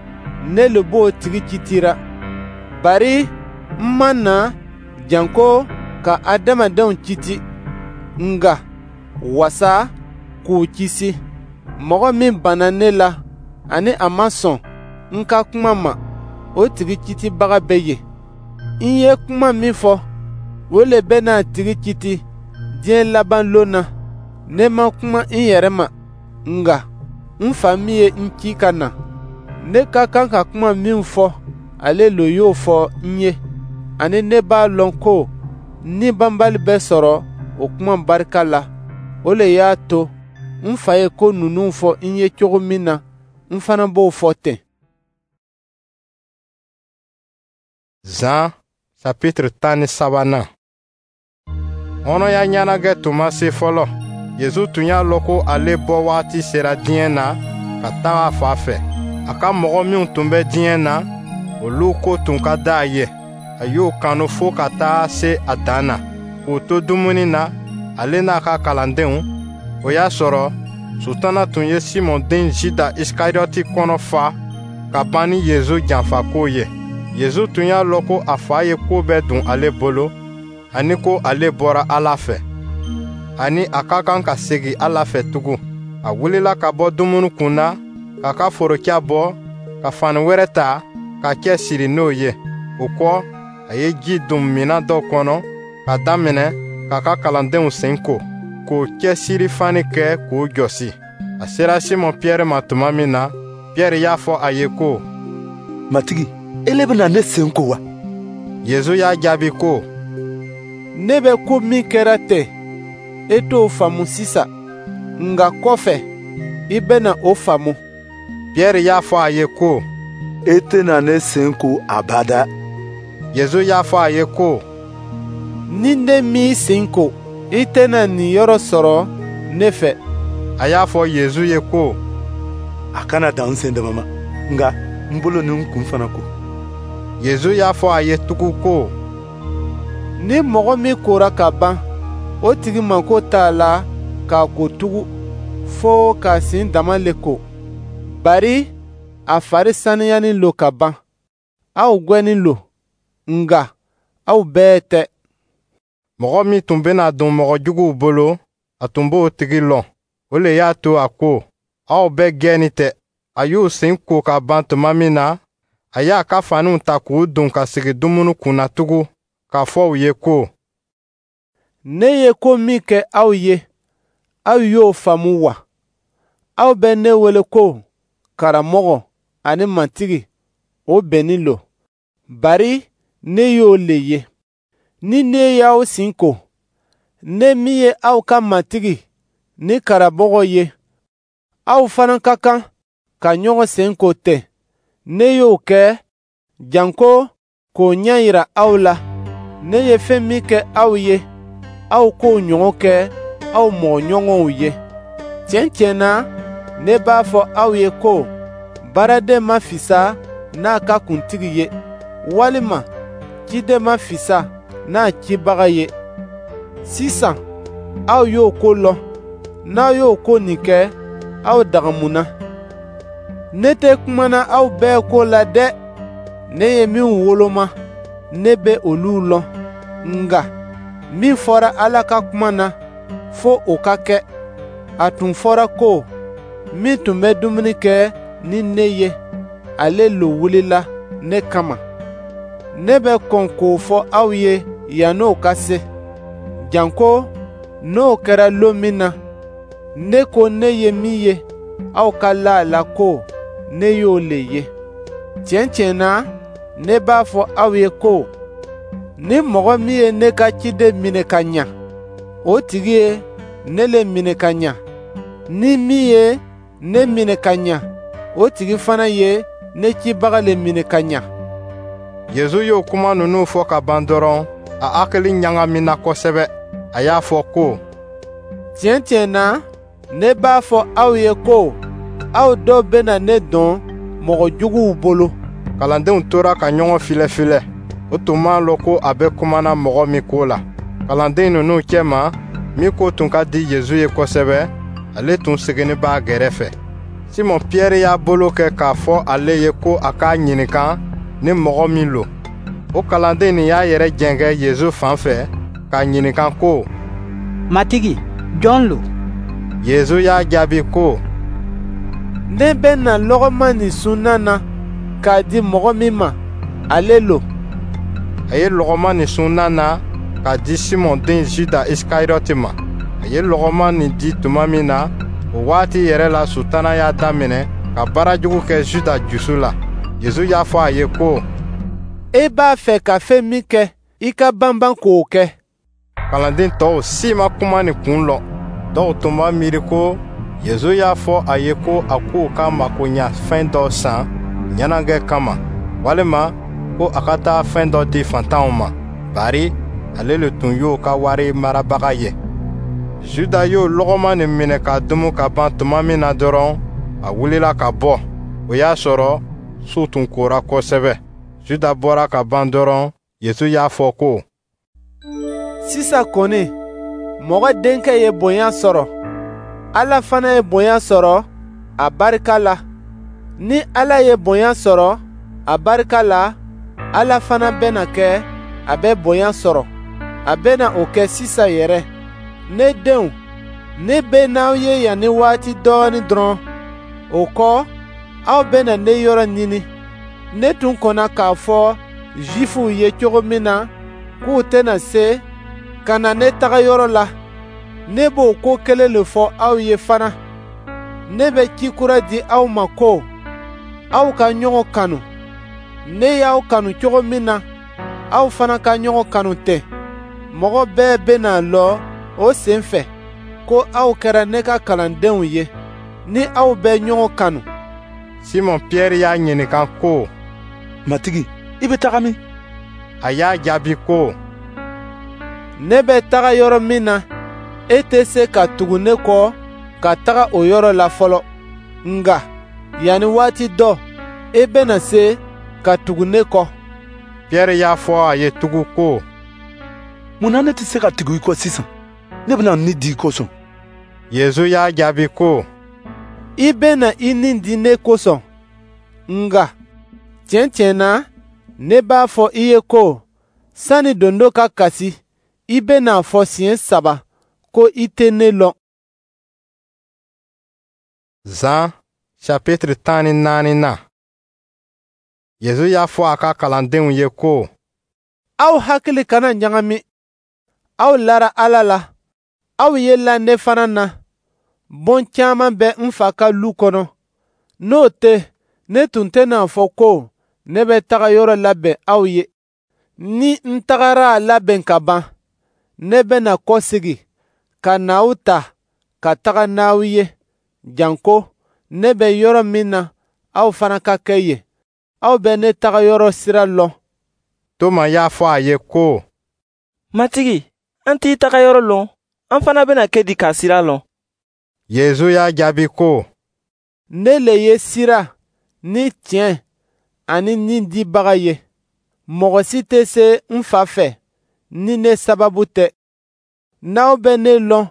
ne le b'o tigi kitira. Bari n ma na janko ka adamadenw kiti, nka wasa k'u kisi. Mɔgɔ min banna ne la ani a ma sɔn n ka kuma ma, o tigi kitibaga bɛ yen. N ye kuma min fɔ, o le bɛna a tigi kiti diɲɛ laban lon na. Ne ma kuma n yɛrɛ ma, nka n fa min ye n ci ka na, ne ka kan ka kuma min fɔ, ale lo y'o fɔ n ye. Ani ne b'a lɔn ko ni banbali bɛ sɔrɔ o kuma barika la. O le y'a to n fa ye ko ninnu fɔ n ye cogo min na, n fana b'o fɔ ten. Zan chapitre tan ni sabanan. Hɔrɔnya ɲɛnajɛ tun ma se fɔlɔ. Yezu tun y'a lɔn ko ale bɔ waati sera diɲɛ na ka taga a fa fɛ. A ka mɔgɔ minw tun bɛ diɲɛ na, olu ko tun ka di a ye. A y'o kanu fo ka taa se a dan na. K'u to dumuni na, ale n'a ka kalandenw, o y'a sɔrɔ Sutana tun ye Simɔn den Juda Isikariɔti kɔnɔ fa ka ban ni Yezu janfako ye. Yezu tun y'a lɔn ko a fa ye ko bɛɛ dun ale bolo, ani ko ale bɔra Ala fɛ, ani a ka kan ka segin Ala fɛ tugun. A wulila ka bɔ dumuni kun na, k'a ka forocɛ bɔ, ka fani wɛrɛ ta, ka cɛ siri n'o ye. O kɔ, a ye ji don minɛn dɔ kɔnɔ ka daminɛ k'a ka kalandenw sen ko, k'o cɛsiri fani kɛ k'o jɔsi. A sera Simɔn Piyɛri ma tuma min na, Piyɛri y'a fɔ a ye ko: Matigi, ele bɛna ne sen ko wa? Yezu y'a jaabi ko: Ne bɛ ko min kɛra ten, e t'o faamu sisan, nka kɔfɛ, i bɛna o faamu. Piyɛri y'a fɔ a ye ko: E tɛna ne sen ko abada. Yezu y'a fɔ a ye ko: Ni ne m'i sen ko, i tɛna niyɔrɔ sɔrɔ ne fɛ. A y'a fɔ Yezu ye ko: A kana dan n sen dama ma, nka n bolo ni n kun fana ko. Yezu y'a fɔ a ye tugun ko: Ni mɔgɔ min kora ka ban, o tigi mako t'a la k'a ko tugun, fo k'a sen dama le ko. Bari a fari saniyanin lo ka ban. Aw gwɛnin lo, nka aw bɛɛ tɛ. Mɔgɔ min tun bɛna don mɔgɔ juguw bolo, a tun b'o tigi lɔn. O le y'a to a ko: Aw bɛɛ gɛnni tɛ. A y'u sen ko ka ban tuma min na, a y'a ka faniw ta k'u don ka sigi dumuni kun na tugun, k'a fɔ u ye ko: Ne ye ko min kɛ aw ye, Aw y'o faamu wa? Aw bɛ ne wele ko Karamɔgɔ ani Matigi, o bɛnnin lo, bari ne y'o le ye. Ni ne y'aw sen ko, ne min ye aw ka Matigi ni Karamɔgɔ ye, aw fana ka kan ka ɲɔgɔn sen ko ten. Ne y'o kɛ janko k'o ɲɛ yira aw la. Ne ye fɛn min kɛ aw ye, aw k'o ɲɔgɔn kɛ aw mɔgɔɲɔgɔnw ye. Tiɲɛ tiɲɛ na, ne b'a fɔ aw ye ko baaraden ma fisa n'a ka kuntigi ye, walima ciden ma fisa n'a cibaga ye. Sisan aw y'o ko lɔn. N'aw y'o ko nin kɛ, aw dagamuna. Ne tɛ kumana aw bɛɛ ko la dɛ. Ne ye minw woloma, ne bɛ olu lɔn. Nka min fɔra Ala ka kuma na, fo o ka kɛ. A tun fɔra ko, min tun bɛ dumuni kɛ ni ne ye, ale lo wulila ne kama. Ne bɛ kɔn k'o fɔ aw ye yann'o ka se, janko n'o kɛra lon min na, ne ko ne ye min ye, aw ka la a la ko ne y'o le ye. Tiɲɛ tiɲɛ na, ne b'a fɔ aw ye ko ni mɔgɔ min ye ne ka ciden minɛ ka ɲa, o tigi ye ne le minɛ ka ɲa. Ni min ye ne minɛ ka ɲa, o tigi fana ye ne cibaga le minɛ ka ɲa. Yezu y'o kuma ninnu fɔ ka ban dɔrɔn, a hakili ɲagamina kosɛbɛ. A y'a fɔ ko: Tiɲɛ tiɲɛ na, ne b'a fɔ aw ye ko aw dɔ bɛna ne dɔn mɔgɔ juguw bolo. Kalandenw tora ka ɲɔgɔn filɛfilɛ. O tun m'a lɔn ko a bɛ kumana mɔgɔ min ko la. Kalanden ninnu cɛma, min ko tun ka di Yezu ye kosɛbɛ, ale tun seginni b'a gɛrɛfɛ. Simɔn Piyɛri y'a bolo kɛ k'a fɔ ale ye ko a k'a ɲininka ni mɔgɔ min lo. O kalanden nin y'a yɛrɛ jɛngɛ Yezu fan fɛ k'a ɲininka ko: Matigi, jɔn lo? Yezu y'a jaabi ko: Ne bɛna lɔgɔma nin sun na na k'a di mɔgɔ min ma, ale lo. A ye lɔgɔma nin sun na na k'a di Simɔn den Juda Isikariyɔti ma. A ye lɔgɔma nin di tuma min na, o waati yɛrɛ la Sutana y'a daminɛ ka baara jugu kɛ Juda jusu la. Yezu y'a fɔ a ye ko: E b'a fɛ ka fɛn min kɛ, i ka banban k'o kɛ. Kalanden tɔw si ma kuma nin kun lɔn. Dɔw tun b'a miiri ko Yezu y'a fɔ a ye ko a k'u ka makoɲa fɛn dɔ san ɲɛnajɛ kama, walima ko a ka taa fɛn dɔ di fantanw ma, bari ale le tun y'o ka wari marabaga ye. Juda y'o lɔgɔma nin minɛ ka dumu ka ban tuma min na dɔrɔn, a wulila ka bɔ. O y'a sɔrɔ su tun kora kosɛbɛ. Juda bɔra ka ban dɔrɔn, Yezu y'a fɔ ko: Sisan kɔni, mɔgɔ denkɛ ye bonya sɔrɔ, Ala fana ye bonya sɔrɔ a barika la. Ni Ala ye bonya sɔrɔ a barika la, Ala fana bɛna kɛ a bɛ bonya sɔrɔ. A bɛna o kɛ sisan yɛrɛ. Ne denw, ne bɛ n'aw ye yan ni waati dɔɔnin dɔrɔn. O kɔ, aw bɛna ne yɔrɔ ɲini. Ne tun kɔnna k'a fɔ Zifuw ye cogo min na k'u tɛna se ka na ne taga yɔrɔ la, ne b'o ko kelen le fɔ aw ye fana. Ne bɛ ci kura di aw ma ko aw ka ɲɔgɔn kanu. Ne y'aw kanu cogo min na, aw fana ka ɲɔgɔn kanu ten. Mɔgɔ bɛɛ bɛna lɔn o sen fɛ ko aw kɛra ne ka kalandenw ye, ni aw bɛ ɲɔgɔn kanu. Simɔn Piyɛri y'a ɲininka ko: Matigi, i bɛ taga min? A y'a jaabi ko: Ne bɛ taga yɔrɔ min na, e tɛ se ka tugu ne kɔ ka taga o yɔrɔ la fɔlɔ. Nka yanni waati dɔ, e bɛna se ka tugu ne kɔ. Piyɛri y'a fɔ a ye tugun ko: Mun na ne tɛ se ka tugu i kɔ sisan? Ne bɛna n ni di i kosɔn. Yezu y'a jaabi ko: I bɛna i ni di ne kosɔn. Nka tiɲɛ tiɲɛ na, ne b'a fɔ i ye ko sani dondo ka kasi, i bɛna a fɔ siɲɛ saba ko i tɛ ne lɔn. Zan chapitre tan ni naani na. Yezu y'a fɔ a ka kalandenw ye ko: Aw hakili kana ɲagami. Aw lara Ala la, aw ye la ne fana na. Bon caman bɛ n fa ka lu kɔnɔ. N'o tɛ, ne tun tɛna a fɔ ko ne bɛ taga yɔrɔ labɛn aw ye. Ni n tagara a labɛn ka ban, ne bɛna kɔsegin ka na aw ta ka taga n'aw ye, janko ne bɛ yɔrɔ min na, aw fana ka kɛ yen. Aw bɛ ne taga yɔrɔ sira lɔn. Toma y'a fɔ a ye ko: Matigi, an t'i taga yɔrɔ lɔn, an fana bɛna kɛ di k'a sira lɔn? Yezu y'a jaabi ko: Ne le ye sira ni tiɲɛ ani ni dibaga ye. Mɔgɔ si tɛ se n fa fɛ ni ne sababu tɛ. N'aw bɛ ne lɔn,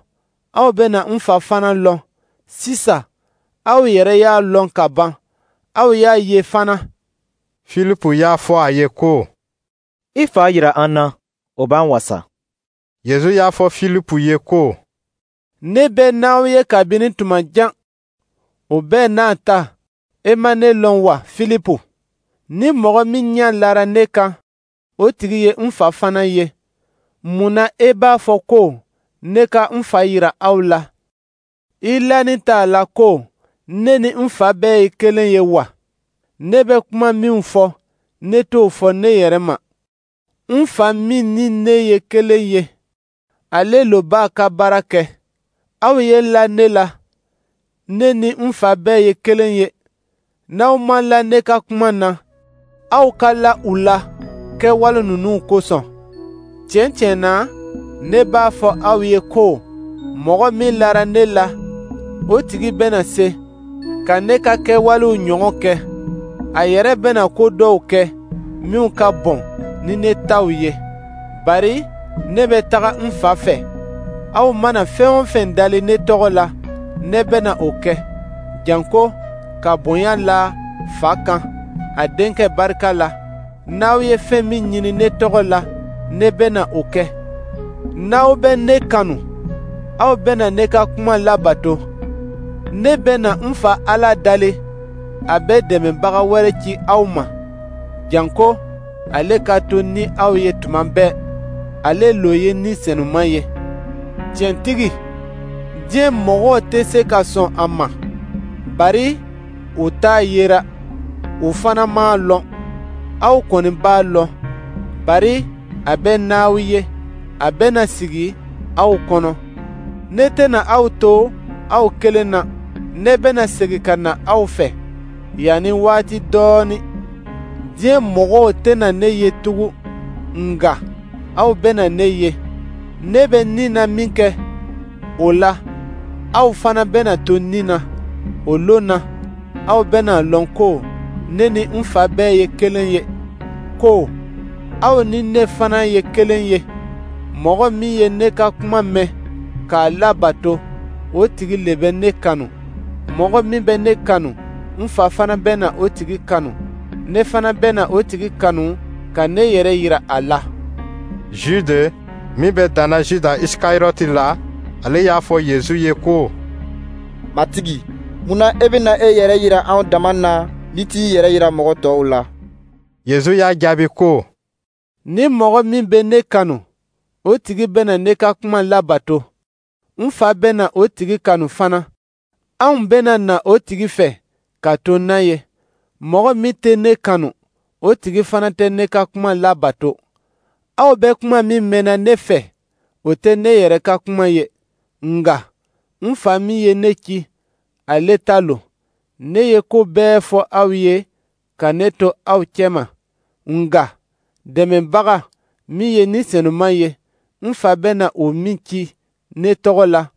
aw bɛna n fa fana lɔn. Sisan, aw yɛrɛ y'a lɔn ka ban, aw y'a ye fana. Filipu y'a fɔ a ye ko: I fa yira an na, o b'an wasa. Yezu y'a fɔ Filipu ye ko: Ne bɛ n'aw ye kabini tuma jan, o bɛɛ n'a ta, e ma ne lɔn wa, Filipu? Ni mɔgɔ min ɲɛ lara ne kan, o tigi ye n fa fana ye. Mun na e b'a fɔ ko ne ka n fa yira aw la? I lanin t'a la ko ne ni n fa bɛɛ ye kelen ye wa? Ne bɛ kuma min fɔ, ne t'o fɔ ne yɛrɛ ma. N fa min ni ne ye kelen ye, ale lo b'a ka baara kɛ. Aw ye la ne la, ne ni n fa bɛɛ ye kelen ye. N'aw ma la ne ka kuma na, aw ka la u la kɛwale ninnu kosɔn. Tiɲɛ tiɲɛ na, ne b'a fɔ aw ye ko mɔgɔ min lara ne la, o tigi bɛna se ka ne ka kɛwalew ɲɔgɔn kɛ. A yɛrɛ bɛna ko dɔw kɛ minw ka bon ni ne taw ye, bari ne bɛ taga n fa fɛ. Aw mana fɛn o fɛn dali ne tɔgɔ la, ne bɛna o kɛ, janko ka bonya la fa kan a denkɛ barika la. N'aw ye fɛn min ɲini ne tɔgɔ la, ne bɛna o kɛ. N'aw bɛ ne kanu, aw bɛna ne ka kuma labato. Ne bɛna n fa Ala dali, a bɛ dɛmɛbaga wɛrɛ ci aw ma, janko ale ka to ni aw ye tuma bɛɛ. Ale lo ye Ni Senuma ye. Tiɲɛtigi, diɲɛ mɔgɔw tɛ se ka sɔn a ma, bari u t'a yera, u fana m'a lɔn. Aw kɔni b'a lɔn, bari a bɛ n'aw ye, a bɛna sigi aw kɔnɔ. Ne tɛna aw to aw kelen na, ne bɛna segin ka na aw fɛ yanni waati dɔɔnin. Diɲɛ mɔgɔw tɛna ne ye tugun, nka aw bɛna ne ye. Ne bɛ ni na min kɛ, o la, aw fana bɛna to ni na. O lon na, aw bɛna lɔn ko ne ni n fa bɛɛ ye kelen ye, ko aw ni ne fana ye kelen ye. Mɔgɔ min ye ne ka kuma mɛn k'a labato, o tigi le bɛ ne kanu. Mɔgɔ min bɛ ne kanu, n fa fana bɛna o tigi kanu. Ne fana bɛna o tigi kanu ka ne yɛrɛ yira a la. Jude min bɛ danna Juda Isikariyɔti la, ale y'a fɔ Yezu ye ko: Matigi, mun na e bɛna e yɛrɛ yira anw dama na n'i t'i yɛrɛ yira mɔgɔ tɔw la? Yezu y'a jaabi ko: Ni mɔgɔ min bɛ ne kanu, o tigi bɛna ne ka kuma labato. N fa bɛna o tigi kanu fana. Anw bɛna na o tigi fɛ ka to n'a ye. Mɔgɔ min tɛ ne kanu, o tigi fana tɛ ne ka kuma labato. Aw bɛ kuma min mɛnna ne fɛ, o tɛ ne yɛrɛ ka kuma ye, nka n fa min ye ne ci, ale ta lo. Ne ye ko bɛɛ fɔ aw ye ka ne to aw cɛma, nka dɛmɛbaga min ye Ni Senuma ye, n fa bɛna o min ci ne tɔgɔ la,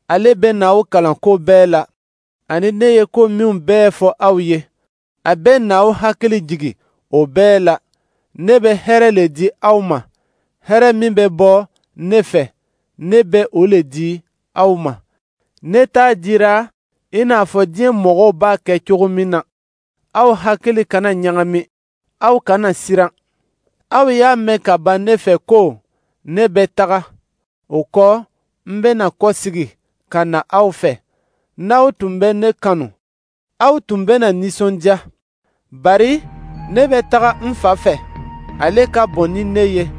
ale bɛna aw kalan ko bɛɛ la, ani ne ye ko minw bɛɛ fɔ aw ye. A bɛna aw hakili jigin o bɛɛ la. Ne bɛ hɛrɛ le di aw ma, hɛrɛ min bɛ bɔ ne fɛ, ne bɛ o le di aw ma. Ne t'a dira i n'a fɔ diɲɛ mɔgɔw b'a kɛ cogo min na. Aw hakili kana ɲagami, aw kana siran. Aw y'a mɛn ka ban ne fɛ ko ne bɛ taga, o kɔ n bɛna kɔsegin ka na aw fɛ. N'aw tun bɛ ne kanu, aw tun bɛna nisɔndiya, bari ne bɛ taga n fa fɛ, ale ka bon ni ne ye.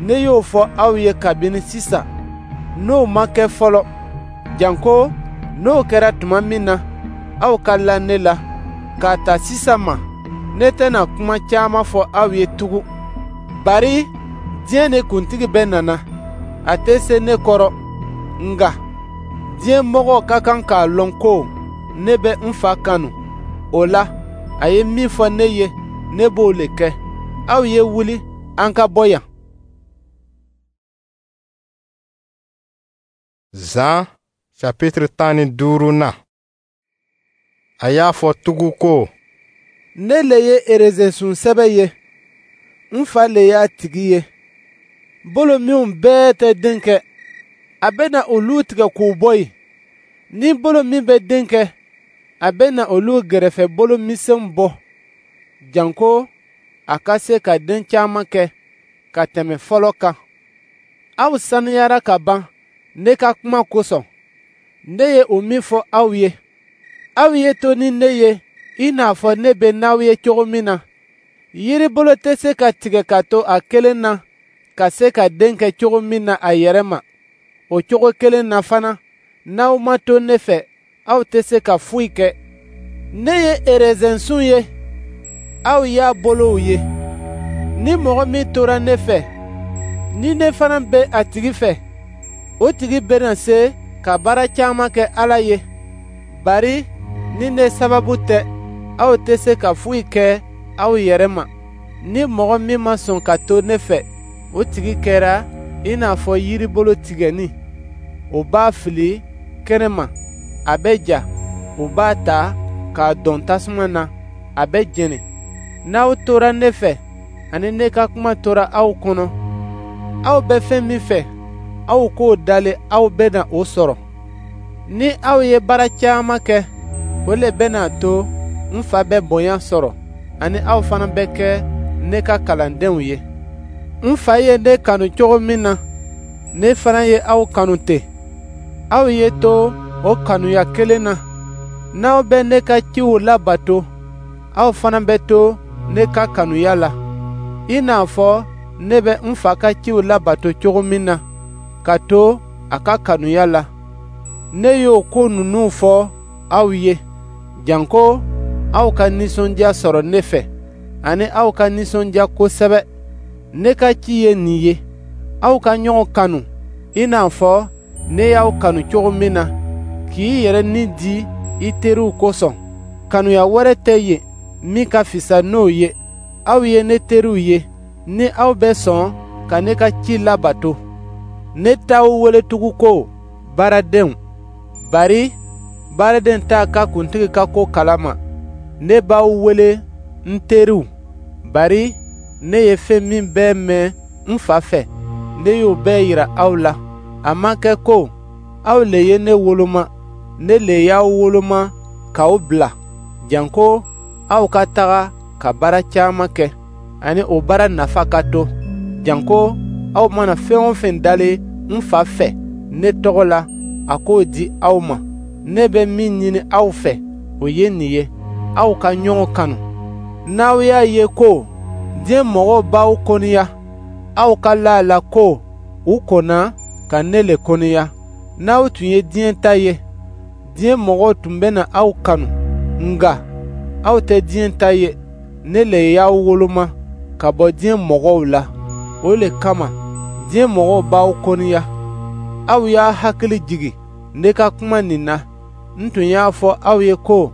Ne y'o fɔ aw ye kabini sisan, n'o ma kɛ fɔlɔ, janko N'o kɛra tuma min na, aw ka la ne la. K'a ta sisan ma, ne tɛna kuma caman fɔ aw ye tugun, bari diɲɛ nin kuntigi bɛ nana. A tɛ se ne kɔrɔ, nka diɲɛ mɔgɔw ka kan k'a lɔn ko ne bɛ n Fa kanu. O la, a ye min fɔ ne ye, ne b'o le kɛ. Aw ye wuli, an ka bɔ yan. Zan chapitre tan ni duurunan. A y'a fɔ tugun ko: Ne le ye erezensun sɛbɛ ye, n Fa le y'a tigi ye. Bolo minw bɛɛ tɛ den kɛ, a bɛna olu tigɛ k'u bɔ yen. Ni bolo min bɛ den kɛ, a bɛna olu gɛrɛfɛ bolo misɛnw bɔ, janko a ka se ka den caman kɛ ka tɛmɛ fɔlɔ kan. Aw saniyara ka ban ne ka kuma kosɔn, ne ye o min fɔ aw ye. Aw ye to ni ne ye i n'a fɔ ne bɛ n'aw ye cogo min na. Yiribolo tɛ se ka tigɛ ka to a kelen na ka se ka den kɛ cogo min na a yɛrɛ ma, o cogo kelen na fana, n'aw ma to ne fɛ, aw tɛ se ka foyi kɛ. Ne ye erezɛnsun ye, aw y'a bolow ye. Ni mɔgɔ min tora ne fɛ, ni ne fana bɛ a tigi fɛ, o tigi bɛna se ka baara caman kɛ Ala ye, bari ni ne sababu tɛ, aw tɛ se ka foyi kɛ aw yɛrɛ ma. Ni mɔgɔ min ma sɔn ka to ne fɛ, o tigi kɛra i n'a fɔ yiribolo tigɛnin. O b'a fili kɛnɛma, a bɛ ja, u b'a ta k'a dɔn tasuma na, a bɛ jeni. N'aw tora ne fɛ, ani ne ka kuma tora aw kɔnɔ, aw bɛ fɛn min fɛ, aw k'o dali, aw bɛna o sɔrɔ. Ni aw ye baara caman kɛ, o le bɛna to n Fa bɛ bonya sɔrɔ, ani aw fana bɛ kɛ ne ka kalandenw ye. N Fa ye ne kanu cogo min na, ne fana ye aw kanu ten. Aw ye to o kanuya kelen na. N'aw bɛ ne ka ciw labato, aw fana bɛ to ne ka kanuya la, i n'a fɔ ne bɛ n Fa ka ciw labato cogo min na, ka to a ka kanuya la. Ne y'o ko ninnu fɔ aw ye, janko aw ka nisɔndiya sɔrɔ ne fɛ, ani aw ka nisɔndiya kosɛbɛ. Ne ka ci ye nin ye: aw ka ɲɔgɔn kanu i n'a fɔ ne y'aw kanu cogo min na, k'i yɛrɛ ni di i teriw kosɔn. Kanuya wɛrɛ tɛ yen min ka fisa n'o ye. Aw ye ne teriw ye, ni aw bɛ sɔn ka ne ka ci labato. Ne t'aw wele tugun ko baaradenw, bari baaraden t'a ka kuntigi ka ko kalama. Ne b'aw wele n teriw, bari ne ye fɛn min bɛɛ mɛn n Fa fɛ, ne y'o bɛɛ yira aw la. A ma kɛ ko aw le ye ne woloma, ne le y'aw woloma k'aw bila, janko aw ka taga ka baara caman kɛ, ani o baara nafa ka to, janko aw mana fɛn o fɛn dali n Fa fɛ ne tɔgɔ la, a k'o di aw ma. Ne bɛ min ɲini aw fɛ, o ye nin ye: aw ka ɲɔgɔn kanu. N'aw y'a ye ko diɲɛ mɔgɔw b'aw kɔniya, aw ka la a la ko u kɔnna ka ne le kɔniya. N'aw tun ye diɲɛ ta ye, diɲɛ mɔgɔw tun bɛna aw kanu. Nka aw tɛ diɲɛ ta ye, ne le y'aw woloma ka bɔ diɲɛ mɔgɔw la. O le kama diɲɛ mɔgɔw b'aw kɔniya. Aw y'a hakili jigin ne ka kuma nin na. N tun y'a fɔ aw ye ko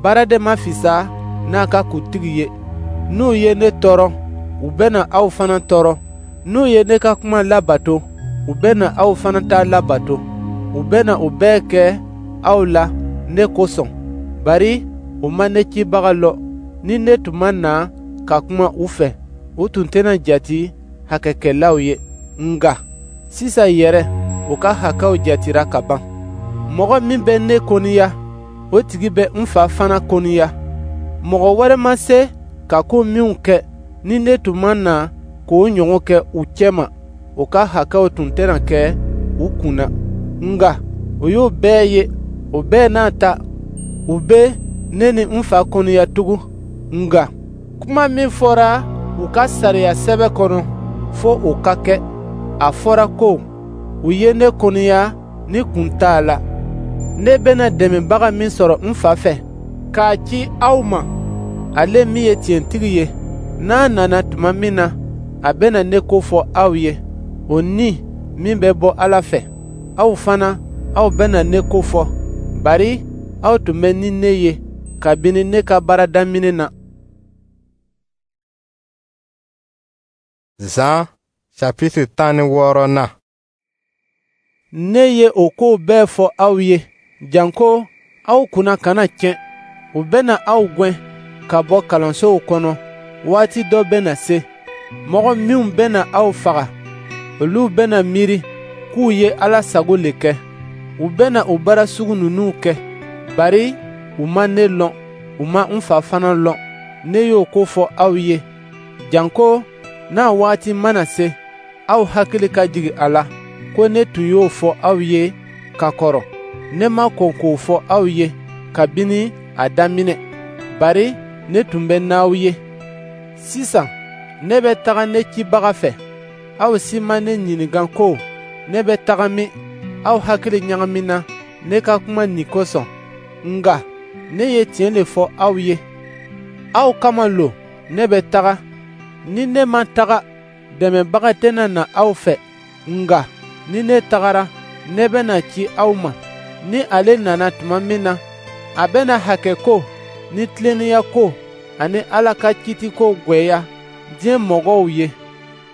baaraden ma fisa n'a ka kuntigi ye. N'u ye ne tɔɔrɔ, u bɛna aw fana tɔɔrɔ. N'u ye ne ka kuma labato, u bɛna aw fana ta labato. U bɛna o bɛɛ kɛ aw la ne kosɔn, bari u ma ne cibaga lɔn. Ni ne tun ma na ka kuma u fɛ, u tun tɛna jate hakɛkɛlaw ye. Nka sisan yɛrɛ, u ka hakɛw jatira ka ban. Mɔgɔ min bɛ ne kɔniya, o tigi bɛ n Fa fana kɔniya. Mɔgɔ wɛrɛ ma se ka ko minw kɛ, ni ne tun ma na k'o ɲɔgɔn kɛ u cɛma, u ka hakɛw tun tɛna kɛ u kun na. Nka o y'o bɛɛ ye, o bɛɛ n'a ta, u bɛ ne ni n Fa kɔniya tugun. Nka kuma min fɔra u ka sariya sɛbɛn kɔnɔ, fo o ka kɛ. A fɔra ko u ye ne kɔniya ni kun t'a la. Ne bɛna dɛmɛbaga min sɔrɔ n Fa fɛ, k'a ci aw ma, ale min ye tiɲɛtigi ye, n'a nana tuma min na, a bɛna ne ko fɔ aw ye, o Ni min bɛ bɔ Ala fɛ. Aw fana, aw bɛna ne ko fɔ, bari aw tun bɛ ni ne ye kabini ne ka baara daminɛ na. Zan chapitre tan ni wɔɔrɔnan. Ne ye o kow bɛɛ fɔ aw ye, janko aw kunna kana tiɲɛ. U bɛna aw gɛn ka bɔ kalansow kɔnɔ. Waati dɔ bɛna se, mɔgɔ minw bɛna aw faga, olu bɛna miiri k'u ye Ala sago le kɛ. U bɛna o baara sugu ninnu kɛ, bari u ma ne lɔn, u ma n Fa fana lɔn. Ne y'o ko fɔ aw ye, janko n'a waati mana se, aw hakili ka jigin a la ko ne tun y'o fɔ aw ye ka kɔrɔ. Ne ma kɔn k'o fɔ aw ye kabini a daminɛ, bari ne tun bɛ n'aw ye. Sisan ne bɛ taga ne cibaga fɛ. Aw si ma ne ɲininka ko ne bɛ taga min. Aw hakili ɲagamina ne ka kuma nin kosɔn, nka ne ye tiɲɛ le fɔ aw ye. Aw kama lo ne bɛ taga. Ni ne ma taga, dɛmɛbaga tɛna na aw fɛ, nka ni ne tagara, ne bɛna ci aw ma. Ni ale nana tuma min na, a bɛna hakɛ ko ni tilennenya ko ani Ala ka kiitiko gwɛya diɲɛ mɔgɔw ye,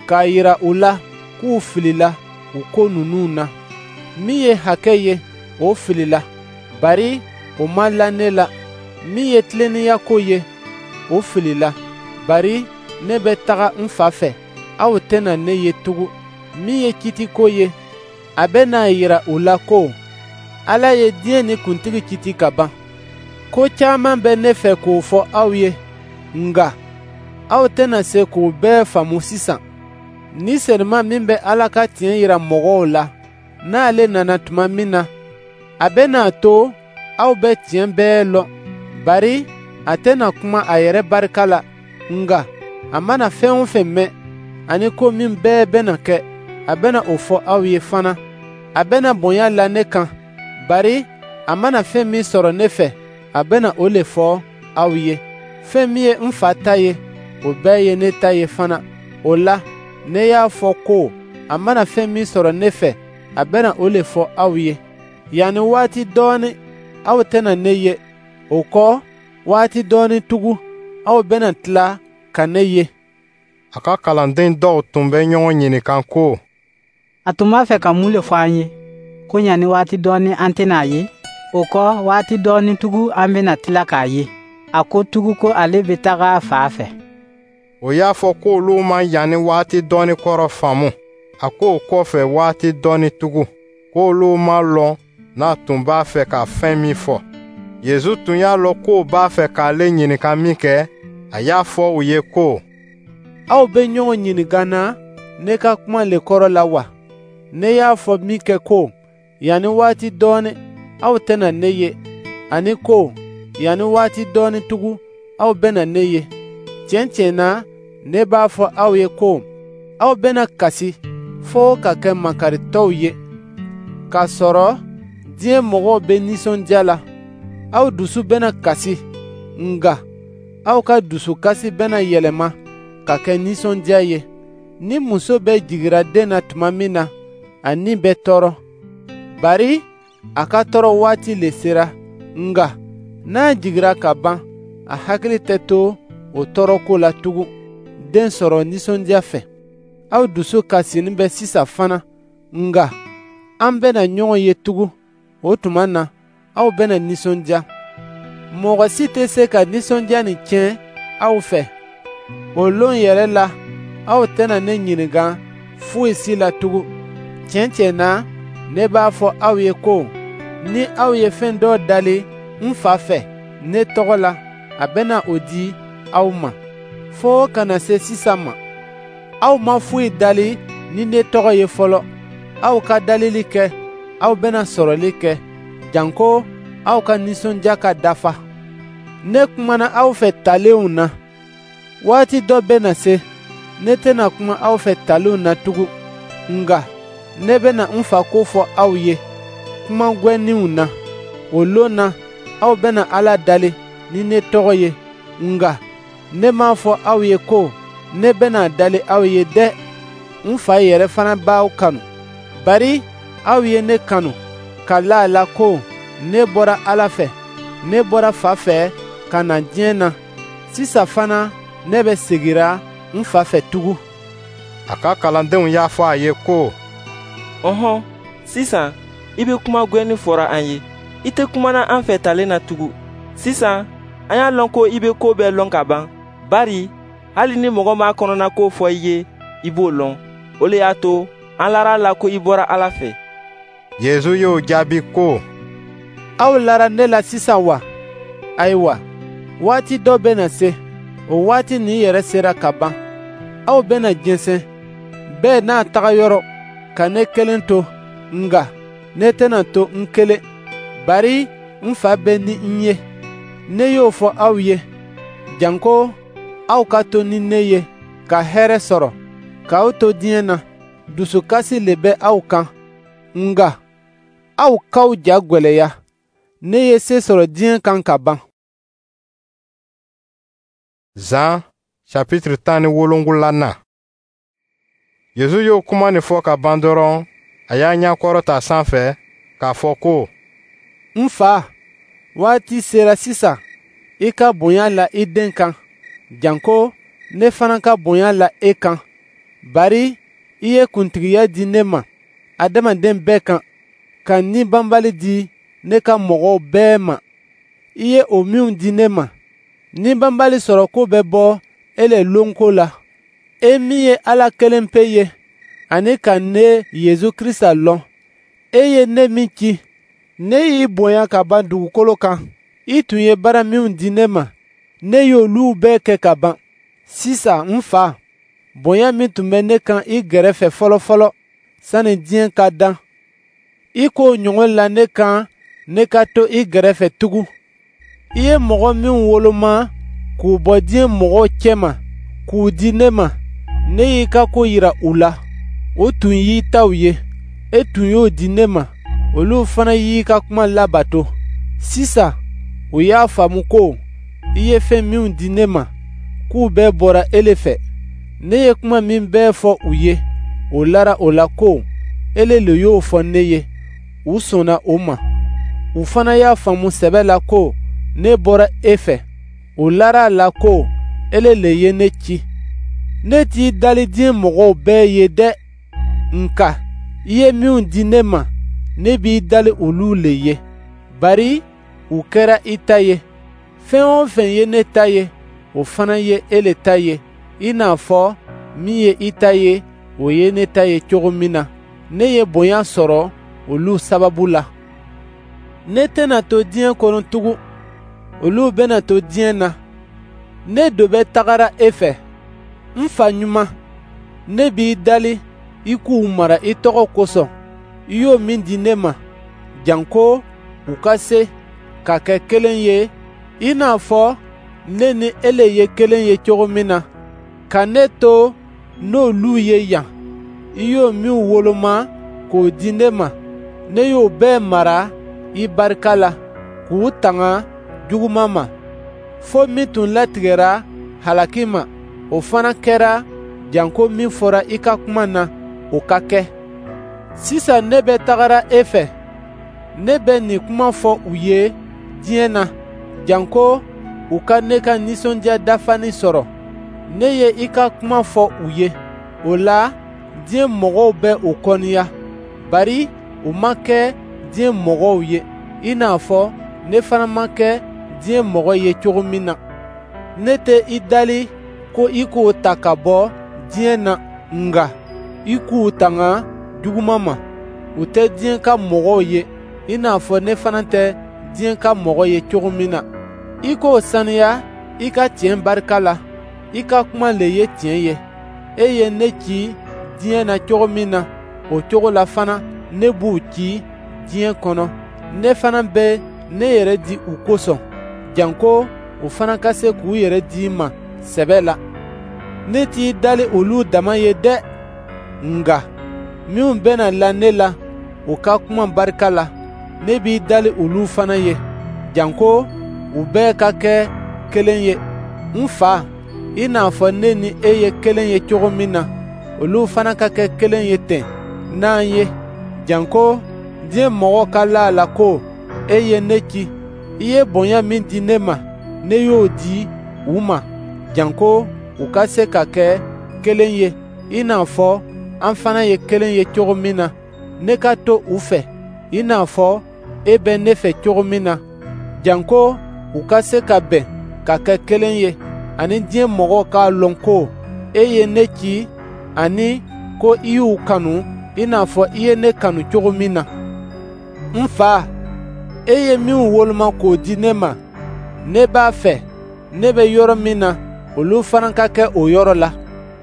k'a yira u la k'u filila u ko ninnu na. Min ye hakɛ ye, o filila, bari o ma la ne la. Min ye tilennenya ko ye, o filila, bari ne bɛ taga n Fa fɛ, aw tɛna ne ye tugun. Min ye kiitiko ye, a bɛna yira u la ko Ala ye diɲɛ ni kuntigi kiiti ka ban. Ko caman bɛ ne fɛ k'o fɔ aw ye, nka aw tɛna se k'o bɛɛ faamu sisan. Ni Senuma min bɛ Ala ka tiɲɛ yira mɔgɔw la, n'ale nana tuma min na, a bɛna to aw bɛ tiɲɛ bɛɛ lɔn, bari a tɛna kuma a yɛrɛ barika la, nka a mana fɛn o fɛn mɛn, ani ko min bɛɛ bɛna kɛ, a bɛna o fɔ aw ye fana. A bɛna bonya la ne kan, bari a mana fɛn min sɔrɔ ne fɛ, a bɛna o le fɔ aw ye. Fɛn min ye n Fa ta ye, o bɛɛ ye ne ta ye fana. O la, ne y'a fɔ ko a mana fɛn min sɔrɔ ne fɛ, a bɛna o le fɔ aw ye. Yanni waati dɔɔnin, aw tɛna ne ye. O kɔ, waati dɔɔnin tugun, aw bɛna tila ka ne ye. A ka kalanden dɔw tun bɛ ɲɔgɔn ɲininka ko: A tun b'a fɛ ka mun le fɔ an ye, ko yanni waati dɔɔnin an tɛna a ye, o kɔ waati dɔɔnin tugun an bɛna tila k'a ye? A ko tugun ko ale bɛ taga a Fa fɛ. O y'a fɔ k'olu ma yanni waati dɔɔnin kɔrɔ faamu. A k'o kɔfɛ waati dɔɔnin tugun, k'olu ma lɔn n'a tun b'a fɛ ka fɛn min fɔ. Yezu tun y'a lɔn k'o b'a fɛ k'ale ɲininka min kɛ, a y'a fɔ u ye ko: Aw bɛ ɲɔgɔn ɲininka na ne ka kuma le kɔrɔ la wa? Ne y'a fɔ min kɛ ko, yanni waati dɔɔnin, aw tɛna ne ye, ani ko, yanni waati dɔɔnin tugun, aw bɛna ne ye. Tiɲɛ tiɲɛ na, ne b'a fɔ aw ye ko, aw bɛna kasi fo ka kɛ makaritɔw ye, k'a sɔrɔ diɲɛ mɔgɔw bɛ nisɔndiya la. Aw dusu bɛna kasi, nka aw ka dusukasi bɛna yɛlɛma ka kɛ nisɔndiya ye. Ni muso bɛ jigira den na tuma min na, a ni bɛ tɔɔrɔ, bari a ka tɔɔrɔ waati le sera. Nka n'a jigira ka ban, a hakili tɛ to o tɔɔrɔko la tugun, den sɔrɔ nisɔndiya fɛ. Aw dusu kasinin bɛ sisan fana, nka an bɛna ɲɔgɔn ye tugun. O tuma na, aw bɛna nisɔndiya. Mɔgɔ si tɛ se ka nisɔndiya nin tiɲɛ aw fɛ. O lon yɛrɛ la, aw tɛna ne ɲininka foyi si la tugun. Tiɲɛ tiɲɛ na, ne b'a fɔ aw ye ko, ni aw ye fɛn dɔ dali n Fa fɛ ne tɔgɔ la, a bɛna o di aw ma. Fo ka na se sisan ma, aw ma foyi dali ni ne tɔgɔ ye fɔlɔ. Aw ka dalili kɛ, aw bɛna sɔrɔli kɛ, janko aw ka nisɔndiya ka dafa. Ne kumana aw fɛ talenw na. Waati dɔ bɛna se, ne tɛna kuma aw fɛ talenw na tugun, nka ne bɛna n Fa ko fɔ aw ye kuma gwɛninw na. O lon na, aw bɛna Ala dali ni ne tɔgɔ ye. Nka ne m'a fɔ aw ye ko ne bɛna dali aw ye dɛ. N Fa yɛrɛ fana b'aw kanu, bari aw ye ne kanu ka la a la ko ne bɔra Ala fɛ. Ne bɔra Fa fɛ ka na diɲɛ na. Sisan fana ne bɛ segira n Fa fɛ tugun. A ka kalandenw y'a fɔ a ye ko: Ɔhɔn, sisan i bɛ kuma gwɛnin fɔra an ye. I tɛ kumana an fɛ talen na tugun. Sisan an y'a lɔn ko i bɛ ko bɛɛ lɔn ka ban, bari hali ni mɔgɔ m'a kɔnɔnako fɔ i ye, i b'o lɔn. O le y'a to an lara a la ko i bɔra Ala fɛ. Yezu y'o jaabi ko: Aw lara ne la sisan wa? Ayiwa, waati dɔ bɛna se, o waati nin yɛrɛ sera ka ban. Aw bɛna jɛnsɛn, bɛɛ n'a taga yɔrɔ, ka ne kelen to. Nka ne tɛna to n kelen, bari n Fa bɛ ni n ye. Ne y'o fɔ aw ye, janko aw ka to ni ne ye ka hɛrɛ sɔrɔ. K'aw to diɲɛ na, dusukasi le bɛ aw kan. Nka aw k'aw ja gwɛlɛya. Ne ye se sɔrɔ diɲɛ kan ka ban. Zan chapitre tan ni wolonwulanan. Yezu y'o kuma nin fɔ ka ban dɔrɔn, a y'a ɲɛkɔrɔta sanfɛ k'a fɔ ko: N Fa, waati sera sisan i ka bonya la i den kan, janko ne fana ka bonya la e kan. Bari i ye kuntigiya di ne ma adamaden bɛɛ kan, ka ni banbali di ne ka mɔgɔw bɛɛ ma. I ye o minw di ne ma, ni banbali sɔrɔko bɛ bɔ e le lonko la. E min ye Ala kelen pe ye, ani ka ne Yezu Krista lɔn, e ye ne min ci, ne y'i bonya ka ban dugukolo kan. I tun ye baara minw di ne ma, ne y'olu bɛɛ kɛ ka ban. Sisan n Fa, bonya min tun bɛ ne kan i gɛrɛfɛ fɔlɔfɔlɔ sani diɲɛ ka dan, i k'o ɲɔgɔn la ne kan ne ka to i gɛrɛfɛ tugun. I ye mɔgɔ minw woloma k'u bɔ diɲɛ mɔgɔw cɛma k'u di ne ma, ne y'i ka ko yira u la. O tun y'i taw ye, e tun y'o di ne ma, olu fana y'i ka kuma labato. Sisan u y'a faamu ko i ye fɛn minw di ne ma, k'u bɛɛ bɔra e le fɛ. Ne ye kuma min bɛɛ fɔ u ye, o lara o la ko ele le y'o fɔ ne ye. U sɔnna o ma. U fana y'a faamu sɛbɛ la ko ne bɔra e fɛ. U lara a la ko ele le ye ne ci. Ne t'i dali diɲɛ mɔgɔw bɛɛ ye dɛ, nka i ye minw di ne ma, ne b'i dali olu le ye, bari u kɛra i ta ye. Fɛn o fɛn ye ne ta ye, o fana ye e le ta ye, i n'a fɔ min ye i ta ye, o ye ne ta ye cogo min na. Ne ye bonya sɔrɔ olu sababu la. Ne tɛna to diɲɛ kɔnɔ tugun, olu bɛna to diɲɛ na. Ne do bɛ tagara e fɛ. N Fa ɲuman, ne b'i dali i k'u mara i tɔgɔ kosɔn, i y'o min di ne ma, janko u ka se ka kɛ kelen ye, i n'a fɔ ne ni ele ye kelen ye cogo min na. Ka ne to n'olu ye yan, i y'o min woloma k'o di ne ma, ne y'o bɛɛ mara i barika la, k'u tanga juguman ma. Fo min tun latigɛra halaki ma, o fana kɛra janko min fɔra i ka kuma na, o ka kɛ. Sisan ne bɛ tagara e fɛ. Ne bɛ nin kuma fɔ u ye diɲɛ na, janko u ka ne ka nisɔndiya dafani sɔrɔ. Ne ye i ka kuma fɔ u ye, o la diɲɛ mɔgɔw bɛ o kɔniya, bari u ma kɛ diɲɛ mɔgɔw ye, i n'a fɔ ne fana ma kɛ diɲɛ mɔgɔ ye cogo min na. Ne tɛ i dali ko i k'o ta ka bɔ diɲɛ na, nka i k'u tanga juguman ma. U tɛ diɲɛ ka mɔgɔw ye, i n'a fɔ ne fana tɛ diɲɛ ka mɔgɔ ye cogo min na. I k'o saniya i ka tiɲɛ barika la. I ka kuma le ye tiɲɛ ye. E ye ne ci diɲɛ na cogo min na, o cogo la fana ne b'u ci diɲɛ kɔnɔ. Ne fana bɛ ne yɛrɛ di u kosɔn, janko u fana ka se k'u yɛrɛ di i ma sɛbɛ la. Ne t'i dali olu dama ye dɛ, nka minw bɛna la ne la, u ka kuma barika la, Ne b'i dali olu fana ye, janko u bɛɛ ka kɛ kelen ye. N Fa, i n'a fɔ ne ni e ye kelen ye cogo min na, olu fana ka kɛ kelen ye ten n'an ye, janko diɲɛ mɔgɔw ka la a la ko e ye ne ci. I ye bonya min di ne ma, ne y'o di u ma, janko u ka se ka kɛ kelen ye, i n'a fɔ an fana ye kelen ye cogo min na. Ne ka to u fɛ, i n'a fɔ e bɛ ne fɛ cogo min na, janko u ka se ka bɛn ka kɛ kelen ye, ani diɲɛ mɔgɔw k'a lɔn ko e ye ne ci, ani ko i y'u kanu i n'a fɔ i ye ne kanu cogo min na. N Fa, e ye minw woloma k'o di ne ma, ne b'a fɛ ne bɛ yɔrɔ min na, olu fana ka kɛ o yɔrɔ la.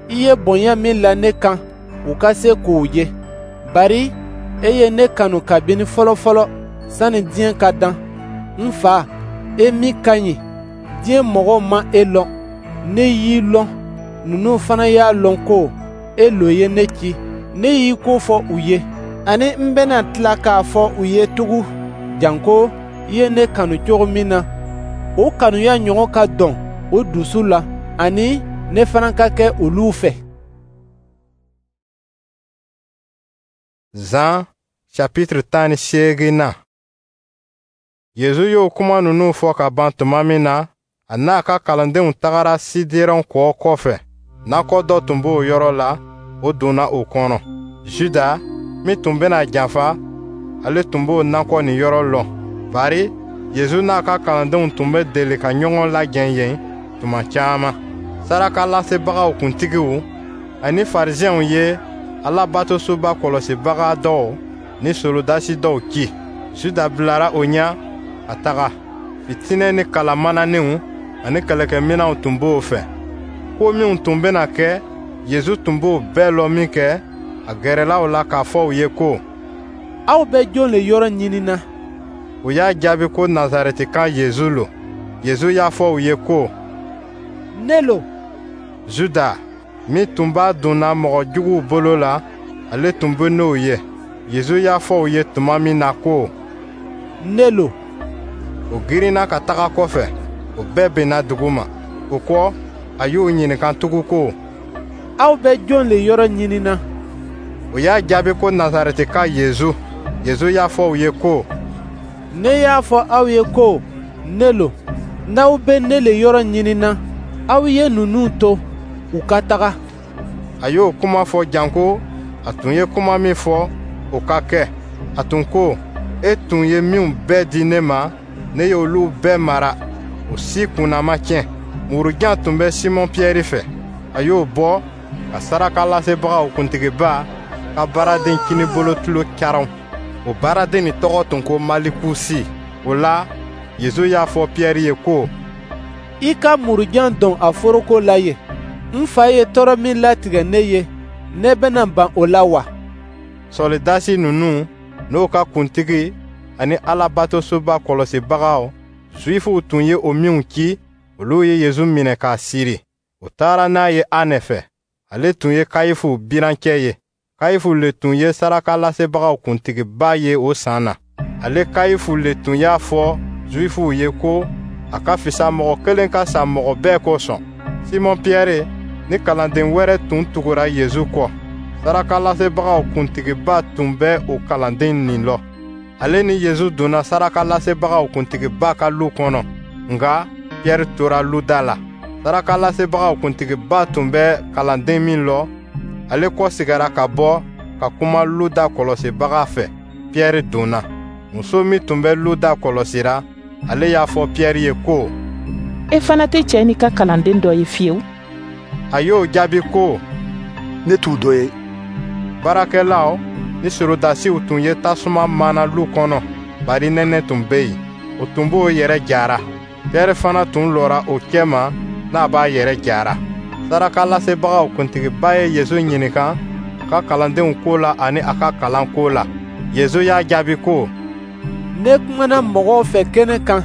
I ye bonya min la ne kan, u ka se k'o ye. Bari e ye ne kanu kabini fɔlɔfɔlɔ, sani diɲɛ ka dan. N Fa, e min ka ɲi, diɲɛ mɔgɔw ma e lɔn, ne y'i lɔn. Ninnu fana y'a lɔn ko e lo ye ne ci. Ne y'i ko fɔ u ye, ani n bɛna tila k'a fɔ u ye tugun, janko i ye ne kanu cogo min na, o kanuya ɲɔgɔn ka dɔn o dusu la, ani ne fana ka kɛ olu fɛ. Zan chapitre tan ni seegin na. Yezu y'o kuma ninnu fɔ ka ban tuma min na, a n'a ka kalandenw tagara Siderɔn kɔ kɔfɛ. Nakɔ dɔ tun b'o yɔrɔ la, o donna o kɔnɔ. Juda, min tun bɛna janfa, ale tun b'o nakɔ nin yɔrɔ lɔn, bari Yezu n'a ka kalandenw tun bɛ deli ka ɲɔgɔn lajɛ yen tuma caman. Sarakalasebagaw kuntigiw ani Farisiɛnw ye Alabatosoba kɔlɔsibaga dɔw ni solodasi dɔw ci. Juda bilara o ɲɛ ka taga. Fitinɛ ni kalamananinw ani kɛlɛkɛminɛnw tun b'o fɛ. Ko minw tun bɛna kɛ, Yezu tun b'o bɛɛ lɔn minkɛ, a gɛrɛla o la k'a fɔ u ye ko: Aw bɛ jɔn le yɔrɔ ɲinina? U y'a jaabi ko Nazarɛtika Yezu lo. Yezu y'a fɔ u ye ko: Ne lo. Juda, min tun b'a donna mɔgɔ juguw bolo la, ale tun bɛ n'o ye. Yezu y'a fɔ u ye tuma min na ko: Ne lo. O girinna ka taga kɔfɛ, o bɛɛ binna dugu ma. O kɔ, a y'u ɲininka tugun ko: Aw bɛ jɔn le yɔrɔ ɲinina? O y'a jaabi ko Nazarɛtika Yezu. Yezu y'a fɔ u ye ko: Ne y'a fɔ aw ye ko ne lo. N'aw bɛ ne le yɔrɔ ɲinina, aw ye ninnu to, u ka taga. A y'o kuma fɔ janko a tun ye kuma min fɔ, o ka kɛ. A tun ko: E tun ye minw bɛɛ di ne ma, ne y'olu bɛɛ mara, o si kunna ma tiɲɛ. Murujan tun bɛ Simɔn Piyɛri fɛ. A y'o bɔ ka sarakalasebagaw kuntigiba ka baaraden kinibolo tulo caron. O baaraden nin tɔgɔ tun ko Malikusi. O la, Yezu y'a fɔ Piyɛri ye ko: I ka murujan don a foroko la yen. N Fa ye tɔɔrɔ min latigɛ ne ye, ne bɛna ban o la wa? Sɔlidasi ninnu n'o ka kuntigi ani Alabatosoba kɔlɔsibagaw, Zuwifuw tun ye o minw ci, olu ye Yezu minɛ k'a siri. U taara n'a ye Anɛ fɛ. Ale tun ye Kayifu birancɛ ye. Kayifu le tun ye sarakalasebagaw kuntigiba ye o san na. Ale Kayifu le tun y'a fɔ Zuwifuw ye ko a ka fisa mɔgɔ kelen ka sa mɔgɔ bɛɛ kosɔn. Simɔn Piyɛri ni kalanden wɛrɛ tun tugura Yezu kɔ. Sarakalasebagaw kuntigiba tun bɛ o kalanden nin lɔ. Ale ni Yezu donna sarakalasebagaw kuntigiba ka lu kɔnɔ, nka Piyɛri tora lu da la. Sarakalasebagaw kuntigiba tun bɛ kalanden min lɔ, ale kɔsegira ka bɔ ka kuma lu da kɔlɔsibaga fɛ. Piyɛri donna. Muso min tun bɛ lu da kɔlɔsira, ale y'a fɔ Piyɛri ye ko: E fana tɛ cɛ nin ka kalanden dɔ ye fiyewu? A y'o jaabi ko: Ne t'u dɔ ye. Baarakɛlaw ni sorodasiw tun ye tasuma mana lu kɔnɔ, bari nɛnɛ tun bɛ yen. O tun b'o yɛrɛ jara. Piyɛri fana tun lɔra o cɛma n'a b'a yɛrɛ jara. Sarakalasebagaw kuntigiba ye Yezu ɲininka a ka kalandenw ko la ani a ka kalan ko la. Yezu y'a jaabi ko: Ne kumana mɔgɔw fɛ kɛnɛ kan.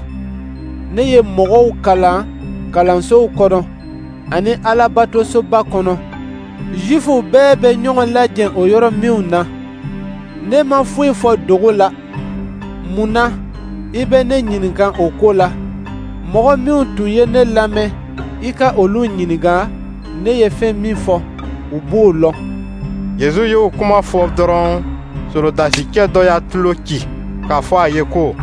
Ne ye mɔgɔw kalan kalansow kɔnɔ ani Alabatosoba kɔnɔ. Zuwifuw bɛɛ bɛ ɲɔgɔn lajɛ o yɔrɔ minw na. Ne ma foyi fɔ dogo la. Mun na i bɛ ne ɲininka o ko la? Mɔgɔ minw tun ye ne lamɛn, i ka olu ɲininka ne ye fɛn min fɔ, u b'o lɔn. Yezu y'o kuma fɔ dɔrɔn, sorodasicɛ dɔ y'a tulo ci k'a fɔ a ye ko: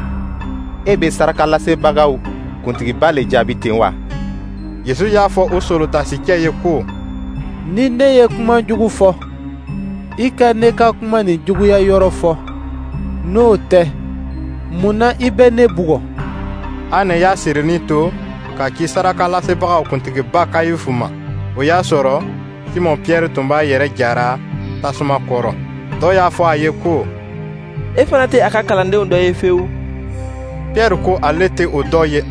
E bɛ sarakalasebagaw kuntigiba le jaabi ten wa? Yezu y'a fɔ o sorodasicɛ ye ko: Ni ne ye kuma jugu fɔ, i ka ne ka kuma nin juguya yɔrɔ fɔ. N'o tɛ, mun na i bɛ ne bugɔ? Ane y'a sirinin to ka ci sarakalasebagaw kuntigiba Kayifu ma. O y'a sɔrɔ Simɔn Piyɛri tun b'a yɛrɛ jara tasuma kɔrɔ. Dɔ y'a fɔ a ye ko: E fana tɛ a ka kalandenw dɔ ye fewu. Piyɛri ko ale tɛ o dɔ ye.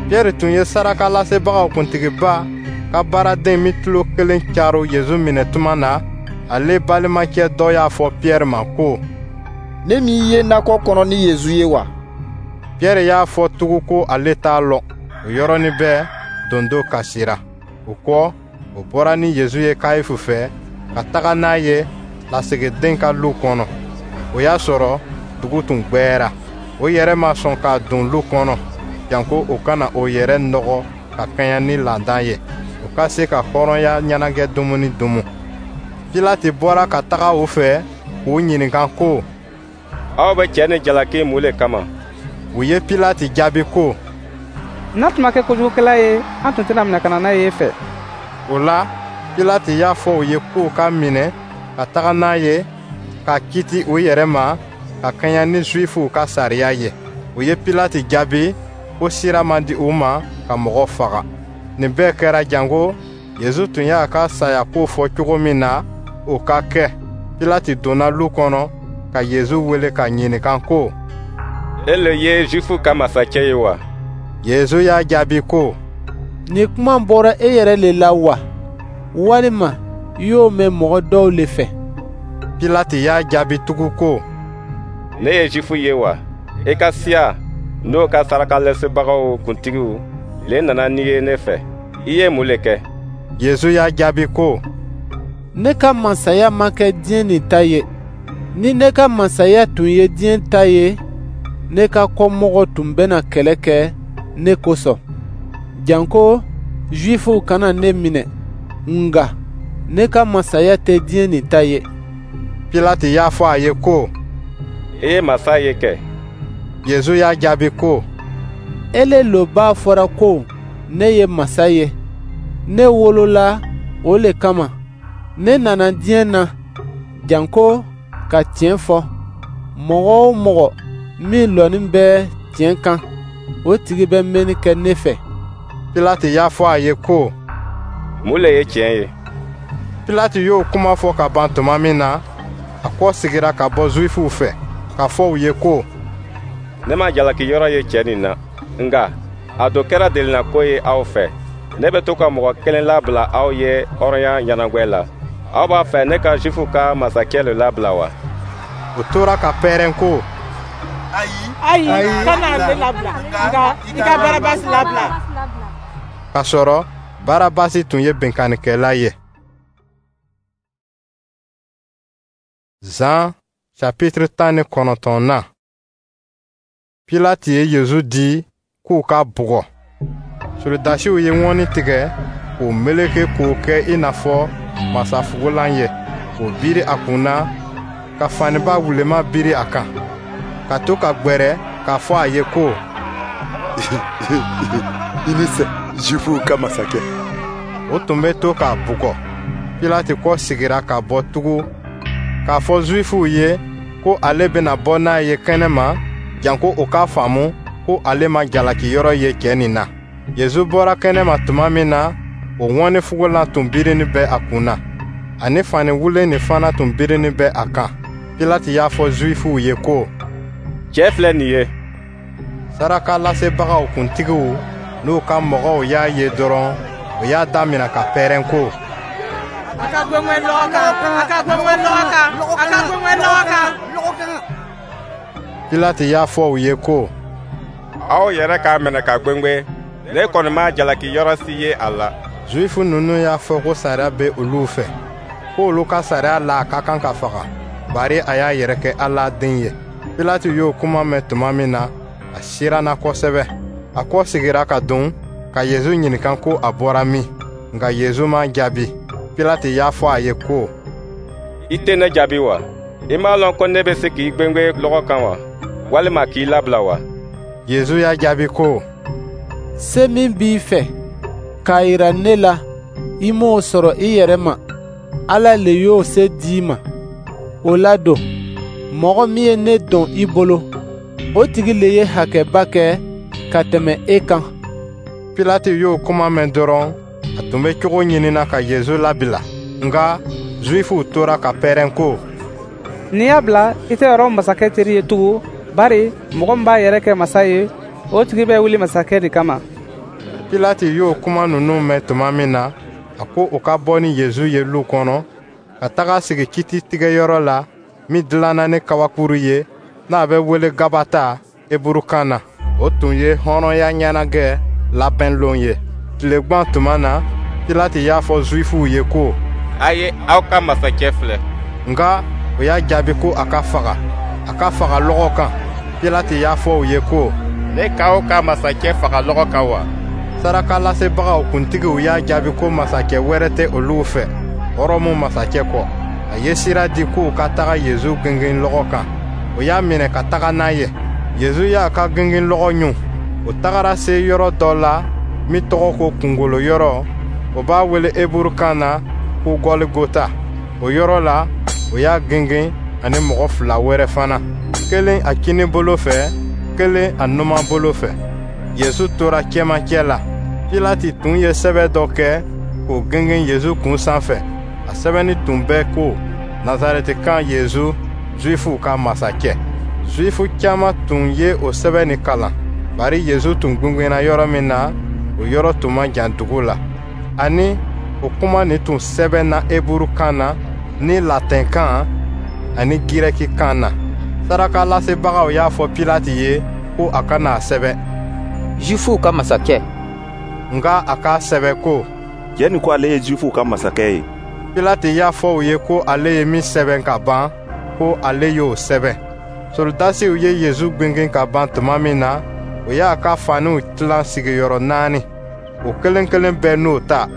Piyɛri tun ye sarakalasebagaw kuntigiba ka baaraden min tulo kelen caro Yezu minɛ tuma na, ale balimacɛ dɔ y'a fɔ Piyɛri ma ko: Ne m'i ye nakɔ kɔnɔ ni Yezu ye wa? Piyɛri y'a fɔ tugun ko ale t'a lɔn. O yɔrɔnin bɛɛ, dondo kasira. O kɔ, o bɔra ni Yezu ye Kayifu fɛ ka taga n'a ye lasigiden ka lu kɔnɔ. O y'a sɔrɔ dugu tun gwɛra. O yɛrɛ ma sɔn ka don lu kɔnɔ, janko o kana o yɛrɛ nɔgɔ ka kɛɲɛ ni laada ye, o ka se ka hɔrɔnya ɲɛnajɛ dumuni dumu. Pilati bɔra ka taga o fɛ k'u ɲininka ko: Aw bɛ cɛ nin jalaki mun le kama? U ye Pilati jaabi ko: N'a tun ma kɛ kojugukɛla ye, an tun tɛna minɛ ka na n'a ye e fɛ. O la, Pilati y'a fɔ u ye k'u k'a minɛ ka taga n'a ye ka kiti u yɛrɛ ma ka kɛɲɛ ni Zuwifuw ka sariya ye. U ye Pilati jaabi ko sira man di u ma ka mɔgɔ faga. Nin bɛɛ kɛra janko Yezu tun y'a ka saya ko fɔ cogo min na, o ka kɛ. Pilati donna lu kɔnɔ ka Yezu wele k'a ɲininka ko: E le ye Zuwifuw ka masakɛ ye wa? Yezu y'a jaabi ko: Nin kuma bɔra e yɛrɛ le la wa, walima i y'o mɛn mɔgɔ dɔw le fɛ? Pilati y'a jaabi tugun ko: Ne ye Zuwifu ye wa? I ka siya n'o ka sarakalasebagaw kuntigiw le nana n'i ye ne fɛ. I ye mun le kɛ? Yezu y'a jaabi ko: Ne ka masaya ma kɛ diɲɛ nin ta ye. Ni ne ka masaya tun ye diɲɛ ta ye, ne ka kɔmɔgɔw tun bɛna kɛlɛ kɛ ne kosɔn, janko Zuwifuw kana ne minɛ. Nka ne ka masaya tɛ diɲɛ nin ta ye. Pilati y'a fɔ a ye ko: I ye masa ye kɛ? Yezu y'a jaabi ko: Ele lo b'a fɔra ko ne ye masa ye. Ne wolola o le kama. Ne nana diɲɛ na janko ka tiɲɛ fɔ. Mɔgɔ o mɔgɔ min lɔnin bɛ tiɲɛ kan, o tigi bɛ mɛnni kɛ ne fɛ. Pilati y'a fɔ a ye ko: Mun le ye tiɲɛ ye? Pilati y'o kuma fɔ ka ban tuma min na, a kɔ sigira ka bɔ Zuwifuw fɛ, k'a fɔ u ye ko: Ne ma jalaki yɔrɔ ye cɛ nin na, nka a don kɛra delinako ye aw fɛ. Ne bɛ to ka mɔgɔ kelen labila aw ye hɔrɔnya ɲɛnagwɛ la. Aw b'a fɛ ne ka Zuwifuw ka masakɛ le labila wa? O tora ka pɛrɛn ko: Ayi, kana ale labila, nka i ka Barabasi labila. K'a sɔrɔ Barabasi tun ye binkannikɛla ye. Zan chapitre tan ni kɔnɔntɔnnan. Pilati ye Yezu di k'u k'a bugɔ. Solodasiw ye ŋɔni tigɛ k'o meleke k'o kɛ i n'a fɔ masafugulan ye, k'o biri a kun na, ka faniba wulema biri a kan, ka to ka gwɛrɛ k'a fɔ a ye ko: I ni sɛ, Zuwifuw ka masakɛ. O tun bɛ to k'a bugɔ. Pilati kɔ sigira ka bɔ tugun k'a fɔ Zuwifuw ye ko ale bɛna bɔ n'a ye kɛnɛma, janko u k'a faamu ko ale ma jalaki yɔrɔ ye cɛ nin na. Yezu bɔra kɛnɛma tuma min na, o ŋɔnifugulan tun birinin bɛ a kun na, ani fani wulen nin fana tun birinin bɛ a kan. Pilati y'a fɔ Zuwifuw ye ko: Cɛ filɛ nin ye. Sarakalasebagaw kuntigiw n'u ka mɔgɔw y'a ye dɔrɔn, u y'a damina ka pɛrɛn ko: A ka gwengwen lɔgɔ kan, a ka gwengwen lɔgɔ kan, a ka gwengwen lɔgɔ kan. Pilati y'a fɔ u ye ko: Aw yɛrɛ k'a minɛ ka gwengwen, ne kɔni ma jalaki yɔrɔ si ye a la. Zuwifu ninnu y'a fɔ ko sariya bɛ olu fɛ, ko olu ka sariya la a ka kan ka faga, bari a y'a yɛrɛ kɛ Ala den ye. Pilate y'o kuma mɛn tuma min na, a siranna kosɛbɛ. A kɔsegira ka don ka Yezu ɲininka ko a bɔra min. Nka Yezu m'a jaabi. Pilate y'a fɔ a ye ko: I tɛ ne jaabi wa? I m'a lɔn ko ne bɛ se k'i gwengwen lɔgɔ kan wa, walima k'i labila wa? Yezu y'a jaabi ko: Se min b'i fɛ k'a yira ne la, i m'o sɔrɔ i yɛrɛ ma. Ala le y'o se di i ma. O la don, mɔgɔ min ye ne dɔn i bolo, o tigi le ye hakɛba kɛ ka tɛmɛ e kan. Pilate y'o kuma mɛn dɔrɔn, a tun bɛ cogo ɲinina ka Yezu labila. Nka Zuwifuw tora ka pɛrɛn ko: N'i y'a bila, i tɛ Rɔmu masakɛ teri ye tugun, bari mɔgɔ min b'a yɛrɛ kɛ masa ye, o tigi bɛ wuli masakɛ de kama. Pilate y'o kuma ninnu mɛn tuma min na, a ko u ka bɔ ni Yezu ye lu kɔnɔ, ka taga sigi kititigɛyɔrɔ la min dilanna ni kabakuru ye, n'a bɛ wele Gabata heburukan na. O tun ye hɔrɔnya ɲɛnajɛ labɛnlon ye. Tilegwan tuma na, Pilate y'a fɔ Zuwifuw ye ko: A ye aw ka masakɛ filɛ. Nka o y'a jaabi ko a ka faga, a ka faga lɔgɔ kan. Pilate y'a fɔ u ye ko: Ne k'aw ka masakɛ faga lɔgɔ kan wa? Sarakalasebagaw kuntigiw y'a jaabi ko masakɛ wɛrɛ tɛ olu fɛ, Rɔmu masakɛ kɔ. A ye sira di k'u ka taga Yezu gengen lɔgɔ kan. O y'a minɛ ka taga n'a ye. Yezu y'a ka gengen lɔgɔ ɲun. O tagara se yɔrɔ dɔ la min tɔgɔ ko Kungolo yɔrɔ, o b'a wele heburukan na ko Gɔligota. O yɔrɔ la, o y'a gengen ani mɔgɔ fila wɛrɛ fana, kelen a kinibolo fɛ, kelen a numanbolo fɛ. Yezu tora cɛmancɛ la. Pilate tun ye sɛbɛn dɔ kɛ k'o gengen Yezu kun sanfɛ. A sɛbɛnni tun bɛ ko: Nazarɛtikan Yezu, Zuwifuw ka masakɛ. Zuwifu caman tun ye o sɛbɛn nin kalan, bari Yezu tun gwengwenna yɔrɔ min na, o yɔrɔ tun man jan dugu la. Ani o kuma nin tun sɛbɛnna heburukan na ni latɛnkan ani gɛrɛkikan na. Sarakalasebagaw y'a fɔ Pilate ye ko a kana a sɛbɛn: Zuwifuw ka masakɛ. Nka a k'a sɛbɛn ko: Cɛ nin ko ale ye Zuwifuw ka masakɛ ye. Pilate y'a fɔ u ye ko ale ye min sɛbɛn ka ban, ko ale y'o sɛbɛn. Solodasiw ye Yezu gwengwen ka ban tuma min na, o y'a ka faniw tilan sigiyɔrɔ naani, o kelen-kelen bɛɛ n'o ta.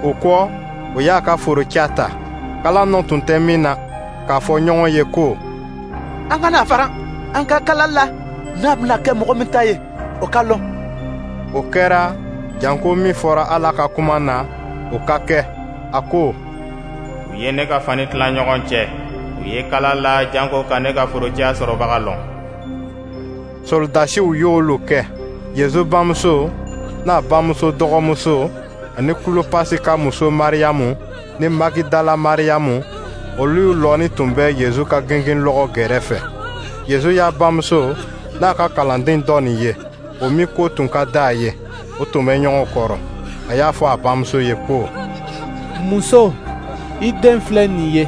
O kɔ, o y'a ka foroca ta, kala nɔ tun tɛ min na, k'a fɔ ɲɔgɔn ye ko: An kana a faran, an ka kala la, n'a bɛna kɛ mɔgɔ min ta ye, o ka lɔn. O kɛra janko min fɔra Ala ka kuma na, o ka kɛ. A ko: U ye ne ka fani tila ɲɔgɔn cɛ, u ye kala la janko ka ne ka forociya sɔrɔbaga lɔn. Solodasiw y'olu kɛ. Yezu bamuso n'a bamuso dɔgɔmuso ani Kulopasi ka muso Mariyamu ni Magidala Mariyamu, olu lɔnin tun bɛ Yezu ka gengenlɔgɔ gɛrɛfɛ. Yezu y'a bamuso n'a ka kalanden dɔ nin ye, o min ko tun ka di a ye, o tun bɛ ɲɔgɔn kɔrɔ. A y'a fɔ a bamuso ye ko: Muso, i den filɛ nin ye.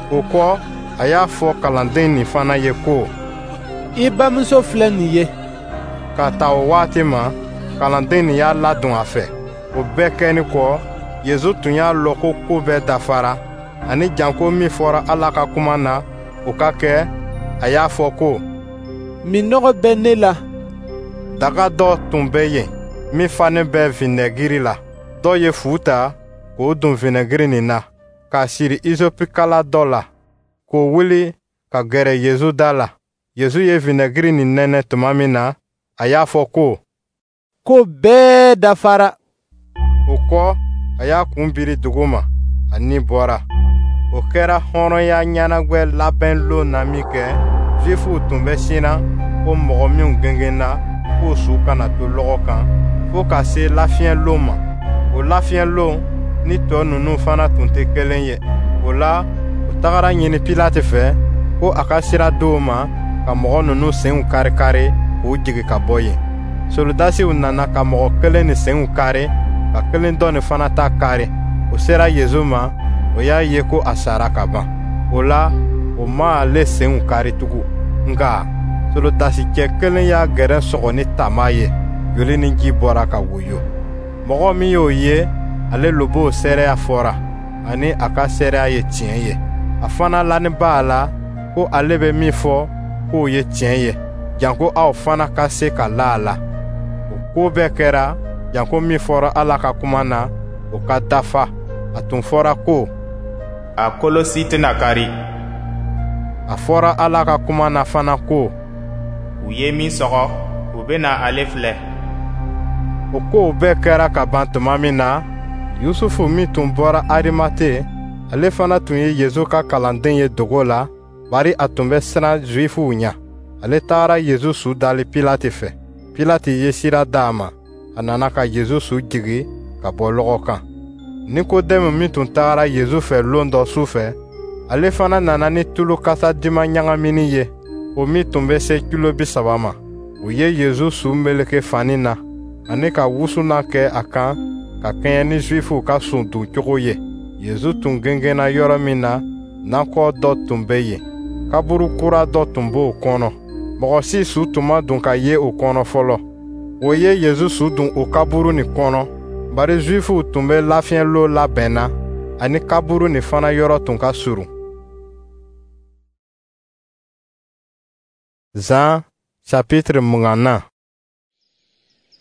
O kɔ, a y'a fɔ kalanden nin fana ye ko: I bamuso filɛ nin ye. K'a ta o waati ma, kalanden nin y'a ladon a fɛ. O bɛɛ kɛnin kɔ, Yezu tun y'a lɔn ko ko bɛɛ dafara, ani janko min fɔra Ala ka kuma na, o ka kɛ, a y'a fɔ ko: Minnɔgɔ bɛ ne la. Daga dɔ tun bɛ yen min fanen bɛ vinɛgiri la. Dɔ ye fu ta k'o don vinɛgiri nin na, k'a siri izopikala dɔ la, k'o wuli ka gɛrɛ Yezu da la. Yezu ye vinɛgiri nin nɛnɛ tuma min na, a y'a fɔ ko: Ko bɛɛ dafara. O kɔ, a y'a kun biri duguma, a ni bɔra. O kɛra hɔrɔnya ɲɛnajɛ labɛnlon na minkɛ, Zuwifuw tun bɛ siran ko mɔgɔ minw gengenna, k'o su kana to lɔgɔ kan fo ka se lafiɲɛlon ma. O lafiɲɛlon ni tɔ ninnu fana tun tɛ kelen ye. O la, u tagara ɲini Pilate fɛ ko a ka sira di u ma ka mɔgɔ ninnu senw kari-kari k'u jigin ka bɔ yen. Solodasiw nana ka mɔgɔ kelen nin senw kari, ka kelen dɔ nin fana ta kari. O sera Yezu ma, o y'a ye ko a sara ka ban. O la, o ma ale senw kari tugun. Nka solodasicɛ kelen y'a gɛrɛn sɔgɔ ni tama ye, joli ni ji bɔra ka woyo. Mɔgɔ min y'o ye, ale lobo seereya fɔra, ani a ka seereya ye tiɲɛ ye. A fana lanin b'a la ko ale bɛ min fɔ, kow ye tiɲɛ ye, janko aw fana ka se ka la a la. O ko bɛɛ kɛra janko min fɔra Ala ka kuma na, o ka dafa. A tun fɔra ko: A kolo si tɛna kari. A fɔra Ala ka kuma na fana ko: U ye min sɔgɔ, u bɛna ale filɛ. O kow bɛɛ kɛra ka ban tuma min na, Yusufu min tun bɔra Arimate, ale fana tun ye Yezu ka kalanden ye dogo la, bari a tun bɛ siran Zuwifuw ɲɛ. Ale tagara Yezu su dali Pilate fɛ. Pilate ye sira d'a ma, a nana ka Yezu su jigi ka bɔ lɔgɔ kan. Nikodɛmu min tun tagara Yezu fɛ lon dɔ su fɛ, ale fana nana ni tulu kasa diman ɲagamini ye, o min tun bɛ se kilo bi saba ma. U ye Yezu su meleke fani na, ani ka wusulan kɛ a kan ka kɛɲɛ ni Zuwifuw ka su don cogo ye. Yezu tun gengenna yɔrɔ min na, nakɔ dɔ tun bɛ yen, kaburu kura dɔ tun b'o kɔnɔ. Mɔgɔ si su tun ma don ka ye o kɔnɔ fɔlɔ. O ye Yezu su don o kaburu nin kɔnɔ, bari Zuwifuw tun bɛ lafiɲɛlon labɛn na, ani kaburu nin fana yɔrɔ tun ka surun. Zan chapitre mugan na.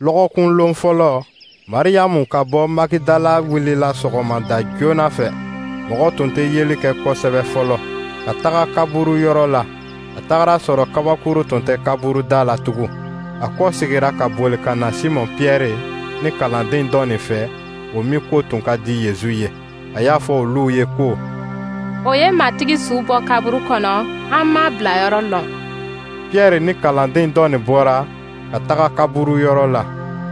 Lɔgɔkun lon fɔlɔ, Mariyamu ka bɔ Magidala wulila sɔgɔmada joona fɛ, mɔgɔ tun tɛ yeli kɛ kosɛbɛ fɔlɔ, ka taga kaburu yɔrɔ la. A tagara sɔrɔ kabakuru tun tɛ kaburu da la tugun. A kɔsegira ka boli ka na Simɔn Piyɛri ni kalanden dɔ nin fɛ, o min ko tun ka di Yezu ye. A y'a fɔ olu ye ko: O ye Matigi su bɔ kaburu kɔnɔ, an m'a bilayɔrɔ lɔn. Piyɛri ni kalanden dɔ nin bɔra ka taga kaburu yɔrɔ la.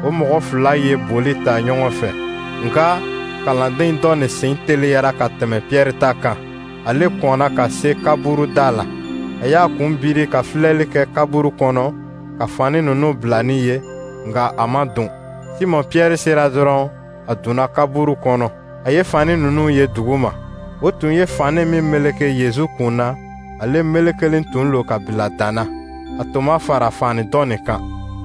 O mɔgɔ fila ye boli ta ɲɔgɔn fɛ, nka kalanden dɔ nin sen teliyara ka tɛmɛ Piyɛri ta kan. Ale kɔnna ka se kaburu da la. A y'a kun biri ka filɛli kɛ kaburu kɔnɔ ka fani ninnu bilani ye, nka a ma don. Simɔn Piyɛri sera dɔrɔn, a donna kaburu kɔnɔ. A ye fani ninnu ye duguma. O tun ye fani min meleke Yezu kun na, ale melekelen tun lo ka bila dan na. A tun ma fara fani dɔ nin kan.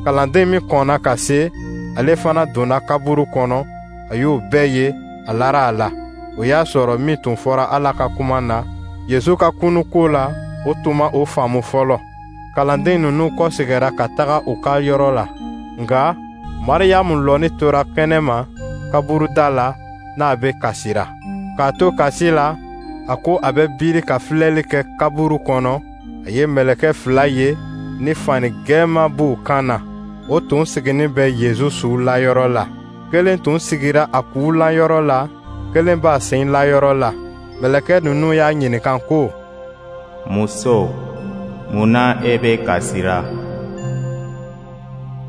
Kalanden min kɔnna ka se, ale fana donna kaburu kɔnɔ. A y'o bɛɛ ye, a lara a la. O y'a sɔrɔ min tun fɔra Ala ka kuma na Yezu ka kunun ko la, o tun ma o faamu fɔlɔ. Kalanden ninnu kɔsegira ka taga u ka yɔrɔ la, nka Mariyamu lɔni tora kɛnɛma kaburu da la n'a bɛ kasira. K'a to kasi la, a ko a bɛ biri ka filɛli kɛ kaburu kɔnɔ. A ye mɛlɛkɛ fila ye ni fani gɛɛman b'u kan na. O tun siginin bɛ Yezu su layɔrɔ la. Kelen tun sigira a ku layɔrɔ la, kelen b'a sen layɔrɔ la. Mɛlɛkɛ ninnu y'a ɲininka ko: Muso, mun na e bɛ kasira?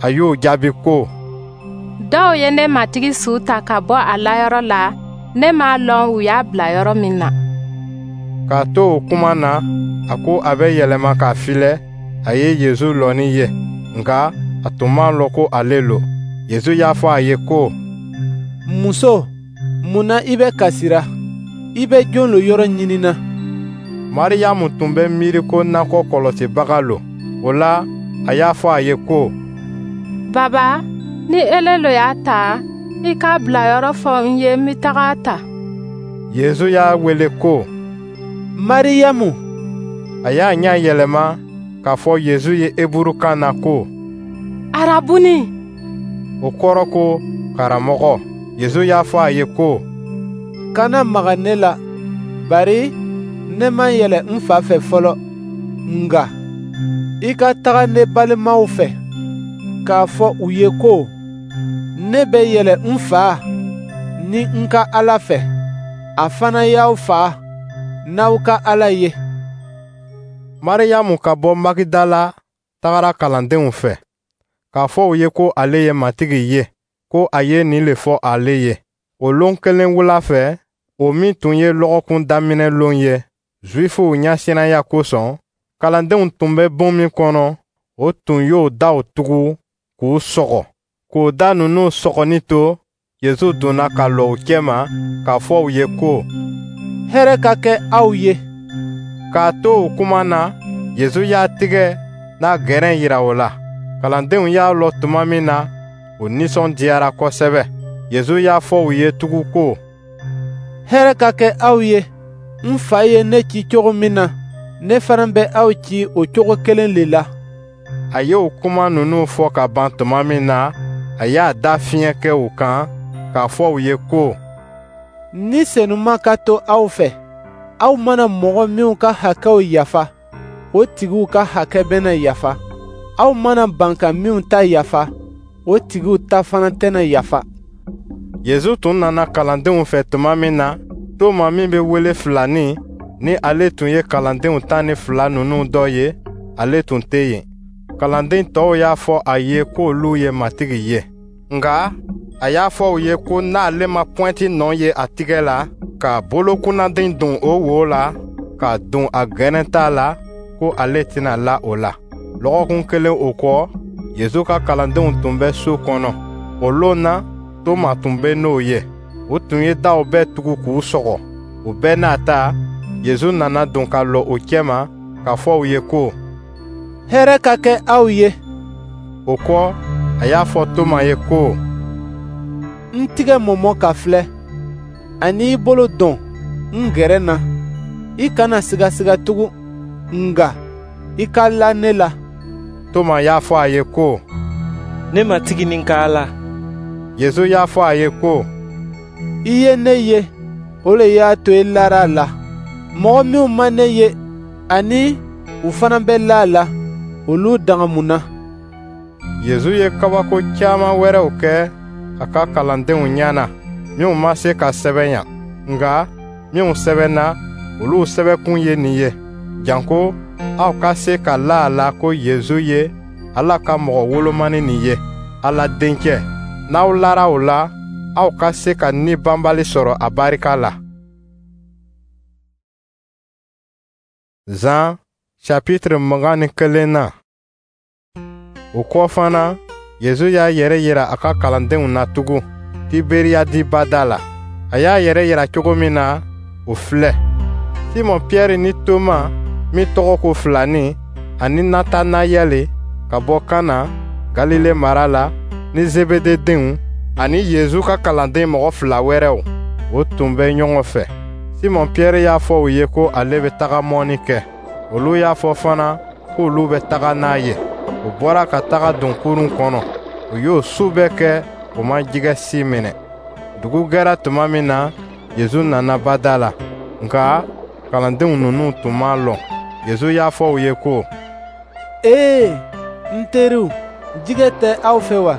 A y'o jaabi ko: Dɔw ye ne Matigi su ta ka bɔ a layɔrɔ la, ne m'a lɔn u y'a bila yɔrɔ min na. K'a to o kuma na, a ko a bɛ yɛlɛma k'a filɛ, a ye Yezu lɔni ye, nka a tun m'a lɔn ko ale lo. Yezu y'a fɔ a ye ko: Muso, mun na i bɛ kasira? I bɛ jɔn lo yɔrɔ ɲinina? Mariyamu tun bɛ miiri ko nakɔ kɔlɔsibaga lo. O la, a y'a fɔ a ye ko: Baba, ni ele lo y'a ta, i k'a bilayɔrɔ fɔ n ye, n bɛ taga a ta. Yezu y'a wele ko: Mariyamu. A y'a ɲɛ yɛlɛma k'a fɔ Yezu ye Heburukan na ko: Arabuni. O kɔrɔ ko karamɔgɔ. Yezu y'a fɔ a ye ko: Kana maga ne la, bari ne ma yɛlɛ n fa fɛ fɔlɔ. Nka i ka taga ne balimaw fɛ k'a fɔ u ye ko: Ne bɛ yɛlɛ n fa ni n ka Ala fɛ, a fana y'aw fa n'aw ka Ala ye. Mariyamu ka bɔ Magidala tagara kalandenw fɛ, k'a fɔ u ye ko ale ye Matigi ye, ko a ye nin le fɔ ale ye. O lon kelen wula fɛ, o min tun ye lɔgɔkun daminɛ lon ye, Zuwifuw ɲɛsiranya kosɔn, kalandenw tun bɛ bon min kɔnɔ, o tun y'o daw tugu k'u sɔgɔ. K'o da ninnu sɔgɔni to, Yezu donna ka lɔ u cɛma k'a fɔ u ye ko: Hɛrɛ ka kɛ aw ye. K'a to o kuma na, Yezu y'a tigɛ n'a gɛrɛn yira o la. Kalandenw y'a lɔ tuma min na, o nisɔndiyara kosɛbɛ. Yezu y'a fɔ u ye tugun ko: Hɛrɛ ka kɛ aw ye. N fa ye ne ci cogo min na, Ne fana bɛ aw ci o cogo kelen le la. A ye o kuma ninnu fɔ ka ban tuma min na, a y'a da fiɲɛ kɛ u kan k'a fɔ u ye ko: Ni Senuma ka to aw fɛ, aw mana mɔgɔ minw ka hakɛw yafa, o tigiw ka hakɛ bɛna yafa. Aw mana ban ka minw ta yafa, o tigiw ta fana tɛna yafa. Yezu tun nana kalandenw fɛ tuma min na, Toma min bɛ wele Filani, ni ale tun ye kalandenw tan ni fila ninnu dɔ ye, ale tun tɛ yen. Kalanden tɔw y'a fɔ a ye k'olu ye Matigi ye. Nka a y'a fɔ u ye ko n'ale ma pɔnti nɔ ye a tigɛ la, k'a bolokunnadin don o wo la, ka don a gɛrɛnta la, ko ale tɛna la o la. Lɔgɔkun kelen o kɔ, Yezu ka kalandenw tun bɛ so kɔnɔ. O lon na, Toma tun bɛ n'o ye. U tun ye daw bɛɛ tugu k'u sɔgɔ. O bɛɛ n'a ta, Yezu nana don ka lɔ u cɛma k'a fɔ u ye ko: Hɛrɛ ka kɛ aw ye. O kɔ, a y'a fɔ Toma ye ko: N tigɛ mɔmɔ ka filɛ, ani i bolo don n gɛrɛ na. I kana sigasiga tugun, nka i ka la ne la. Toma y'a fɔ a ye ko: Ne Matigi ni n ka Ala. Yezu y'a fɔ a ye ko: I ye ne ye, o le y'a to i lara a la. Mɔgɔ minw ma ne ye, ani u fana bɛ la a la, olu danga mun na? Yezu ye kabako caman wɛrɛw kɛ a ka kalandenw ɲɛ na, minw ma se ka sɛbɛn yan. Nka minw sɛbɛnna, olu sɛbɛnkun ye nin ye, janko aw ka se ka la a la ko Yezu ye Ala ka mɔgɔ wolomani nin ye, Ala Dencɛ. N'aw lara o la, aw ka se ka ni banbali sɔrɔ a barika la. Zan chapitre mugan ni kelen na. O kɔ fana, Yezu y'a yɛrɛ yira a ka kalandenw na tugun Tiberiyadi bada la. A y'a yɛrɛ yira cogo min na, o filɛ. Simɔn Piyɛri ni Toma min tɔgɔ ko Filani, ani Natanayɛli ka bɔ Kana, Galile mara la, ni Zebede denw, ani Yezu ka kalanden mɔgɔ fila wɛrɛw, o tun bɛ ɲɔgɔn fɛ. Simɔn Piyɛri y'a fɔ u ye ko ale bɛ taga mɔnni kɛ. Olu y'a fɔ fana k'olu bɛ taga n'a ye. U bɔra ka taga don kurun kɔnɔ. U y'o su bɛɛ kɛ, u ma jɛgɛ si minɛ. Dugu gɛra tuma min na, Yezu nana bada la. Nka kalandenw ninnu tun m'a lɔn. Yezu y'a fɔ u ye ko: Ee, n teriw, jɛgɛ tɛ aw fɛ wa?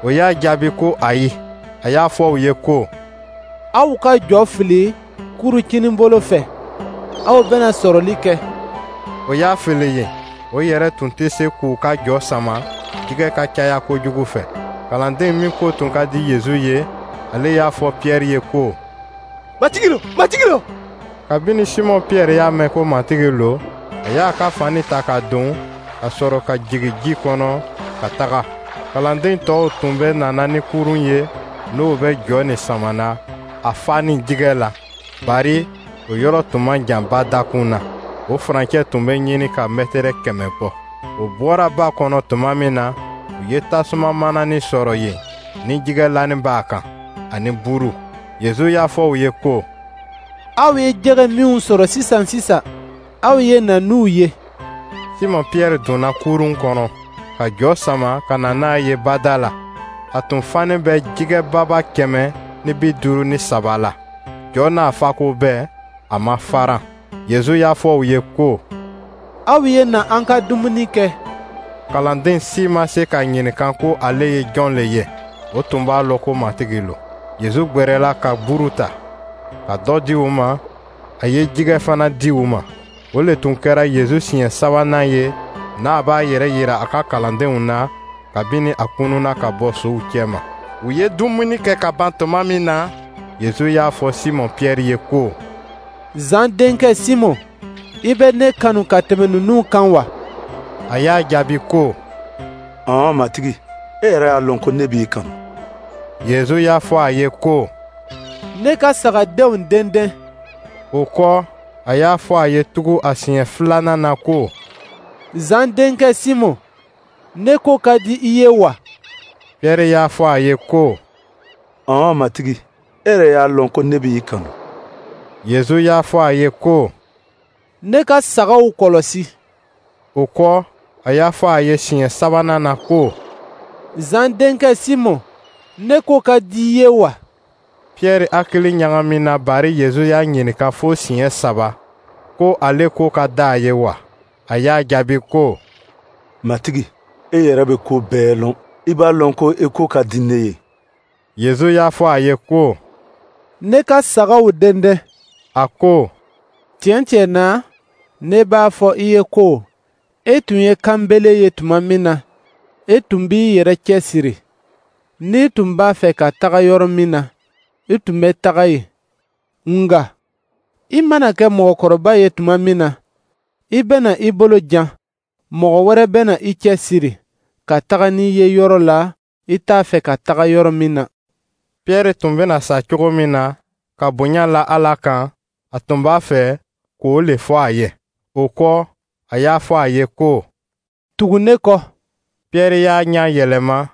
O y'a jaabi ko ayi. A y'a fɔ u ye ko: Aw ka jɔ fili kurun kininbolo fɛ, aw bɛna sɔrɔli kɛ. O y'a fili yen. O yɛrɛ tun tɛ se k'u ka jɔ sama jɛgɛ ka caya kojugu fɛ. Kalanden min ko tun ka di Yezu ye, ale y'a fɔ Piyɛri ye ko: Matigi lo, Matigi lo! Kabini Simɔn Piyɛri y'a mɛn ko Matigi lo, a y'a ka fani ta ka don, ka sɔrɔ ka jigin ji kɔnɔ ka taga. Kalanden tɔw tun bɛ nana ni kurun ye, n'o bɛ jɔ nin samana a fa ni jɛgɛ la, bari o yɔrɔ tun man jan ba dakun na. O furancɛ tun bɛ ɲini ka mɛtɛrɛ kɛmɛ bɔ. O bɔra ba kɔnɔ tuma min na, u ye tasuma manani sɔrɔ yen ni jɛgɛlanin b'a kan, ani buru. Yezu y'a fɔ u ye ko: Aw ye jɛgɛ minw sɔrɔ sisan sisan, aw ye na n'u ye. Simɔn Piyɛri donna kurun kɔnɔ ka jɔ sama ka na n'a ye bada la. A tun fanen bɛ jɛgɛ baba kɛmɛ ni bi duuru ni saba la. Jɔ n'a fako bɛɛ, a ma faran. Yezu y'a fɔ u ye ko: Aw ye na an ka dumuni kɛ. Kalanden si ma se k'a ɲininka ko ale ye jɔn le ye. O tun b'a lɔn ko Matigi lo. Yezu gwɛrɛla ka buru ta, ka dɔ di u ma, a ye jɛgɛ fana di u ma. O le tun kɛra Yezu siɲɛ sabanan ye n'a b'a yɛrɛ yira a ka kalandenw na kabini a kununna ka bɔ suw cɛma. U ye dumuni kɛ ka ban tuma min na, Yezu y'a fɔ Simɔn Piyɛri ye ko: Zan denkɛ Simɔn, i bɛ ne kanu ka tɛmɛ ninnu kan wa? A y'a jaabi ko: Ɔn, Matigi, e yɛrɛ y'a lɔn ko ne b'i kanu. Yezu y'a fɔ a ye ko: Ne ka sagadenw denden. O kɔ, a y'a fɔ a ye tugun a siɲɛ filanan na ko: Zan denkɛ Simɔn, ne ko ka di i ye wa? Piyɛri y'a fɔ a ye ko: Ɔn, Matigi, e yɛrɛ y'a lɔn ko ne b'i kanu. Yezu y'a fɔ a ye ko: Ne ka sagaw kɔlɔsi. O kɔ, a y'a fɔ a ye siɲɛ sabanan na ko: Zan denkɛ Simɔn, ne ko ka di i ye wa? Piyɛri hakili ɲagamina bari Yezu y'a ɲininka fo siɲɛ saba ko ale ko ka di a ye wa. A y'a jaabi ko: Matigi, e yɛrɛ bɛ ko bɛɛ lɔn. I b'a lɔn ko i ko ka di ne ye. Yezu y'a fɔ a ye ko: Ne ka sagaw dɛndɛn. A ko: Tiɲɛ tiɲɛ na, ne b'a fɔ i ye ko e tun ye kanbele ye tuma min na, e tun b'i yɛrɛ cɛsiri. N'i tun b'a fɛ ka taga yɔrɔ min na, i tun bɛ taga yen. Nka i mana kɛ mɔgɔkɔrɔba ye tuma min na, i bɛna i bolo jan, mɔgɔ wɛrɛ bɛna i cɛsiri ka taga n'i ye yɔrɔ la i t'a fɛ ka taga yɔrɔ min na. Piyɛri tun bɛna sa cogo min na ka bonya la Ala kan, a tun b'a fɛ k'o le fɔ a ye. O kɔ, a y'a fɔ a ye ko: Tugu ne kɔ. Piyɛri y'a ɲɛ yɛlɛma,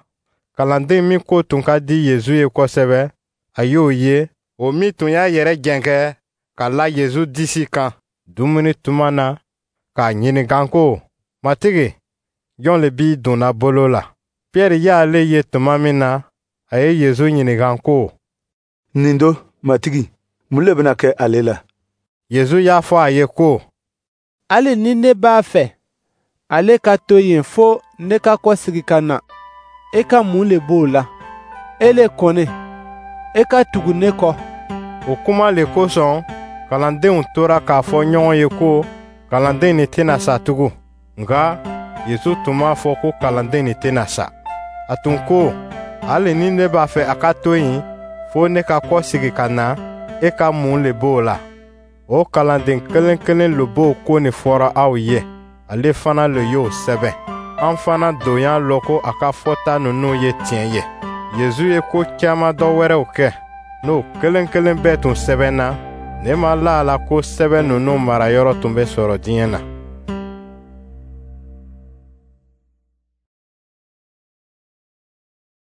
kalanden min ko tun ka di Yezu ye kosɛbɛ, a y'o ye, o min tun y'a yɛrɛ jɛnkɛ ka la Yezu disi kan dumuni tuma na, k'a ɲininka ko: Matigi, jɔn le b'i donna bolo la? Piyɛri y'ale ye tuma min na, a ye Yezu ɲininka ko: Nin don, Matigi, mun le bɛna kɛ ale la? Yezu y'a fɔ a ye ko: Hali ni ne b'a fɛ ale ka to yen fo ne ka kɔsegin ka na, e ka mun le b'o la? E le kɔni, e ka tugu ne kɔ. O kuma le kosɔn, kalandenw tora k'a fɔ ɲɔgɔn ye ko kalanden nin tɛna sa tugun. Nka Yezu tun m'a fɔ ko kalanden nin tɛna sa. A tun ko: Hali ni ne b'a fɛ a ka to yen fo ne ka kɔsegin ka na, e ka mun le b'o la? O kalanden kelen kelen le b'o ko nin fɔra aw ye, ale fana le y'o sɛbɛn. An fana don y'a lɔn ko a ka fɔta ninnu ye tiɲɛ ye. Yezu ye ko caman dɔ wɛrɛw kɛ, n'o kelen kelen bɛɛ tun sɛbɛnna, ne ma la a la ko sɛbɛn ninnu marayɔrɔ tun bɛ sɔrɔ diɲɛ na.